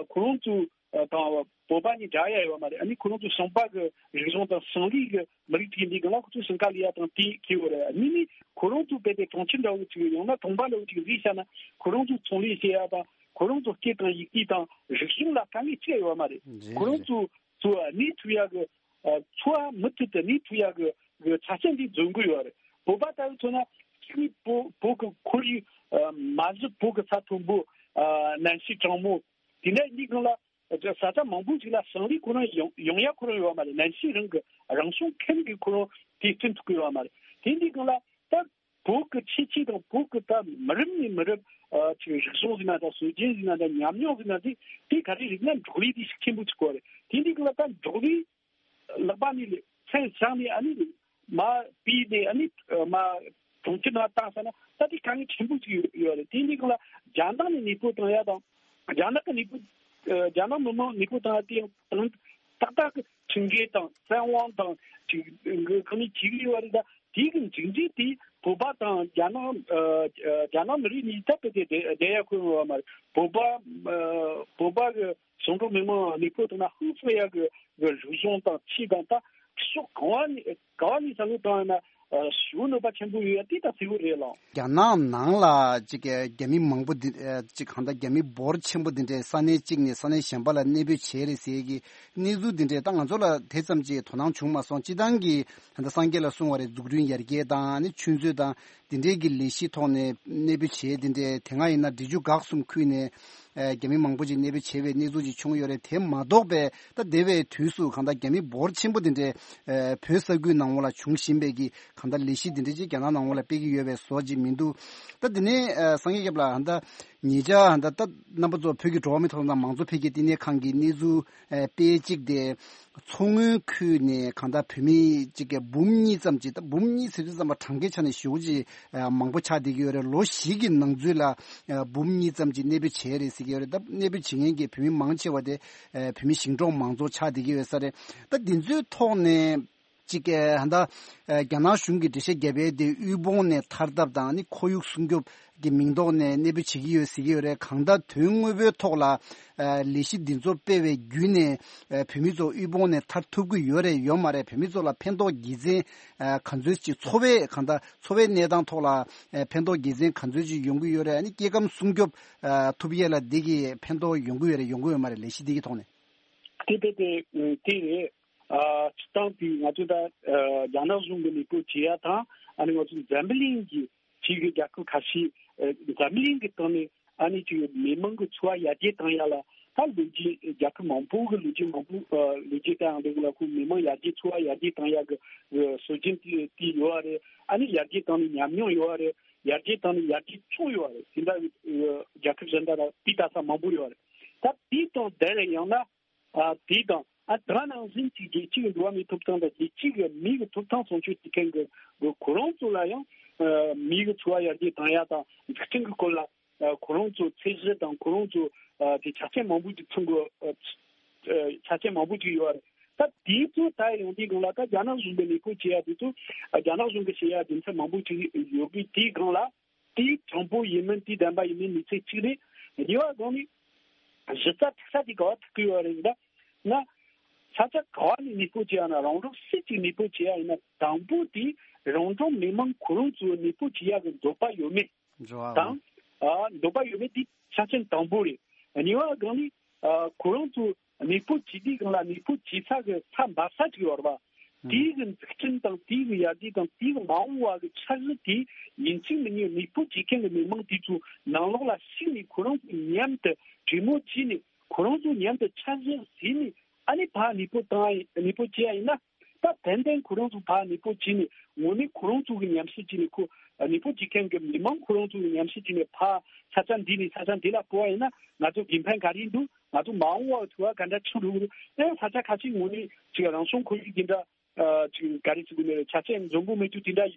ཁོ་རང་ཚོ་ཨ་དང་བོད་པ་གཉིས་འདྲ་ཡ་ཡོད་མ་རེད། ཨ་ནི་ཁོ་རང་ཚོ་ཞིང་པ་གི་རིག་གཞུང་དང་ཞིང་ལས་གི་མི་རིགས་ཅིག་འདི་གང་ལ་ཁོ་ཚོ་ཞིང་ཁ་ལས་ཡ་དང་དེ་ཁེ་བོ་རེད། ཨ་ནི་ནི་ཁོ་རང་ཚོ་དཔེ་དེ་གྲོང་ཁྱེར་འདྲ་བོ་ཅིག་ཡང་ན་གྲོང་པ་འདྲ་བོ་ཅིག་རིག་བྱ་ན་ཁོ་རང་ཚོ་ཚོང་ལས་བྱེད་ཡ་དང་ཁོ་རང་ཚོ་སྐད་དང་ཡི་གེ་དང་རིག་གཞུང་ལ་དཀའ་ངལ་ཅི་ཡ་ཡོད་མ་རེད། རེད་ཁོ་རང་རེད། ཚོ་ཚོ་ཨ་ནི་ཐུ་ཡ་གི་ཨ་འཚོ་བ་མུ་མཐུད་དུ་ནི་ཐུབ་ཡག་གི་གི་ཆ་རྐྱེན་འདི་འཛོམས་ཀྱི་ཡོད་རེད། བོད་པ་ལྟ་བུ་མཚོན་ན་གཅིག་ནི་བོད་བོད་ཀྱི་ཁོར་ཡུག་ཨ་མ་གཞི་བོད་ཀྱི་ས་མཐོན་པོ་ཨ་གནམ་གཤིས་གྲང་མོ་དེ་འདྲ་གཉིས་སྒང་ལ་ས་ཆ་མང་པོ་ཞིག་ལ་ཞིང་ལས་ཁོ་རང་ཡོང་ཡོང་ཡ་ཁོ་རང་ཡོད་མ་རེད། གནམ་གཤིས་རང་གི་རང་བྱུང་ཁམས་ཀྱི་ཁོ་རང་དེ་བསྐྲུན་ཐུབ་ཀྱི་ཡོད་མ་རེད། དེ་འདི་སྒང་ལ་ད་བོད་ཀྱི་ཁྱད་ཆོས་དང་བོད་ཀྱི་ད་མི་རབས་ནས་མི་རབས་ཨ་ཅིག་རིག་གཞུང་ཟེར་ན་ད་སྲོལ་རྒྱུན་ཟེར་ན་ད་ཉམས་མྱོང་ཟེར་ན་དེ་དེ་ག་རེ་རིག་ན་འབྲོག་ལས་དེ་ཤུགས་ཆེན་པོ་ཅིག་དགོས་རེད། དེ་འདི་སྒང་ལ་ད་འབྲོག་ལས་ལག་པ་ནས་ལས་ཚན་བཞག་ནས་ཨ་ནི་མ་སྤུས་ནས་ཨ་ནི་མ་གྲོང་ཁྱེར་ནང་བཏང་ས་ན་ད་དེ་དཀའ་ངལ་ཆེན་པོ་ཅིག་ཡོད་ཡོད་རེད། དེ་འདི་སྒང་ལ་རྒྱ་ནག་ནས་གནས་སྤོ་བཏང་ཡ་དང་རྒྱ་ནག་གི་གནས་སྤོ་ཨ་རྒྱ་ནག་མི་མང་གནས་སྤོ་བཏང་ཡ་དེ་ཡང་དང་ཏག་ཏག་གི་ཁྲིམས་འགལ་དང་བཙན་དབང་དང་ཅིག་གི་གང་ནས་བྱེད་ཀྱི་ཡོད་རེད། ད་དེ་གི་མཇུག་འབྲས་དེ་བོད་པ་དང་རྒྱ་ནག་ཨ་རྒྱ་ནག་མི་རིགས་གཉིས་ད་དཔེ་དེ་བསྡད་ཡ་ཁོ་ཡོང་བ་མ་རེད། བོད་པ་ཨ་བོད་པ་གི་ཞིང་འབྲོག་མི་མང་གནས་སྤོ་བཏང་ན་ཧང་སངས་ཡ་གི་གི་རིག་གཞུང་དང་ཆོས་དང་ད་ཕྱོགས་གང་བ་ནས་གང་བ་ནས་བསམ་བློ་བཏང་ཡ་ན་ཨ་ཞེ་པོ་གནོད་པ་ཆེན་པོ་ཡོད་ཡ་དེ་ད་གསལ་པོ་རེད་ལགས། རྒྱ་ནག་ནང་ལ་ཅིག་རྒྱ་མི་མང་པོ་འདི་ཅིག་གང་ལྟར་རྒྱ་མི་འབོར་ཆེན་པོ་འདི་འདྲས་ས་གནས་གཅིག་ནས་ས་གནས་གཞན་པ་ལ་གནས་སྤོས་བྱས་རེད་ཟེར་གི་གནས་ཚུལ་འདི་འདྲས་ད་ང་ཚོ་ལ་དེ་ཙམ་ཅིག་དོ་སྣང་བྱུང་མ་སོང་། སྤྱིར་བཏང་གི་ད་ལྟ་སངས་རྒྱས་ལ་གསུངས་པ་རེད། འཛུགས་སྐྲུན་ཡར་རྒྱས་དང་ནི་ཆུ་མཛོད་དང་འདི་འདྲས་ཀྱི་ལས་གཞི་ཐོག་ནས་གནས་སྤོས་བྱས། འདི་འདྲས་དེ་སྔ་ཡིན་ན་འབྲི་ཆུ་འགག་གསུམ་ཁུལ་ནས་རྒྱ་མི་མང་པོ་ཅིག་གནས་སྤོས་བྱས་པའི་གནས་ཚུལ་ཅིག་བྱུང་ཡོད་རེད། དེ་མ་གཏོགས་པའི་ད་འདས་པའི་དུས་སུ་གང་ལྟར་རྒྱ་མི་འབོར་ཆེན་པོ་འདི་འདྲས་བོད་ས་ཁུལ་ནང་ལ་བྱུང་བཞིན་པའི་གི་གང་ལྟར་ལས་གཞི་འདི་འདྲས་ཅིག་རྒྱ་ནག་ནང་ལ་སྤེལ་གྱི་ཡོད་པའི་བཟོ་ཅིག་མི་འདུག་ད་འདི་ནས་སངས་རྒྱས་སྐྱབས་ལགས་ད་ལྟ་ཉེ་ཆར་ད་ལྟ་རྣམ་པ་ཚོ་བོད་ཀྱི་འགྲོ་བ་མིའི་ཐོབ་ཐང་དང་མང་གཙོ་འཕེལ་རྒྱས་བསྟི་གནས་ཁང་གི་གནས་ཚུལ་ཨ་དཔེ་གཅིག་དེ། མཚོ་སྔོན་ཁུལ་ནས་གང་ལྟར་བོད་མི་གཅིག་གི་འབུམ་གཉིས་ཙམ་ཅིག་ད་འབུམ་གཉིས་ཟེར་དུས་ཙམ་པ་གྲངས་ཀའི་ཆ་ནས་ཞེ་པོ་ཅིག་ཨ་མང་པོ་ཆགས་བསྡད་ཀྱི་ཡོད་རེད། ལོ་བཞི་གི་ནང་ཚུད་ལ་ཨ་འབུམ་གཉིས་ཙམ་ཅིག་གནས་སྤོས་བྱས་རེད་ཟེར་གྱི་ཡོད་རེད། ད་གནས་སྤོས་བྱེད་མཁན་གྱི་བོད་མི་མང་ཆེ་བ་དེ་ཨ་བོད་མི་ཞིང་འབྲོག་མང་ཚོགས་ཆགས་བསྡད་ཀྱི་ཡོད་ས་རེད། ད་འདི་ཚོའི་ཐོག་ནས། གཅིག་གི་ཧ་ད་རྒྱ་ནག་གཞུང་གིས་འགྲེལ་བཤད་བརྒྱབ་པའི་དེ་དབུལ་ཕོངས་ནས་ཐར་ཐབས་དང་ནི་ཁོར་ཡུག་སྲུང་སྐྱོབ་ཀྱི་མིང་ཐོག་ནས་གནས་སྤོས་བྱེད་ཀྱི་ཡོད་ཟེར་གྱི་ཡོད་རེད། གང་ལྟར་དོན་དངོས་པོའི་ཐོག་ལ་ལས་གཞི་འདི་ཚོ་སྤེལ་བའི་བརྒྱུད་ནས་བོད་མི་ཚོ་དབུལ་ཕོངས་ནས་ཐར་ཐུབ་ཀྱི་ཡོད་རེད་ཡོད་མ་རེད། བོད་མི་ཚོ་ལ་ཕན་ཐོགས་དགེ་མཚན་ག་ཚོད་ཅིག་འཚོ་བའི་གང་ལྟར་འཚོ་བའི་གནས་སྟངས་ཐོག་ལ་ཕན་ཐོགས་དགེ་མཚན་ག་ཚོད་ཅིག་ཡོང་གི་ཡོད་རེད། ཨ་ནི་སྐྱེ་ཁམས་སྲུང་སྐྱོབ་ཐུབ་ཡས་ལ་འདི་གི་ཕན་ཐོགས་ཡོང་གི་ཡོད་རེད་ཡོང་གི་ཡོད་མ་རེད། ལས་གཞི་འདི་གི་ཐོག་ནས། དེ་དེ་དེ་དེ་རེད། ཨ་སྤྱིར་བཏང་དེ་ང་ཚོ་ད་ཨ་རྒྱ་ནག་གཞུང་གི་ལས་ཀ་བྱེད་ཡ་དང་ཨ་ནི་ང་ཚོ་འཛམ་བུ་གླིང་གི་ཕྱི་གི་རྒྱལ་ཁབ་ཁ་ཤས་ཨ་འཛམ་བུ་གླིང་གི་སྟེང་ནས་ཨ་ནི་ཅིག་མི་མང་གི་འཚོ་བ་ཡར་རྒྱས་བཏང་ཡ་ལ་ད་ལོ་རྒྱུས་རྒྱལ་ཁབ་མང་པོ་གི་ལོ་རྒྱུས་མང་པོ་ཨ་ལོ་རྒྱུས་ལྟ་ཡང་འདི་གི་ལ་ཁོ་མི་མང་ཡར་རྒྱས་འཚོ་བ་ཡར་རྒྱས་བཏང་ཡ་གི་གི་སྲོལ་རྒྱུན་དེ་དེ་ཡོད་རེད། ཨ་ནི་ཡར་རྒྱས་བཏང་ནས་ཉམས་མྱོང་ཡོད་རེད། ཡར་རྒྱས་བཏང་ནས་ཡར་རྒྱས་བྱུང་ཡོད་རེད། དེ་འདྲ་ཨ་རྒྱལ་ཁབ་གཞན་དག་ལ་དེ་ལྟ་ས་མང་པོ་ཡོད་རེད། ད་དེ་དང་དེ་ལས་ཡང་ན། ཨ་དེ་དང་ཨ་དེ་ནང་བཞིན་གྱི་རྒྱལ་སྤྱི་གི་འགྲོ་བ་མིའི་ཐོབ་ཐང་དང་རྒྱལ་སྤྱི་གི་མི་གི་ཐོབ་ཐང་སྲུང་སྐྱོབ་བྱེད་མཁན་གྱི་གི་ཁོ་རང་ཚོ་ལ་ཡང་ཨ་མི་གི་འཚོ་བ་ཡར་རྒྱས་བཏང་ཡ་དང་འཛུགས་སྐྲུན་གྱི་སྐོར་ལ་ ཁོ་རང་ཚོ་ཚད་གཞི་དང་ཁོ་རང་ཚོ་དེ་ཆ་རྐྱེན་མང་པོ་ཅིག་ཚང་གི་ཆ་རྐྱེན་མང་པོ་ཅིག་ཡོད་རེད། ད་དེ་ཚོ་ད་ཡོང་དུས་སྒང་ལ་ད་རྒྱ་ནག་གཞུང་གི་གནས་སྤོ་བྱེད་ཡ་དེ་ཚོ་རྒྱ་ནག་གཞུང་གི་བྱེད་ཡ་རྒྱུ་མཚན་མང་པོ་ཅིག་ཡོད་གི། དེའི་སྒང་ལ་དེའི་དྲང་པོ་ཡིན་མིན་དེའི་བདེན་པ་ཡིན་མིན་མི་ཚེ་གཅིག་རེད། གཉིས་པ་སྒང་ནས་གཞི་རྩ་ཐུག་ས་དེ་ག་བ་ཐུག་གི་ཡོད་རེད་ད་ང་། ས་ཆ་ག་བ་ནས་གནས་སྤོ་བྱེད་ཡ་ན་རང་རང་སུ་གཅིག་གནས་སྤོ་བྱེད་ཡ་ཡིན་ན་དང་པོ་དེ་རང་རང་མི་མང་ཁོ་རང་ཚོའི་གནས་སྤོ་བྱེད་ཡ་གི་འདོད་པ་ཡོད་མེད་འགྲོ་བ་དང་། ཨ་འདོད་པ་ཡོད་མེད་དེ་ཆ་རྐྱེན་དང་པོ་རེད། གཉིས་པ་སྒང་ནས་ཨ་ཁོ་རང་ཚོ་གནས་སྤོ་བྱེད་དུས་སྒང་ལ་གནས་སྤོ་བྱེད་ས་གི་ས་འབབ་ས་ཅིག་ཡོད་རེད་བ། དེའི་གི་འཛུགས་སྐྲུན་དང་དེའི་གི་ཡར་རྒྱས་དང་དེའི་གི་མ་འོངས་པ་གི་འཆར་གཞི་དེ་ཡིན་གཅིག་མིན་གཉིས་གནས་སྤོ་བྱེད་མཁན་གི་མི་མང་དེ་ཚོ་ནང་ལོགས་ལ་ཞུགས་ནས་ཁོ་རང་ཚོ་མཉམ་དུ་གྲོས་མོལ་བྱས་ནས་ཁོ་རང་ཚོ་མཉམ་དུ་འཆར་གཞི་བཟོས་ནས་ཨ་ནི་ཕར་གནས་སྤོ་བཏང་ཡ་ཡིན། གནས་སྤོ་བྱེད་ཡ་ཡིན་ན། ད་ཏན་ཏན་ཁོ་རང་ཚོ་ཕར་གནས་སྤོ་བྱས་ནས་དངོས་གནས་ཁོ་རང་ཚོ་གི་ཉམས་ཞིབ་བྱས་ནས་ཁོ་གནས་སྤོ་བྱེད་མཁན་གི་མི་མང་ཁོ་རང་ཚོ་གི་ཉམས་ཞིབ་བྱས་ནས་ཕར་ས་ཆ་འདི་ནས་ས་ཆ་འདི་ལ་སྤོ་བ་ཡིན་ན་ང་ཚོ་དགེ་ཕན་ག་རེ་འདུག་ང་ཚོ་མ་འོངས་པར་ཐུག་པ་ག་འདྲ་ཆགས་འགྲོ་གི་རེད། ཨེ་ས་ཆ་ཁ་ཤས་དངོས་གནས་ཅིག་རང་བྱུང་ཁོར་ཡུག་འདི་འདྲ་ཅིག་ག་རེ་ཟེར་དགོས་ནི་རེད། ཆ་རྐྱེན་འཛོམས་པོ་མེད་རྒྱུ་དེ་འདྲ་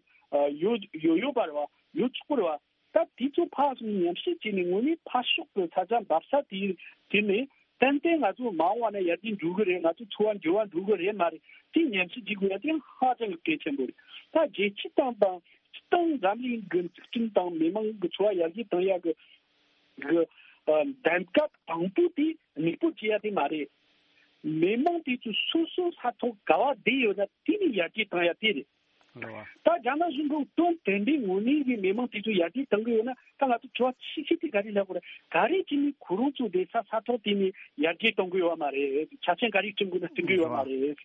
ཡོད་ཡོད་ཡོད་པ་རེད་བ། ཡོད་ཆོག་གི་རེད་བ། ད་དེ་ཚོ་ཕར་སོང་ཉམས་ཞིབ་བྱས་ནས་དངོས་གནས་ཕར་ཕྱོགས་ཀྱི་ས་ཆ་འབབ་ས་དེ་དེ་ནས་ཏན་ཏན་ང་ཚོ་མ་འོངས་པ་ན་ཡར་རྒྱས་འགྲོ་གི་རེད། ང་ཚོ་འཚོ་བ་འགྱུར་བ་འགྲོ་གི་རེད་མ་རེད། དེ་ཉམས་ཞིབ་བྱེད་དགོས་ཡ་དེ་ཧ་ཅང་གི་གལ་ཆེན་པོ་རེད། ད་རྒྱལ་སྤྱི་དང་དང་སྤྱི་བཏང་འཛམ་གླིང་གི་འཛུགས་སྐྲུན་དང་མི་མང་གི་འཚོ་བ་ཡར་རྒྱས་གཏོང་ཡ་གི་གི་ཨ་གདམ་ག་དང་པོ་དེ་གནས་སྤོ་བྱེད་ཡ་དེ་མ་རེད། མི་མང་དེ་ཚོ་སོ་སོ་ས་ཐོག་ག་བ་བསྡད་ཡོད་ན་དེ་ནས་ཡར་རྒྱས་གཏོང་ཡ་དེ་རེད། རེད་བ། ད་རྒྱ་ནག་གཞུང་གིས་དོན་དེ་འདྲའི་ངོས་ནས་ཀྱི་མི་མང་དེ་ཚོ་ཡར་རྒྱས་གཏོང་གི་ཡོད་ན་ད་ང་ཚོ་དྲི་བ་ཆེ་ཤོས་དེ་ག་རེ་ལབ་དགོས་རེད། ག་རེ་བྱས་ནས་ཁོ་རང་ཚོ་བསྡད་ས་ས་ཐོག་དེ་ནས་ཡར་རྒྱས་གཏོང་གི་ཡོད་མ་རེད། ཆ་རྐྱེན་ག་རེ་བསྐྲུན་དགོས་ན་བསྐྲུན་གི་ཡོད་མ་རེད།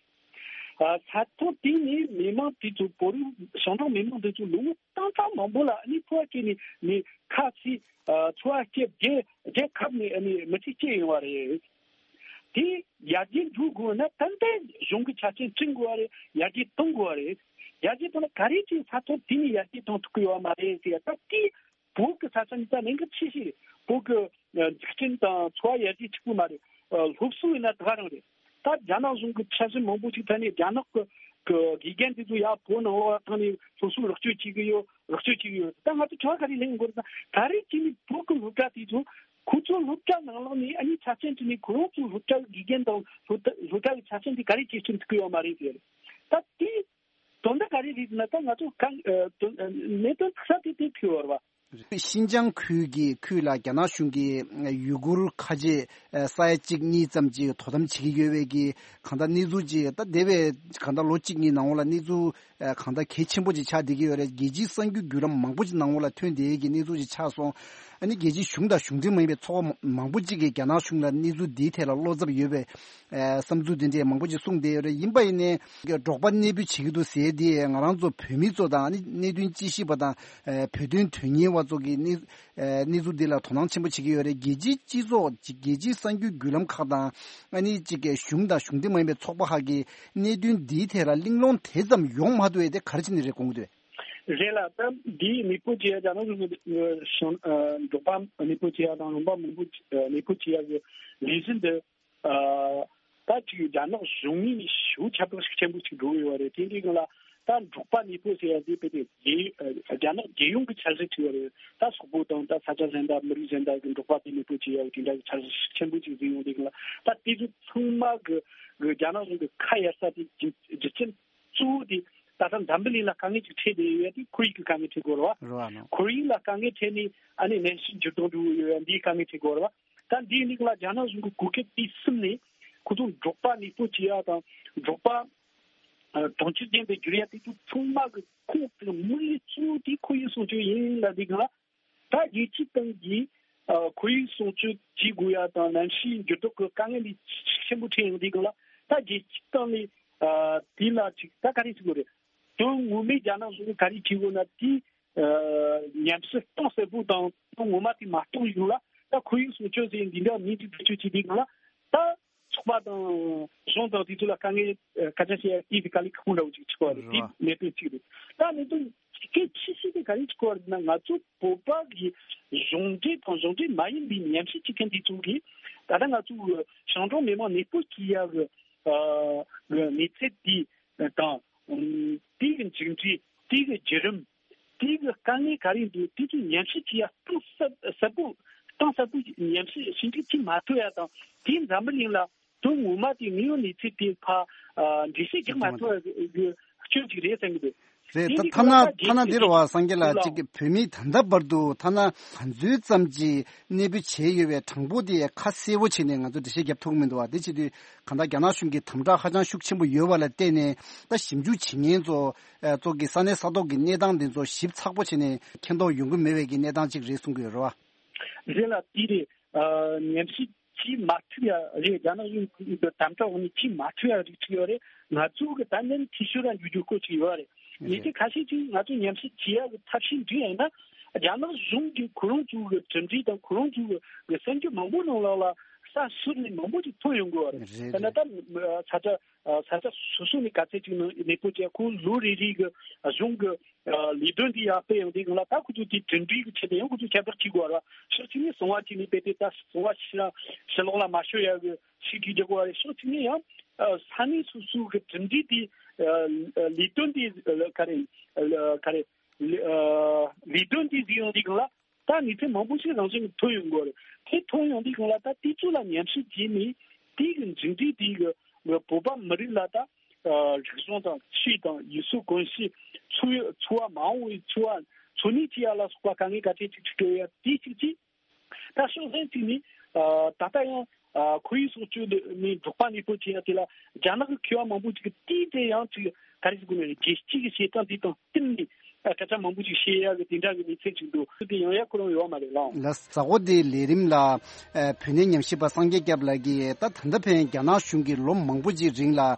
ཨ་ས་ཐོག་དེ་ནས་མི་མང་དེ་ཚོ་བོད་རིགས་ཞིང་འབྲོག་མི་མང་དེ་ཚོ་ལོ་ངོ་སྟོང་ཕྲག་མང་པོ་ལ་ཨ་ནི་འཚོ་བ་སྐྱེལ་ནས་ནས་ཁ་ཕྱེ་ཨ་འཚོ་བ་སྐྱེལ་རྒྱལ་རྒྱལ་ཁབ་ནས་ཨ་ནི་མི་ཚེ་སྐྱེལ་ཡོང་བ་རེད། དེ་ཡར་རྒྱས་འགྲོ་དགོས་ན་ཏན་ཏན་གཞུང་གི་ཆ་རྐྱེན་བསྐྲུན་དགོས་པ་རེད། ཡར་རྒྱས་གཏོང་དགོས་པ་རེད། ཡར་རྒྱས་གཏོང་ན་ག་རེ་བྱས་ས་ཐོག་དེ་ནས་ཡར་རྒྱས་གཏོང་ཐུབ་ཀྱི་ཡོད་མ་རེད་ཟེར་ཡ། ད་དེ་བོད་ཀྱི་ས་ཆ་འདི་ད་གནད་འགག་ཆེ་ཤོས་རེད། བོད་ཀྱི་འཛུགས་སྐྲུན་དང་འཚོ་བ་ཡར་རྒྱས་གཅིག་པུ་མ་རེད། སློབ་གསོ་ཡིན་ན་ད་ག་རང་རེད། ད་རྒྱ་ནག་གཞུང་གི་འཆར་གཞི་མང་པོ་ཞིག་ཐད་ནས་རྒྱ་ནག་གི་གི་དགེ་རྒན་དེ་ཚོ་ཡར་བོད་ནང་ལོགས་ཐོན་ནས་སློབ་གསོ་རོགས་སྐྱོར་བྱེད་ཀྱི་ཡོད། རོགས་སྐྱོར་བྱེད་ཀྱི་ཡོད། ད་ང་ཚོ་ཁྱོད་ག་རེ་ལེན་དགོས་རེད་ཟེར་ན་ག་རེ་བྱས་ནས་བོད་ཀྱི་སློབ་གྲྭ་དེ་ཚོ་ཁོ་ཚོ་སློབ་གྲྭ་ནང་ལོགས་ནས་ཨ་ནི་ཆ་རྐྱེན་བྱས་ནས་ཁོ་རང་ཚོའི་སློབ་གྲྭ་གི་དགེ་རྒན་དང་སློབ་གྲྭ་སློབ་གྲྭ་གི་ཆ་རྐྱེན་དེ་ག་རེ་བྱས་ཐུབ་ཀྱི་ཡོད་མ་རེད་ཟེར། ད་དེ་དོན་དག་ག་རེ་རེད་ཟེར་ན་ད་ང་ཚོ་གང་ཨ་དོན་ཨ་གནད་དོན་ཁ་ཤས་དེ་དེ་ཐུག་ཡོད་རེད་བ། ཤིན་ཅང་ཁུལ་གྱི་ཁུལ་ལ་རྒྱ་ནག་གཞུང་གིས་ཡུ་གུར་ཁ་ཆེ་ས་ཡ་གཅིག་གཉིས་ཙམ་ཅིག་དོ་དམ་བྱེད་ཀྱི་ཡོད་པའི་གི་གང་ལྟར་གནས་ཚུལ་ཅིག་ད་འདས་པའི་གང་ལྟར་ལོ་གཅིག་གཉིས་ནང་ལ་གནས་ཚུལ་གང་ལྟར་གལ་ཆེན་པོ་ཅིག་ཆགས་བསྡད་ཀྱི་ཡོད་རེད། རྒྱལ་སྤྱིའི་གསར་འགྱུར་བརྒྱུད་ལམ་མང་པོ་ཅིག་ནང་ལ་ཐོན་བསྡད་ཀྱི་གནས་ཚུལ་ཅིག་ཆགས་སོང་། ཨ་ནི་རྒྱལ་སྤྱིའི་གཞུང་དང་གཞུང་འབྲེལ་མ་ཡིན་པའི་ཚོགས་པ་མང་པོ་ཅིག་གིས་རྒྱ་ནག་གཞུང་ལ་གནས་ཚུལ་འདིའི་ཐད་ལ་བློ་འཚབ་ཡོད་པའི་བསམ་ཚུལ་དེ་འདྲས་མང་པོ་ཅིག་གསུངས་བསྡད་ཡོད་རེད། ཡིན་པ་ཡིན་ནའི་འབྲོག་པ་གནས་སྤོ་བྱེད་ཀྱི་འདུག་ཟེར་དེ་ང་རང་ཚོ་བོད་མི་ཚོ་དང་ཨ་ནི་གནད་དོན་དཔྱད་ཞིབ་པ་དང་བོད་དོན་དོན་གཉེར་བ་ཚོ་གི་གནས་གནས་ཚུལ་འདི་ལ་དོ་སྣང་ཆེན་པོ་བྱེད་ཀྱི་ཡོད་རེད། རྒྱལ་སྤྱིའི་སྤྱི་ཚོགས་ཅིག་རྒྱལ་སྤྱིའི་གསར་འགྱུར་བརྒྱུད་ལམ་ཁག་དང་ཨ་ནི་ཅིག་གི་གཞུང་དང་གཞུང་འབྲེལ་མ་ཡིན་པའི་ཚོགས་པ་ཁག་གིས་གནད་དོན་འདིའི་ཐད་ལ་གླེང་སློང་དེ་ཙམ་ཡོང་མ་ཐུབ་པ་དེ་ག་རེ་བྱས་ནས་རེད་དགོངས་ཀྱི་འདུག་རེད་ལ། ད་འདིའི་གནས་སྤོ་བྱེད་ཡ་རྒྱ་ནག་གཞུང་གི་འབྲོག་པ་གནས་སྤོ་བྱེད་ཡ་དང་ལུང་པ་མང་པོ་གནས་སྤོ་བྱེད་ཡ་གི་ལས་གཞི་འདི། ཨ་ད་ཅིག་རྒྱ་ནག་གཞུང་ངོས་ནས་ཞེ་པོ་ཁྱབ་བསྒྲགས་ཤུགས་ཆེན་པོ་ཞིག་འགྲོ་གི་ཡོད་རེད། དེ་འདྲའི་སྒང་ལ་ད་འབྲོག་པ་གནས་སྤོ་ཟེར་ཡ་དེ་དཔེ་དེ་རྒྱལ་ཨ་རྒྱ་ནག་རྒྱལ་ཡོངས་ཀྱི་འཆར་གཞི་ཅིག་ཡོད་རེད། ད་སོག་པོ་དང་ད་ས་ཆ་གཞན་དག་མི་རིགས་གཞན་དག་གི་འབྲོག་པ་དེ་གནས་སྤོ་བྱེད་ཡ་དེ་འདྲ་གི་འཆར་གཞི་ཤུགས་ཆེན་པོ་ཞིག་བཟོས་ཡོང་དུས་སྒང་ལ་ད་དེ་ཚོ་ཚང་མ་གི་གི་རྒྱ་ནག་གཞུང་གི་ཁ་གཡར་ས་དེ་རྒྱུ་རྒྱུ་རྐྱེན་གཙོ་བོ་དེ་ད་ལྟ་འཛམ་བུ་གླིང་ལ་དཀའ་ངལ་ཅིག་འཕྲད་བསྡད་ཡོད་ཡ་དེ་ཁོར་ཡུག་གི་དཀའ་ངལ་འཕྲད་དགོས་རེད་བ། རེད་བ་ནོ། ཁོར་ཡུག་ལ་དཀའ་ངལ་འཕྲད་ནས་ཨ་ནི་གནམ་གཤིས་འགྱུར་ལྡོག་འགྲོ་གི་ཡོད་ཡ་འདིའི་དཀའ་ངལ་འཕྲད་དགོས་རེད་བ། ད་འདིའི་ནང་ལ་རྒྱ་ནག་གཞུང་གི་གོ་སྐབས་དེ་བསུབས་ནས་ཁོ་ཚོ་འབྲོག་པ་གནས་སྤོ་བྱེད་ཡ་དང་འབྲོག་པ་ཨ་གྲོང་ཁྱེར་ཅན་དུ་བསྒྱུར་ཡ་དེ་ཚོ་ཚང་མ་གི་ཁོངས་གཏོགས་དམིགས་ཡུལ་གཙོ་བོ་དེ་ཁོར་ཡུག་སྲུང་སྐྱོབ་ཡིན་ལབ་དུས་སྒང་ལ། ད་རྒྱལ་སྤྱིའི་སྟེང་གི་ཨ་ཁོར་ཡུག་སྲུང་སྐྱོབ་བྱེད་དགོས་ཡ་དང་གནམ་གཤིས་འགྱུར་ལྡོག་གི་དཀའ་ངལ་འདི་ཆེན་པོ་འཕྲད་ཡོང་དུས་སྒང་ལ་ད་རྒྱལ་སྤྱིའི་སྟེང་ནས་ཨ་དེ་ལ་ཅིག་ད་ག་རེ་བྱེད་དགོས་རེད། དོན་ངོ་མའི་རྒྱ་ནག་གཞུང་གིས་ག་རེ་བྱེད་དགོས་ན་དེ་ཨ་ཉམས་ཞིབ་གཏིང་ཟབ་པོ་དང་དོན་ངོ་མ་དེ་མ་རྟོགས་ཡོང་ལ་ད་ཁོར་ཡུག་སྲུང་སྐྱོབ་ཟེར་འདི་འདྲ་མིང་དེ་བེད་སྤྱོད་བྱེད་དུས་སྒང་ལ་ད། ཚོགས་པ་དང་གཞུང་དང་དེ་ཚོ་ལ་དཀའ་ངལ་ཨ་སྐད་ཆ་བཤད་ཡ་དེ་དཀའ་ལས་ཁག་པོ་འདྲ་བོ་ཅིག་ཆགས་པ་རེད། དེ་གནད་དོན་གཅིག་རེད། ད་གནད་དོན་གལ་ཆེ་ཤོས་དེ་ག་རེ་ཆགས་པ་རེད་ན་ང་ཚོ་བོད་པ་གི་གཞུང་འབྲེལ་དང་གཞུང་འབྲེལ་མ་ཡིན་པའི་ཉམས་ཞིབ་བྱེད་མཁན་དེ་ཚོ་གིས་ད་ལྟ་ང་ཚོ་ཞིང་འབྲོག་མི་མང་གནས་སྤོ་བྱེད་ཡ་གི་ཨ་གི་གནས་ཚད་དེ་དང་དེ་གི་མཇུག་འབྲས་དེ་གི་བརྒྱུད་རིམ། དེ་གི་དཀའ་ངལ་ག་རེ་འདུག་དེ་ཚོ་ཉམས་ཞིབ་བྱེད་ཡ་གཏིང་ཟབ་ཟབ་པོ་གཏིང་ཟབ་པོ་ཉམས་ཞིབ་ཞིབ་འཇུག་བྱེད་མ་ཐུབ་ཡ་དང་། དེ་འཛམ་བུ་གླིང་ལ་དོན་ངོ་མ་དེ་དངོས་ཡོད་གནས་ཚུལ་དེ་ཕར་འགྲེལ་བཤད་རྒྱག་མ་ཐུབ་ཡ་གི་སྐྱོན་ཅིག་རེད་བསམ་གི་འདུག་རེད། ད་དེ་ཐ་ན་ཐ་ན་འདིར་བ་སངས་རྒྱས་ལགས་གཅིག་གི་བོད་མིས་ད་ལྟ་བར་དུ་ཐ་ན་ག་ཚོད་ཙམ་གྱི་གནས་སྤོ་བྱས་ཡོད་པའི་གྲངས་འབོར་དེ་ཁ་གསལ་བོ་བྱས་ནས་ང་ཚོ་འགྲེལ་བཤད་རྒྱབ་ཐུབ་ཀྱི་མི་འདུག་བ། དེ་བྱེད་དུས་གང་ལྟར་རྒྱ་ནག་གཞུང་གིས་དམ་དྲག་ཧ་ཅང་ཤུགས་ཆེན་པོ་ཡོད་པ་ལ་བརྟེན་ནས། ད་ཞིབ་འཇུག་བྱེད་མཁན་ཚོ་ཨ་ཚོ་གི་ས་གནས་ས་ཐོག་གི་གནས་སྟངས་དེ་ཚོ་ཞིབ་ཚགས་པོ་བྱས་ནས་མཁྱེན་རྟོགས་ཡོང་གི་མེད་པའི་གི་གནས་སྟངས་ཅིག་རེད་གསུང་གི་ཡོད་རེད་བ། རེད་ལ་དེ་རེད། ཨ་ཉམས་ཞིབ་བྱེད་མ་ཐུབ་ཡ་རེད། རྒྱ་ནག་གཞུང་གི་དམ་དྲག་འོག་ནས་བྱེད་མ་ཐུབ་ཡ་རིགས་ཅིག་ཡོད་རེད། ང་ཚོ་གི་ད་ནི་འཐུས་ཤོར་ར་འགྱུར་རྒྱུ་སྐོར་ཅིག་ཡོད་རེད། ཉེ་ཆར་ཁ་ཤས་ཅིག་ང་ཚོ་ཉམས་ཞིབ་བྱེད་ཡ་གི་ཐབས་ཤེས་འདི་ཡིན་ན། རྒྱ་ནག་གཞུང་གི་ཁོ་རང་ཚོ་གི་གྲུབ་འབྲས་དང་ཁོ་རང་ཚོ་གི་གསར་འགྱུར་མང་པོ་ནང་ལོགས་ལ་ས་ཟུར་ནས་མང་པོ་ཅིག་ཐོན་ཡོང་གི་ཡོད་རེད། རེད། དེ་ན་ད་ས་ཆ་ས་ཆ་སོ་སོ་ནས་ག་ཚད་ཅིག་ནང་གནས་སྤོ་བྱས། ཁོ་ལོ་རེ་རེ་གི་གཞུང་གི་ལས་དོན་འདི་ཡར་སྤེལ་ཡོང་དུས་སྒང་ལ། ད་ཁོ་ཚོ་དེ་གྲུབ་འབྲས་ཀྱི་ཆེད་དུ་ཡང་ཁོ་ཚོ་ཁྱད་པར་གཅིག་དགོས་ར། ཕྱོགས་གཅིག་ནས་གསང་བ་གཅིག་ནས་སྤེལ་ཏེ། ད་གསང་བ་ཕྱི་ཕྱི་ལོགས་ལ་མ་ཤོར་ཡ་གི་ཤིག་གིས་རྒྱག་དགོས་རེད། ཕྱོགས་གཅིག་ནས་ཡང་ས་གནས་སོ་སོ་གི་གྲུབ་འབྲས་དེ་ལས་དོན་དེ་ག་རེ་ག་རེ་ལས་དོན་དེ་གཟིགས་ཡོང་དུས་སྒང་ལ། ད་གནས་ཚུལ་མང་པོ་ཞིག་རང་བཞིན་གྱིས་ཐོན་ཡོང་གི་རེད། དེ་ཐོན་ཡོང་དུས་སྒང་ལ། ད་དེ་ཚོ་ལ་ཉམས་ཞིབ་བྱས་ནས་དེ་གི་མཇུག་འབྲས་དེ་གི་བོད་པ་མི་རིགས་ལ་ད་རིག་གཞུང་དང་ཆོས་དང་ཡུལ་སྲོལ་གོམས་གཤིས། འཚོ་འཚོ་བ་མ་འོངས་པའི་འཚོ་བ་འཚོ་གནས་བྱེད་ཡ་ལ་སོགས་པ་དཀའ་ངལ་ག་ཚད་ཅིག་འཕྲད་ཡོད་ཡ་དེ་གཅིག་བྱས། ད་ཕྱོགས་གཞན་གཅིག་ནས་ད་ལྟ་ཡང་ཁོར་ཡུག་སྲུང་སྐྱོབ་ནས་འབྲོག་པ་གནས་སྤོ་བྱེད་ཡ་དེ་ལ་རྒྱ་ནག་གི་མཁས་པ་མང་པོ་ཅིག་གིས་དེའི་ཐད་ཡང་ཅིག་ག་རེ་ཟེར་དགོས་ན། རྒྱལ་སྤྱི་གི་བྱེད་སྟངས་དེ་དང་བསྟུན་ནས་སྐད་ཆ་མང་པོ་ཅིག་བཤད་ཡ་གི་དེ་འདྲ་གི་གནས་ཚུལ་ཅིག་འདུག་དེ་ཡང་ཡ་ཁོ་རང་ཡོད་མ་རེད་ལགས། ལགས། གཟའ་འཁོར་འདིའི་ལས་རིམ་ལ་ཨ་བོད་གནས་ཉམས་ཞིབ་པ་སངས་རྒྱས་སྐྱབས་ལགས་ཀྱིས། ད་ད་ལྟ་ཕན་རྒྱ་ནག་གཞུང་གིས་ལོ་མང་པོ་ཅིག་རིང་ལ་ཨ་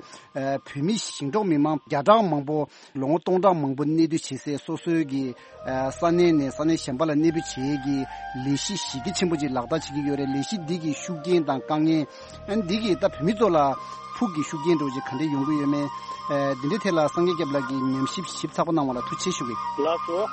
བོད་མི་ཞིང་འབྲོག་མི་མང་བརྒྱ་ཕྲག་མང་པོ་ལོ་ངོ་སྟོང་ཕྲག་མང་པོ་གནས་སྡོད་བྱེད་སའི་སོ་སོའི་གི་ཨ་ས་གནས་ནས་ས་གནས་གཞན་པ་ལ་གནས་སྤོ་བྱེད་ཀྱི་ལས་གཞི་གཞི་རྒྱ་ཆེན་པོ་ཅིག་ལག་བསྟར་བྱེད་ཀྱི་ཡོད་རེད། ལས་གཞི་འདི་གི་ཤུགས་རྐྱེན་དང་དཀའ་ངལ། ཨ་འདི་གིས་ད་བོད་མི་ཚོ་ལ་ཕུགས་ཀྱི་ཤུགས་རྐྱེན་འདྲ་བོ་ཅིག་ག་འདྲ་ཡོང་གི་ཡོད་མེད། ཨ་འདི་འདྲའི་ཐད་ལ་སངས་རྒྱས་སྐྱབས་ལགས་ཀྱིས་ཉམས་ཞིབ་ཞིབ་ཚགས་པོ་གནང་བ་ལ་ཐུགས་རྗེ་ཆེ་ཞུ་གི། ལགས་སོ།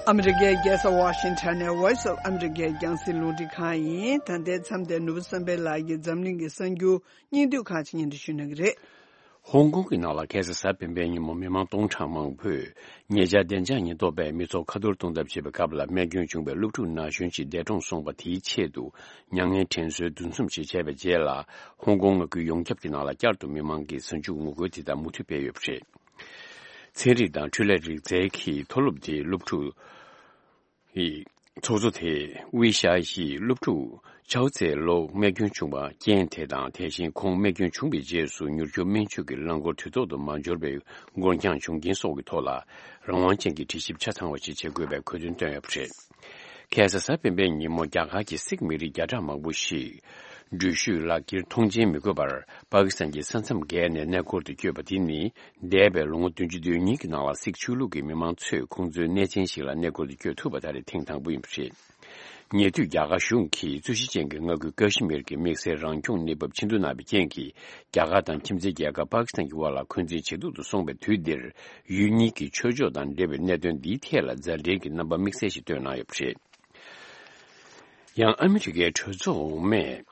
ཨ་མི་རི་ཀའི་རྒྱལ་ས་ཝ་ཤིང་ཊོན་ནས་Voice of America རྒྱང་སྲིང་རླུང་འཕྲིན་ཁང་ཡིན། ད་ལྟའི་མཚམས་དེར་ནོར་བུ་བསམ་འཕེལ་ལགས་ཀྱིས་འཛམ་གླིང་གི་གསར་འགྱུར་སྙིང་བསྡུས་ཁག་ཅིག་སྙན་སྒྲོན་ཞུ་གནང་གི་རེད། ཧོང་ཀོང་གི་ནང་ལ་ཁ་སང་གཟའ་སྤེན་པའི་ཉིན་མོ་མི་མང་སྟོང་ཕྲག་མང་པོས་ཉེ་ཆར་བདེ་འཇགས་ཉེན་རྟོག་པས་མི་ཚོགས་ཁ་ཐོར་གཏོང་ཐབས་བྱེད་པའི་སྐབས་ལ་རྨས་སྐྱོན་བྱུང་བའི་སློབ་ཕྲུག་ན་གཞོན་ཞིག་འདས་གྲོངས་སོང་བ་དེའི་ཆེད་དུ་མྱ་ངན་དྲན་གསོའི་འདུ་འཛོམས་ཤིག་བྱས་པའི་རྗེས་ལ། ཧོང་ཀོང་མངའ་ཁུལ་ཡོངས་ཁྱབ་ཀྱི་ནང་ལ་བསྐྱར་དུ་མི་མང་གིས་གཟའ་མཇུག་ངོ་རྒོལ་དེ་དག་མུ་མཐུད་སྤེལ་ཡོད་པ་རེད། ཚན་རིག་དང་འཕྲུལ་ལས་རིག་རྩལ་གྱི་མཐོ་སློབ་དེའི་སློབ་ཕྲུག་ཚོགས་གཙོ་དེས་དབུས་ཤར་ཡི་སློབ་ཕྲུག་ཆའོ་ཙེ་ལོ་རྨས་སྐྱོན་བྱུང་བ་རྐྱེན་དེ་དང་། དེ་བཞིན་ཁོང་རྨས་སྐྱོན་བྱུང་བའི་རྗེས་སུ་མྱུར་སྐྱོབ་སྨན་བཅོས་ཀྱི་རླངས་འཁོར་དུས་ཐོག་ཏུ་མ་འབྱོར་བའི་འགོར་འགྱངས་བྱུང་རྐྱེན་སོགས་ཀྱི་ཐོག་ལ་རང་དབང་ཅན་གྱི་དྲི་ཞིབ་ཆ་ཚང་བ་ཞིག་བྱེད་དགོས་པའི་གོ་སྟོན་བཏོན་ཡོད་པ་རེད། ཁ་སང་གཟའ་སྤེན་པའི་ཉིན་མོ་རྒྱ་གར་གྱི་སིག་མི་རིགས་བརྒྱ་ཕྲག་མང་པོ་ཞིག་འགྲུལ་བཞུད་ལག་འཁྱེར་མཐོང་མཆན་མི་དགོས་པར་པ་ཀི་སི་ཐན་གྱི་ས་མཚམས་བརྒལ་ནས་གནས་སྐོར་དུ་བསྐྱོད་པ་དེ་ནི། འདས་པའི་ལོ་ངོ་བདུན་ཅུ་དོན་གཉིས་ཀྱི་ནང་ལ་སིག་ཆོས་ལུགས་ཀྱི་མི་མང་ཚོས་ཁོང་ཚོའི་གནས་ཆེན་ཞིག་ལ་གནས་སྐོར་དུ་བསྐྱོད་ཐུབ་པ་ད་རེས་ཐེངས་དང་པོ་ཡིན་པ་རེད། ཉེ་དུས་རྒྱ་གར་གཞུང་གིས་རྩོད་གཞི་ཅན་གྱི་མངའ་ཁུལ་ཀ་ཤི་མིར་གྱི་དམིགས་བསལ་རང་སྐྱོང་གནས་བབ་ཆེ་བསྡུ་གནང་བའི་རྐྱེན་གྱིས། རྒྱ་གར་དང་ཁྱིམ་མཚེས་རྒྱལ་ཁབ་པ་ཀི་སི་ཐན་གྱི་དབར་ལ་འཁོན་འཛིན་ཇེ་སྡུག་ཏུ་སོང་བའི་དུས་འདིར། ཡུལ་གཉིས་ཀྱི་ཆོས་ཕྱོགས་དང་འབྲེལ་བའི་གནད་དོན་འདིའི་ཐད་ལ་མཛའ་འབྲེལ་གྱི་རྣམ་པ་དམིགས་བསལ་ཞིག་བཏོན་གནང་ཡོད་པ་རེད། ཡང་ཨ་མི་རི་ཀའི་གྲོས་ཚོགས་འོག་མས།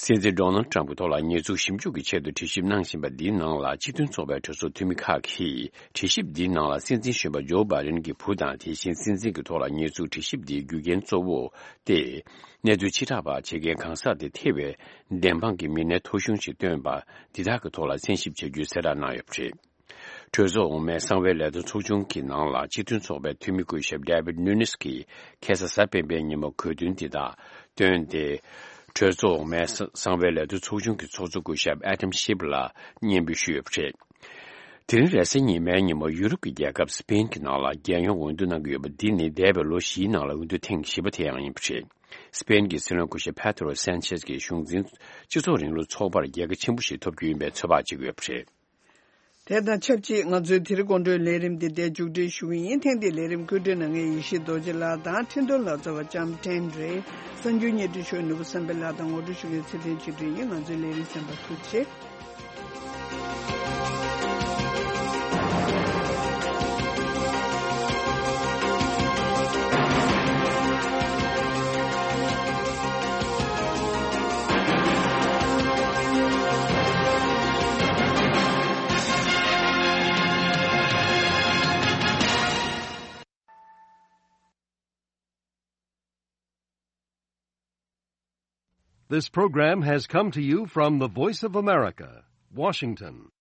སྲིད་འཛིན་ཌོ་ནལ་ཊམ་གྱི་ཐོག་ལ་ཉེས་འཛུགས་ཞིབ་འཇུག་གི་ཆེད་དུ་དྲི་ཞིབ་གནང་བཞིན་པ་འདིའི་ནང་ལ། སྤྱི་མཐུན་ཚོགས་པའི་གྲོས་ཚོགས་འཐུས་མི་ཁག་གིས་དྲི་ཞིབ་འདིའི་ནང་ལ་སྲིད་འཛིན་གཞོན་པ་ཇོ་བྷའི་ཌེན་གྱི་བུ་དང་། དེ་བཞིན་སྲིད་འཛིན་གྱི་ཐོག་ལ་ཉེས་འཛུགས་དྲི་ཞིབ་འདིའི་རྒྱུ་རྐྱེན་གཙོ་བོ་སྟེ། གནས་ཚུལ་ཕྱིར་བསྒྲགས་པ་བྱེད་མཁན་གང་ཟག་དེ་ཐེ་བའི་བདེན་དཔང་གི་མི་སྣའི་ཐོ་གཞུང་ཞིག་བཏོན་པ་འདི་དག་གི་ཐོག་ལ་གསན་ཞིབ་བྱ་རྒྱུའི་གསལ་བསྒྲགས་གནང་ཡོད་པ་རེད། གྲོས་ཚོགས་འོག་མའི་གསང་བའི་ལས་དོན་ཚོགས་ཆུང་གི་ནང་ལ་སྤྱི་མཐུན་ཚོགས་པའི་འཐུས་མི་སྐུ་ཞབས་David Nunes གྱིས་ཁ་སང་གཟའ་སྤེན་པའི་ཉིན་མོ་གོ་བསྡུར་འདི་དག་བཏོན་ཏེ། གྲོས་ཚོགས་འོག་མའི་གསང་བའི་ལས་དོན་ཚོགས་ཆུང་གི་ཚོགས་གཙོ་སྐུ་ཞབས་Adam Schiff ལ་སྙན་འབུལ་ཞུས་ཡོད་པ་རེད། དེ་རིང་རེས་གཟའ་ཉི་མའི་ཉིན་མོ་ཡུ་རོབ་ཀྱི་རྒྱལ་ཁབ་སི་པེན་གྱི་ནང་ལ་རྒྱལ་ཡོངས་འོས་བསྡུ་གནང་གི་ཡོད་པ་འདི་ནི་འདས་པའི་ལོ་བཞིའི་ནང་ལ་འོས་བསྡུ་ཐེངས་བཞི་པ་དེ་ཡང་ཡིན་པ་རེད། སི་པེན་གྱི་སྲིད་བློན་སྐུ་ཞབས་Pedro Sanchez གྱི་གཞུང་འཛིན་སྤྱི་ཚོགས་རིང་ལུགས་ཚོགས་པར་རྒྱལ་ཁ་ཆེན་པོ་ཞིག་ཐོབ་རྒྱུ་ཡིན་པའི་ཚོད་དཔག་བྱེད་ཀྱི་ཡོད་པ་རེད། དེ་དང་ཆབས་ཅིག་ང་ཚོའི་དེ་རིང་དགོང་དྲོའི་ལས་རིམ་འདི་འདིར་མཇུག་སྒྲིལ་ཞུ་གི་ཡིན། ཐེངས་འདིའི་ལས་རིམ་བཀོད་སྒྲིག་གནང་མཁན་ཡེ་ཤེས་རྡོ་རྗེ་ལགས་དང་འཕྲིན་གཏོང་ལག་རྩལ་བ་ལྕམ་ཀྲེན་རེད། གསར་འགྱུར་སྙན་སྒྲོན་ཞུ་བའི་ནོར་བུ་བསམ་འཕེལ་ལགས་དང་ངོ་སྤྲོད་ཞུ་མཁན་ཚེ་བརྟན་ཆོས་སྒྲོན་ཡིན། ང་ཚོའི་ལས་རིམ་གསན་པར་ཐུགས་རྗེ་ཆེ། This program has come to you from the Voice of America, Washington.